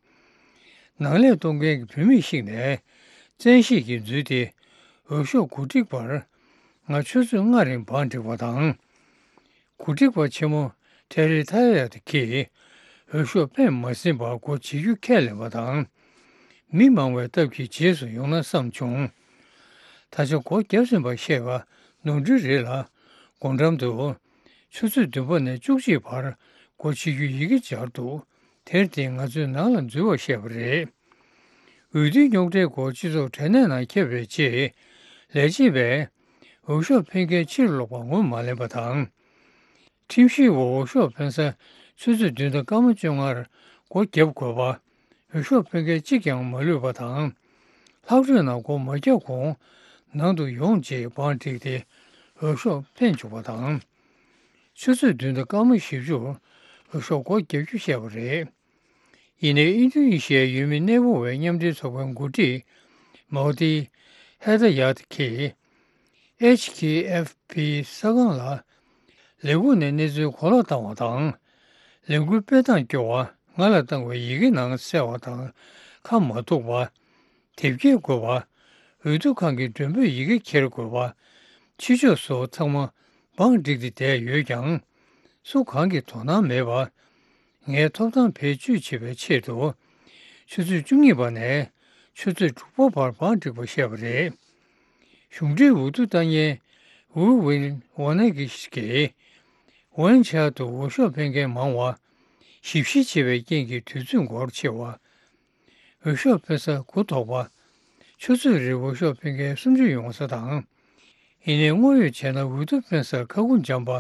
ནང་ལས་གཏོང་མཁན་གྱི་བུད་མེད་ཞིག་ནས་བཙན་ཤེད་ཀྱིས་འཛུལ་ཏེ་འོས་ཤོག་གོ་སྒྲིག་པར་ང་ཆུ་ཚོད་ལྔ་རིང་བང་བསྒྲིགས་པ་དང་། གོ་སྒྲིག་པ་ཆེན་མོ་ཐེ་རི་ཐ་ཡ་ཏི་གིས་འོས་ཤོག་འཕེན་མ་ཟིན་པར་སྒོ་འབྱེད་རྒྱུ་ཁས་ལེན་པ་དང་། མི་མང་བའི་སྟབས་ཀྱིས་རྗེས་སུ་ཡོང་ན་བསམ་བྱུང་། ད་ཆ་སྒོ་བརྒྱབ་ཟིན་པ་ཤེས་པ་ནོར་འཁྲུལ་རེད་ལ། སྒོ་འགྲམ་དུ་ཆུ་ཚོད་བདུན་པ་ནས་བཅུ་གཅིག་བར་སྒོ་ཕྱེ་རྒྱུའི་ཡི་གེ་སྦྱར་འདུག་དེར་བརྟེན་ང་ཚོས་ནང་ལ་འཛུལ་བར་བཤད་པ་རེད། འོས་བསྡུའི་རྙོག་དྲའི་སྐོར་སྤྱི་ཚོགས་དྲ་གནས་ནང་ཁྱབ་པའི་རྗེས། ལས་བྱེད་པས་འོས་ཤོག་འཕེན་མཁན་ཕྱིར་ལོག་པ་ངོས་མ་ལེན་པ་དང་། ཁྲིམས་ཞིབ་པ་འོས་ཤོག་འཕེན་ས་ཆུ་ཚོད་བདུན་དང་སྐར་མ་བཅོ་ལྔར་སྒོ་བརྒྱབ་དགོས་པ། འོས་ཤོག་འཕེན་མཁན་གཅིག་ཀྱང་མ་ལུས་པ་དང་། ལྷག་འཕྲོས་ནང་སྒོ་མ་བརྒྱབ་གོང་ནང་དུ་ཡོང་རྗེས་བང་བསྒྲིགས་ཏེ་འོས་ཤོག་འཕེན་བཅུག་པ་དང་། ཆུ་ཚོད་བདུན་དང་སྐར་མ་བཞི་བཅུར་འོས་ཤོག་སྒོ་བརྒྱབ་རྒྱུ་བཤད་པ་རེད། ཡིན་ནའི་ཨིན་ཌོ་ནེ་ཤི་ཡའི་ཡུལ་མི་གནས་སྤོ་བའི་མཉམ་འབྲེལ་ཚོགས་པའི་འགོ་ཁྲིད་མའོ་ཏི་ཧེ་ད་ཡ་ཏི་གིས་ཨེཆ་ཁེ་ཨེཕ་པི་གསར་ཁང་ལ་ལས་ཁུངས་ནས་གནས་ཚུལ་གོ་ལོག་བཏང་བ་དང་། ལས་འགུལ་སྤེལ་སྟངས་སྐྱོ་བ། ང་ལ་བཏང་བའི་ཡི་གེ་ནང་གསལ་བ་དང་ཁ་མ་ཐུག་པ། དེབ་སྐྱེལ་དགོས་པ། འོས་བསྡུ་ཁང་གི་མགྲོན་འབོད་ཡི་གེ་འཁྱེར་དགོས་པ། ཕྱི་ཕྱོགས་སུ་ཚང་མ་བང་བསྒྲིགས་ཏེ་བསྡད་ཡོད་ཀྱང་། སུ་གང་གིས་དོ་སྣང་མེད་པར། ངའི་ཐོབ་ཐང་བེད་སྤྱོད་བྱེད་པའི་ཆེད་དུ། ཆུ་ཚོད་བཅུ་གཉིས་པ་ནས་ཆུ་ཚོད་དྲུག་པ་བར་བང་བསྒྲིགས་པ་བཤད་པ་རེད། གཞུང་འབྲེལ་འོས་བསྡུ་བཏང་མཁན་ཝུའུ་ཝིན་ཝོ་ནེ་གིས་ཀྱིས། ཝུན་ཆའོ་དུ་འོས་ཤོག་འཕེན་མཁན་མང་བ། ཞིབ་བཤེར་བྱེད་པའི་རྐྱེན་གྱིས་དུས་ཚོད་འགོར་ཆེ་བ། འོས་ཤོག་འཕེན་ས་འགོ་དོག་པ། ཆུ་ཚོད་རེར་འོས་ཤོག་འཕེན་མཁན་སུམ་ཅུ་ཡོང་ས་དང་། ཡིན་ནའི་དངོས་ཡོད་བྱས་ན་འོས་བསྡུ་འཕེན་སར་ཁ་ཁུ་འཇམ་པ་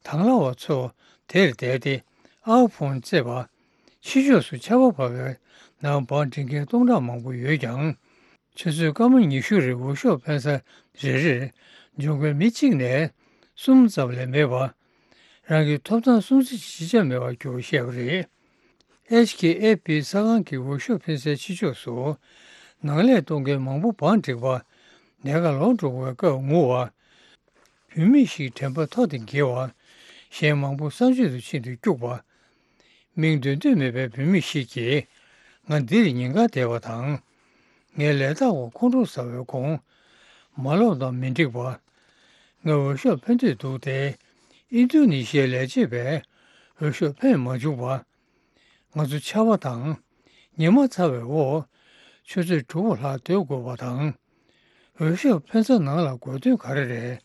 དང་བླངས་པ་ཚོ་དེར་བསྡད་དེ་ཨའོ་ཕོན་རྩེད་པ། ཕྱི་ཕྱོགས་སུ་ཆར་པ་བབས་པའི་ནང་བང་བསྒྲིགས་མཁན་སྟོང་ཕྲག་མང་པོ་ཡོད་ཀྱང་། ཆུ་ཚོད་སྐར་མ་ཉི་ཤུ་རིང་འོས་ཤོག་འཕེན་ས་རེ་རེར་འབྱོར་མཁན་མི་གཅིག་ནས་གསུམ་ཙམ་ལས་མེད་པ། རང་གི་ཐོབ་ཐང་སྲུང་བརྩི་བྱེད་ཆ་མེད་པར་གྱུར་བཤད་པ་རེད། ཨེཆ་ཁེ་ཨེཕ་པི་གསར་ཁང་གི་འོས་ཤོག་འཕེན་སའི་ཕྱི་ཕྱོགས་སུ་ནང་ལས་གཏོང་མཁན་མང་པོ་བང་བསྒྲིགས་པ། ལས་ཀ་ལོག་འགྲོ་བའི་སྐབས་ངུ་བ། བུད་མེད་ཞིག་དྲན་པ་ཐོག་ཏུ་འགྱེལ་བ། གཞན་མང་པོ་གསང་སྤྱོད་དུ་ཕྱིན་ཏེ་སྐྱུག་པ། མིང་འདོན་འདོད་མེད་པའི་བུད་མེད་ཞིག་གིས་ང་འདིར་ཉིན་དཀར་བསྡད་པ་དང་། ངའི་ལས་རྟགས་འོག་ཁོང་ཁྲོ་ཟ་བའི་གོང་། མ་ལོབས་དང་མི་འགྲིག་པ། ངས་འོས་ཤོག་འཕེན་འདོད་འདུག་སྟེ། ཨིན་རྡུ་ནི་ཤི་ཡའི་ལས་བྱེད་པས་འོས་ཤོག་འཕེན་མ་བཅུག་པ། ང་ཚོ་ཆར་པ་དང་ཉི་མ་ཚ་བའི་འོག་ཆུ་ཚོད་དྲུག་པ་ལྷག་སྡོད་དགོས་པ་དང་། འོས་ཤོག་འཕེན་ས་ནང་ལ་དགོས་དོན་ག་རེ་རེད།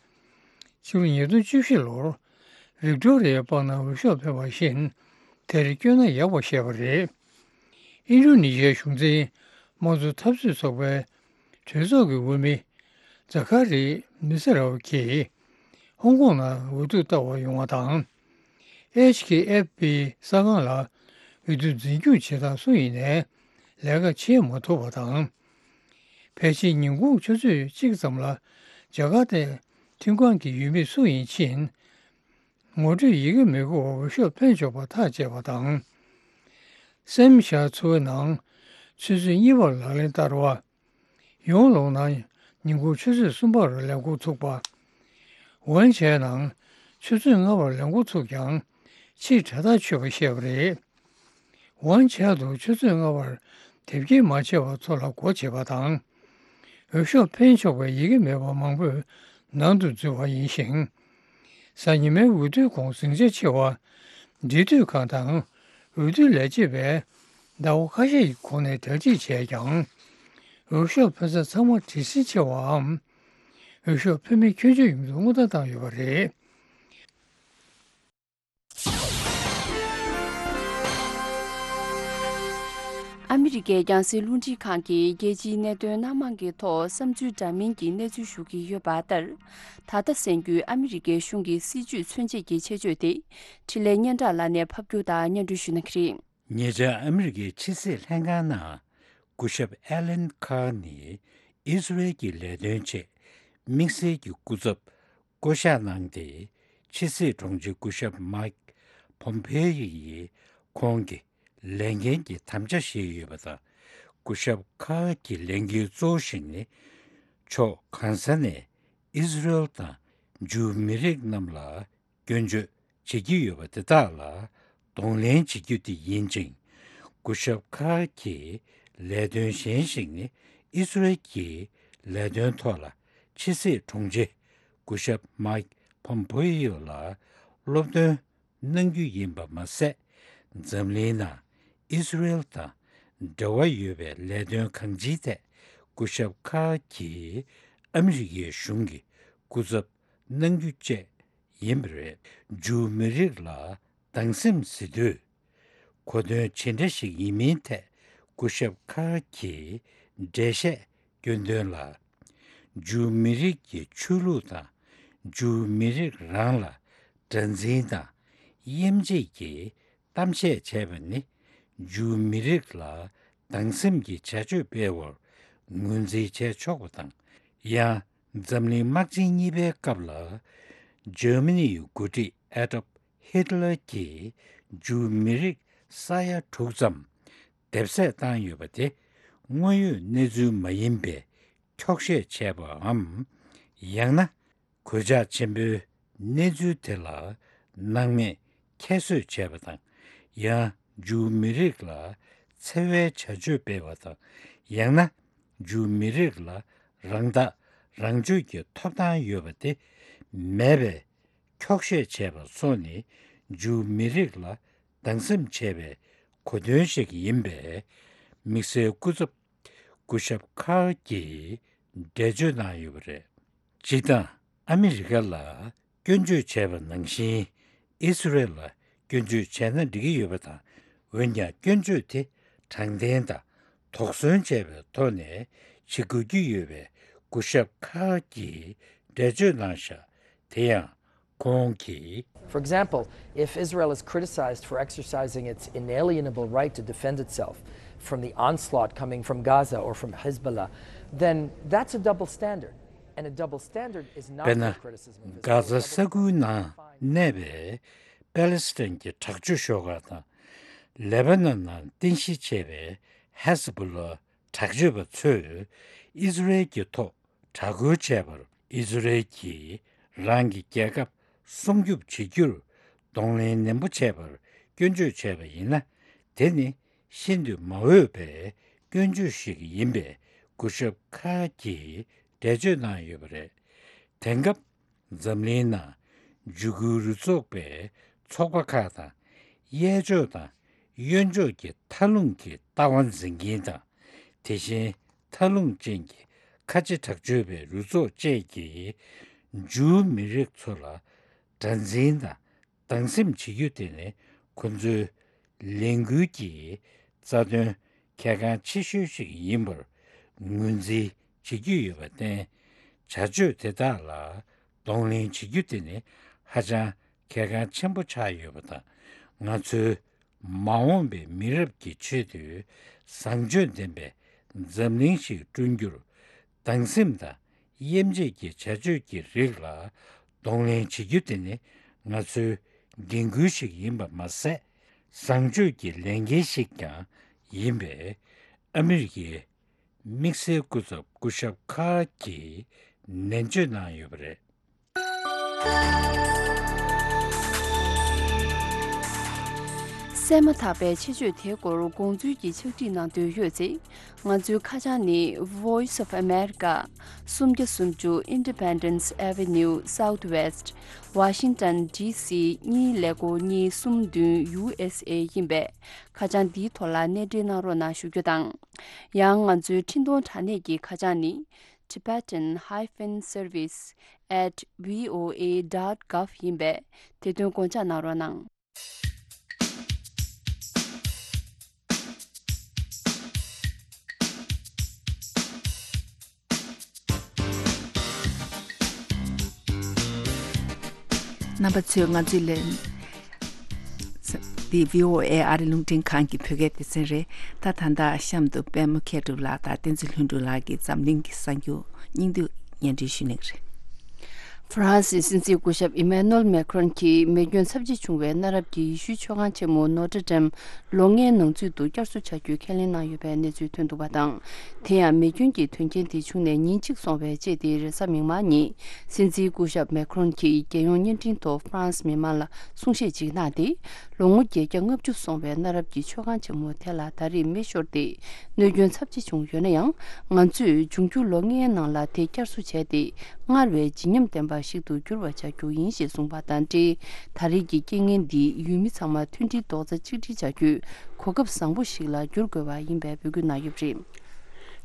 ཕྱི་ལོ་ཉིས་སྟོང་བཅུ་བཞི་ལོར་ཝིག་ཏོ་རི་ཡའི་པང་ནང་འོས་ཤོག་འཕེན་པ་བཞིན་དེར་བསྐྱོད་ན་ཡག་པ་ཞེས་པ་རེད། ཨིན་རྡུ་ནི་ཤི་ཡའི་གཞུང་འཛིན་དམངས་གཙོ་འཐབ་རྩོད་ཚོགས་པའི་གྲོས་ཚོགས་ཀྱི་འོས་མི་ཛ་ཁ་རི་མི་སེ་རའོ་གིས་ཧོང་ཀོང་ནང་འོས་བསྡུ་ལྟ་བར་ཡོང་བ་དང་། ཨེཆ་ཁེ་ཨེཕ་པི་གསར་ཁང་ལ་འོས་བསྡུ་འཛིན་སྐྱོང་བྱེད་སྟངས་སུ་ཡིན་ནའི་ལས་ཀ་བྱེད་མ་ཐུབ་པ་དང་། ཕལ་ཆེར་ཉིན་གུང་ཆུ་ཚོད་གཅིག་ཙམ་ལ་ཇ་ཀར་ཏའི་མཐུན་ཁང་གི་འོས་མི་སུ་ཡིན་ཕྱིན། ངོ་སྤྲོད་ཡི་གེ་མི་དགོས་པར་འོས་ཤོག་འཕེན་ཆོག་པ་ཐག་བཅད་པ་དང་། སེམས་ཤར་ཚོ་བའི་ནང་ཆུ་ཚོད་གཉིས་པར་ལག་ལེན་བསྟར་བ། ཡོང་ལོང་ནང་ཉིན་གུང་ཆུ་ཚོད་གསུམ་པར་ལས་འགོ་ཚུགས་པ། ཝན་ཆའོ་ནང་ཆུ་ཚོད་ལྔ་པར་ལས་འགོ་ཚུགས་ཀྱང་ཕྱིར་དྲ་ཐག་ཆོད་པ་བཤད་པ་རེད། ཝན་ཆའོ་དུ་ཆུ་ཚོད་ལྔ་པར་དེབ་སྐྱེལ་མ་བྱས་པ་ཚོ་ལ་སྒོ་འབྱེད་པ་དང་། འོས་ཤོག་འཕེན་ཆོག་པའི་ཡི་གེ་མེད་པ་མང་པོས་ནང་དུ་འཛུལ་བ་ཡིན་ཞིང་། གཟའ་ཉི་མའི་འོས་བསྡུའི་གོང་ཟིང་ཆ་ཆེ་བ། འབྲེལ་མཐུད་ཁང་དང་འོས་བསྡུ་ལས་བྱེད་པས་ཟླ་བ་ཁ་ཤས་ཀྱི་གོང་ནས་གྲ་སྒྲིག་བྱས་ཀྱང་། འོས་ཤོག་འཕེན་ས་ཚང་མ་བྲེལ་ཟིང་ཆེ་བའམ། འོས་ཤོག་འཕེན་མི་ཁྱོན་ཆོད་ཡོང་རྒྱུར་སྔོན་བརྡ་བཏང་ཡོད་པ་རེད། ཨ་མི་རི་ཀའི་རྒྱང་སྲིང་རླུང་འཕྲིན་ཁང་གིས་རྒྱལ་སྤྱིའི་གནད་དོན་སྣ་མང་གི་ཐོག་བསམ་ཚུལ་འདྲ་མིན་གྱི་གནས་ཚུལ་ཞུ་གི་ཡོད་པ་ལྟར། ད་ལྟ་གསན་རྒྱུའི་ཨ་མི་རི་ཀའི་གཞུང་གི་སྲིད་ཇུས་མཚོན་བྱེད་ཀྱི་ཆེད་བརྗོད་དེ། འཕྲིན་ལས་སྙན་གྲགས་ལགས་ནས་ཕབ་སྒྱུར་དང་སྙན་སྒྲོན་ཞུ་གནང་གི་རེད། ཉེ་ཆར་ཨ་མི་རི་ཀའི་ཕྱི་སྲིད་ལྷན་ཁང་ནང་སྐུ་ཞབས་ཨེ་ལན་ཁཱར་ནི་ཨི་སི་རེལ་གྱི་ལས་དོན་ཆེད་དམིགས་བསལ་གྱི་སྐུ་ཚབ་བསྐོ་གཞག་གནང་སྟེ། ཕྱི་སྲིད་དྲུང་ཆེ་སྐུ་ཞབས་མཱིག་ཕོམ་ཕེ་ཡི་ཡིས་ཁོང་གི་ལས་འགན་གྱི་དམ་བཅའ་བཞེས་ཡོད་པ་དང་། སྐུ་ཞབས་ཁཱར་གྱི་ལས་འགན་གཙོ་བོ་ཞིག་ནི་ཕྱོགས་གང་ས་ནས་ཨི་སི་རེལ་དང་ཇུའུ་མི་རིགས་རྣམས་ལ་སྐྱོན་བརྗོད་བྱེད་ཀྱི་ཡོད་པ་དེ་དག་ལ་གདོང་ལེན་བྱེད་རྒྱུ་དེ་ཡིན་ཅིང་། སྐུ་ཞབས་ཁཱར་གྱི་ལས་དོན་གཞན་ཞིག་ནི་ཨི་སི་རེལ་གྱི་ལས་དོན་ཐོག་ལ་ཕྱི་སྲིད་དྲུང་ཆེ་སྐུ་ཞབས་མཱིག་ཕོམ་ཕེ་ཡོ་ལ་སློབ་སྟོན་གནང་རྒྱུ་ཡིན་པ་མ་ཟད། འཛམ་གླིང་ནང་ཨི་སི་རེལ་དང་འབྲེལ་བ་ཡོད་པའི་ལས་དོན་གང་ཅིའི་ཐད་སྐུ་ཞབས་ཁཱར་གྱིས་ཨ་མི་རི་ཀའི་གཞུང་གི་སྐུ་ཚབ་གནང་རྒྱུ་བཅས་ཡིན་པ་རེད། ཇུའུ་མི་རིགས་ལ་སྡང་སེམས་ཟེར་དུས་གོ་དོན་ཇི་འདྲ་ཞིག་ཡིན་མིན་ཐད་སྐུ་ཞབས་ཁཱར་གྱིས་འགྲེལ་བཤད་སྐྱོན་དོན་ལ། ཇུའུ་མི་རིགས་ཀྱི་ཆོས་ལུགས་དང་ཇུའུ་མི་རིགས་རང་ལ་དགྲར་འཛིན་དང་དབྱེ་འབྱེད་ཀྱི་གཏམ་བཤད་བྱས་པ་ནི་ཇུའུ་མི་རིགས་ལ་སྡང་སེམས་ཀྱི་བྱ་སྤྱོད་སྤེལ་བར་ངོས་འཛིན་བྱས་ཆོག་པ་དང་། ཡང་འཛམ་གླིང་དམག་ཆེན་གཉིས་པའི་སྐབས་ལ་ཇར་མ་ནི་ཡི་འགོ་ཁྲིད་ཨེ་ཌོལཕ་ཧིཊ་ལར་གྱིས་ཇུའུ་མི་རིགས་ས་ཡ་དྲུག་ཙམ་འདེབས་གསོད་བཏང་ཡོད་པ་དེ་དངོས་ཡོད་གནས་ཚུལ་མ་ཡིན་པའི་འཁྱོག་བཤད་བྱས་པའམ། ཡང་ན་གོད་ཆག་ཆེན་པོའི་གནས་ཚུལ་དེ་ལ་སྣང་མེད་ཁྱད་གསོད་བྱས་པ་དང་། ཡང་ འཇུའུ་མི་རིགས་ལ་འཚེ་བའི་བྱ་སྤྱོད་སྤེལ་བ་དང་། ཡང་ན་འཇུའུ་མི་རིགས་ལ་རང་ཐག་རང་གཅོད་ཀྱི་ཐོབ་ཐང་ཡོད་པ་དེ་མེད་པའི་འཁྱོག་བཤད་བྱས་པ་སོགས་ནི་འཇུའུ་མི་རིགས་ལ་སྡང་སེམས་བྱས་པའི་གོ་དོན་ཞིག་ཡིན་པས། དམིགས་བསལ་སྐུ་ཚབ་སྐུ་ཞབས་ཁཱར་གྱིས་འགྲེལ་བརྗོད་གནང་ཡོད་པ་རེད། སྤྱིར་བཏང་ཨ་མི་རི་ཀ་ལ་སྐྱོན་བརྗོད་བྱས་པ་ནང་བཞིན་ཨི་སི་རེལ་ལ་སྐྱོན་བརྗོད་བྱས་ན་འགྲིག་གི་ཡོད་པ་དང་། འོན་ཀྱང་སྐྱོན་བརྗོད་དེ་དྲང་བདེན་དང་དོགས་ཟོན་བྱས་པའི་ཐོག་ནས་བྱེད་དགོས་ཀྱི་ཡོད་པའི་སྐུ་ཞབས་ཁཱར་གྱིས་འགྲེལ་བརྗོད་གནང་བཞག་དེ་ཡང་ཁོང་གིས། For example, if Israel is criticized for exercising its inalienable right to defend itself from the onslaught coming from Gaza or from Hezbollah, then that's a double standard. And a double standard is not དཔེར་ན། a criticism of Israel. གྷ་ཛ་ས་ཁུལ་ནང་གནས་པའི་པ་ལི་སི་ཐན་གྱི་དྲག་སྤྱོད་ཤོག་ཁག་དང་། ལེ་པ་ནན་ནང་རྟེན་གཞི་བྱས་པའི་ཧེ་ཟ་བྷོ་ལ་དྲག་སྤྱོད་པ་ཚོས་ཨི་སི་རེལ་གྱི་ཐོག་དྲག་རྒོལ་བྱས་པར། ཨི་སི་རེལ་གྱིས་རང་གི་རྒྱལ་ཁབ་སྲུང་སྐྱོབ་བྱེད་རྒྱུར་གདོང་ལེན་ནན་པོ་བྱས་པར་སྐྱོན་བརྗོད་བྱས་པ་ཡིན་ན། དེ་ནི་ཤིན་ཏུ་མ་འོས་པའི་སྐྱོན་བརྗོད་ཞིག་ཡིན་པས། སྐུ་ཞབས་ཁཱར་གྱིས་འགྲེལ་བརྗོད་གནང་ཡོད་པ་རེད། དེང་སྐབས་འཛམ་གླིང་ནང་འཇིགས་སྐུལ་རུ་ཚོགས་པའི་ཚོགས་པ་ཁག་དང་། གཡས་ཕྱོགས་དང་གཡོན་ཕྱོགས་ཀྱི་མཐའ་ལྷུང་གི་ལྟ་བ་འཛིན་མཁན་དང་། དེ་བཞིན་མཐའ་ལྷུང་ཅན་གྱི་ཁ་ཆེ་དྲག་སྤྱོད་པའི་རུ་ཚོགས་བཅས་ཀྱིས་འཇུའུ་མི་རིགས་ཚོ་ལ་དགྲར་འཛིན་དང་སྡང་སེམས་བྱེད་རྒྱུ་དེ་ནི་ཁོ་ཚོའི་ལས་འགུལ་གྱི་རྩ་དོན་གལ་འགངས་ཆེ་ཤོས་ཤིག་ཡིན་པར་ངོས་འཛིན་བྱེད་ཀྱི་ཡོད་པར་བརྟེན། བྱ་སྤྱོད་དེ་དག་ལ་གདོང་ལེན་བྱེད་རྒྱུ་དེ་ནི་ཧ་ཅང་གལ་འགངས་ཆེན་པོ་ཆགས་ཡོད་པ་དང་། ང་ཚོའི་མ་འོངས་པའི་མི་རབས་ཀྱི་ཆེད་དུ་བཟང་སྤྱོད་ལྡན་པའི་འཛམ་གླིང་ཞིག་བསྐྲུན་རྒྱུར། སྡང་སེམས་དང་དབྱེ་འབྱེད་ཀྱི་བྱ་སྤྱོད་ཀྱི་རིགས་ལ་གདོང་ལེན་བྱེད་རྒྱུ་དེ་ནི་ང་ཚོའི་འགན་ཁུར་ཞིག་ཡིན་པ་མ་ཟད། བཟང་སྤྱོད་ཀྱི་ལས་འགན་ཞིག་ཀྱང་ཡིན་པས། ཨ་མི་རི་ཀའི་དམིགས་བསལ་སྐུ་ཚབ་སྐུ་ཞབས་ཁཱར་གྱིས་ནན་བརྗོད་གནང་ཡོད་པ་རེད། གསན་མ་ཐག་པའི་ཆེད་བརྗོད་དེའི་སྐོར་དགོངས་ཚུལ་གྱི་ཕྱག་བྲིས་གནང་འདོད་ཡོད་ཚེ། ང་ཚོའི་ཁ་བྱང་ནི། Voice of America། སུམ་བརྒྱ་སུམ་ཅུ་Independence Avenue Southwest། Washington D C གཉིས་ཀླད་ཀོར་གཉིས་གསུམ་བདུན་U S A ཡིན་པས། ཁ་བྱང་འདིའི་ཐོག་ལ་གནས་འབྲེལ་གནང་རོགས་གནང་ཞུ་རྒྱུ་དང་། ཡང་ང་ཚོའི་འཕྲིན་གཏོང་དྲ་གནས་ཀྱི་ཁ་བྱང་ནི། Tibetan hyphen service at V O A dot gov ཡིན་པས། དེ་དོན་དགོངས་འཇགས་གནང་རོགས་གནང་། རྣམ་པ་ཚོས་ང་ཚོའི་ལན། འདི་V O A ཨ་རི་རླུང་འཕྲིན་ཁང་གི་བོད་སྐད་སྡེ་ཚན་རེད། ད་ད་ལྟ་གཤམ་དུ་པད་མ་མཁས་གྲུབ་ལགས་དང་བསྟན་འཛིན་ལྷུན་གྲུབ་ལགས་ཀྱིས་འཛམ་གླིང་གི་གསར་འགྱུར་སྙིང་བསྡུས་སྙན་སྒྲོན་ཞུ་གནང་གི་རེད། ཧྥ་རན་སིའི་སྲིད་འཛིན་སྐུ་ཞབས་ཨི་མེ་ནུ་ཨེལ་མེ་ཁྲོན་གྱིས་མེ་སྐྱོན་ཚབས་ཆེ་བྱུང་བའི་གནའ་རབས་ཀྱི་ཡེ་ཤུའི་མཆོད་ཁང་ཆེན་མོ་ནོ་ཏྲེ་ཌེམ་ལོ་ལྔའི་ནང་ཚུད་དུ་བསྐྱར་གསོ་བྱ་རྒྱུའི་ཁས་ལེན་གནང་ཡོད་པའི་གནས་ཚུལ་ཐོན་འདུག་པ་དང་། དེ་ཡང་མེ་སྐྱོན་གྱི་དོན་རྐྱེན་དེ་བྱུང་ནས་ཉིན་གཅིག་སོང་བའི་རྗེས་ཏེ་རེས་གཟའ་མིག་དམར་ཉིན་སྲིད་འཛིན་སྐུ་ཞབས་མེ་ཁྲོན་གྱིས་རྒྱལ་ཡོངས་བརྙན་འཕྲིན་ཐོག་ཧྥ་རན་སི་མི་མང་ལ་གསུང་བཤད་ཅིག་གནང་སྟེ། ལོ་ངོ་བརྒྱད་བརྒྱ་ལྔ་བཅུ་སོང་བའི་གནའ་རབས་ཀྱི་མཆོད་ཁང་ཆེན་མོ་དེ་ལ་ད་རེས་མེ་ཤོར་ཏེ་གནོད་སྐྱོན་ཚབས་ཆེ་བྱུང་ཡོད་ན་ཡང་། ང་ཚོས་འབྱུང་འགྱུར་ལོ་ལྔའི་ནང་ལ་དེ་བསྐྱར་གསོ་བྱས་ཏེ། སྔར་བས་བརྗིད་ཉམས་ལྡན་པ་ཞིག་ཏུ་འགྱུར་བ་བྱ་རྒྱུ་ཡིན་ཞེས་གསུངས་པ་དང་འབྲེལ། ད་རེས་ཀྱི་རྐྱེན་ངན་འདིས་ཡུལ་མི་ཚང་མ་མཐུན་སྒྲིལ་རྡོག་རྩ་གཅིག་སྒྲིལ་བྱ་རྒྱུའི་གོ་སྐབས་བཟང་པོ་ཞིག་ལ་འགྱུར་དགོས་པ་ཡིན་པའི་འབོད་སྐུལ་གནང་ཡོད་པ་རེད།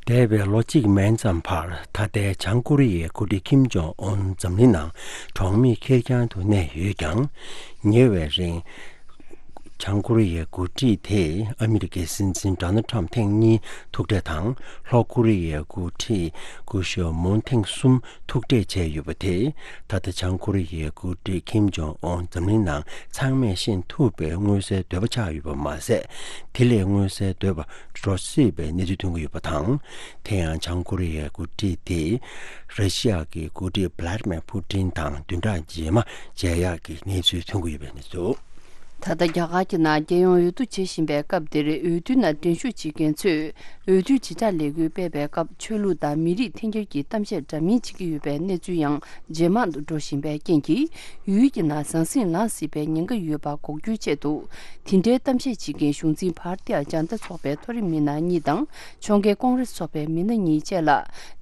འདས་པའི་ལོ་གཅིག་མན་ཙམ་བར་ད་ལྟའི་བྱང་ཀོ་རི་ཡའི་འགོ་ཁྲིད་ཁིམ་ཇོང་ཨུན་འཛམ་གླིང་ནང་གྲོགས་མེད་ཁེར་རྐྱང་དུ་གནས་ཡོད་ཀྱང་། ཉེ་བའི་རིང་། བྱང་ཀོ་རི་ཡའི་འགོ་ཁྲིད་དེས་ཨ་མི་རི་ཀའི་སྲིད་འཛིན་ཌོ་ནལ་ཁྲམ་ཐེངས་གཉིས་ཐུག་འཕྲད་དང་། ལྷོ་ཀོ་རི་ཡའི་འགོ་ཁྲིད་སྐུ་ཞབས་མུན་ཐེངས་གསུམ་ཐུག་འཕྲད་བྱས་ཡོད་པ་དེས། ད་ལྟ་བྱང་ཀོ་རི་ཡའི་འགོ་ཁྲིད་ཁིམ་ཇོང་ཨུན་འཛམ་གླིང་ནང་ཚང་མས་ཤེས་ཐུབ་པའི་མངོན་གསལ་དོད་པོ་ཆགས་ཡོད་པ་མ་ཟད། དེ་ལས་མངོན་གསལ་དོད་པ་འགྲོ་སྲིད་པའི་གནས་ཚུལ་ཐོན་གྱི་ཡོད་པ་དང་། དེ་ཡང་བྱང་ཀོ་རི་ཡའི་འགོ་ཁྲིད་དེས་ར་ཤི་ཡ་གི་འགོ་ཁྲིད་བྷ་ལ་ཏི་མེར་ཕུ་ཏིན་དང་བདུན་ཕྲག་རྗེས་མ་མཇལ་ཡག་གི་གནས་ཚུལ་ཐོན་གྱི་ཡོད་པའི་གནས་ཚུལ། ད་ལྟ་རྒྱ་གར་གྱི་ནང་རྒྱལ་ཡོངས་འོས་བསྡུ་བྱེད་བཞིན་པའི་སྐབས་འདིར། འོས་བསྡུའི་ནང་འགྲན་ཞུགས་བྱེད་མཁན་ཚོས་འོས་བསྡུའི་དྲིལ་བསྒྲགས་ལས་འགུལ་སྤེལ་བའི་སྐབས། ཆོས་ལུགས་དང་མི་རིགས་འཐེན་འཁྱེར་གྱི་གཏམ་བཤད་འདྲ་མིན་བྱེད་ཀྱི་ཡོད་པའི་གནས་ཚུལ་ཡང་ཇེ་མང་དུ་འགྲོ་བཞིན་པའི་རྐྱེན་གྱིས། ཡུལ་གྱི་ནང་ཟང་ཟིང་ལངས་སྲིད་པའི་ཉེན་ཁ་ཡོད་པ་འགོག་རྒྱུའི་ཆེད་དུ། དེ་འདྲའི་གཏམ་བཤད་བྱེད་མཁན་གཞུང་འཛིན་བྷར་ཏི་ཡ་ཇན་ཏ་ཚོགས་པའི་མཐོ་རིམ་མི་སྣ་གཉིས་དང་། ཕྱོགས་འགལ་ཀོང་རེས་ཚོགས་པའི་མི་སྣ་གཉིས་བཅས་ལ།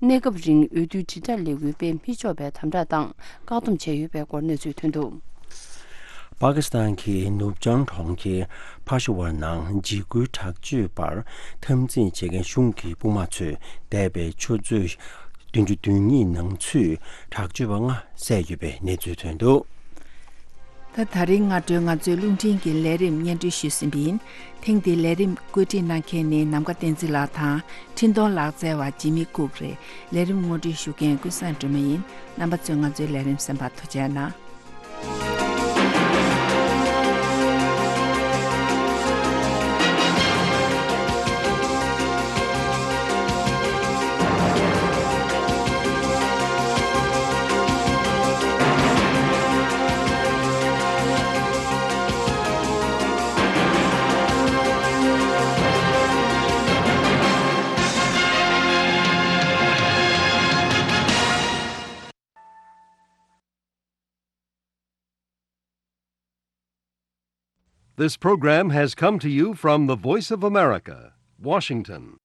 གནས་སྐབས་རིང་འོས་བསྡུའི་དྲིལ་བསྒྲགས་ལས་འགུལ་སྤེལ་མི་ཆོག་པའི་དམ་དྲག་དང་བཀག་སྡོམ་བྱས་ཡོད་པའི་སྐོར་གནས་ཚུལ་ཐོན་འདུག། པ་ཀི་སི་ཐན་གྱི་ནུབ་བྱང་གྲོང་ཁྱེར་ཕ་ཤ་ཝར་ནང་འཇིགས་སྐུལ་དྲག་སྤྱོད་པར་འཐབ་འཛིང་བྱེད་མཁན་གཞུང་གི་དཔུང་དམག་ཚོས་འདས་པའི་ཆུ་ཚོད་བདུན་ཅུ་དོན་གཉིས་ནང་ཚུད་དྲག་སྤྱོད་པ་ལྔ་བསད་ཡོད་པའི་གནས་ཚུལ་ཐོན་འདུག། ད། ད་རིང་སྔ་དྲོའི་ང་ཚོའི་རླུང་འཕྲིན་གྱི་ལས་རིམ་སྙན་སྒྲོན་ཞུས་ཟིན་པ་ཡིན། ཐེངས་འདིའི་ལས་རིམ་བཀོད་སྒྲིག་གནང་མཁན་ནི་ནམ་མཁའ་བསྟན་འཛིན་ལགས་དང་། འཕྲིན་གཏོང་ལག་རྩལ་བ་ཇི་མི་ཀུག་རེད། ལས་རིམ་ངོ་སྤྲོད་ཞུ་མཁན་ཀུན་བཟང་སྒྲོལ་མ་ཡིན། རྣམ་པ་ཚོས་ང་ཚོའི་ལས་རིམ་གསན་པར་ཐུགས་རྗེ་གནང་། This program has come to you from the Voice of America, Washington.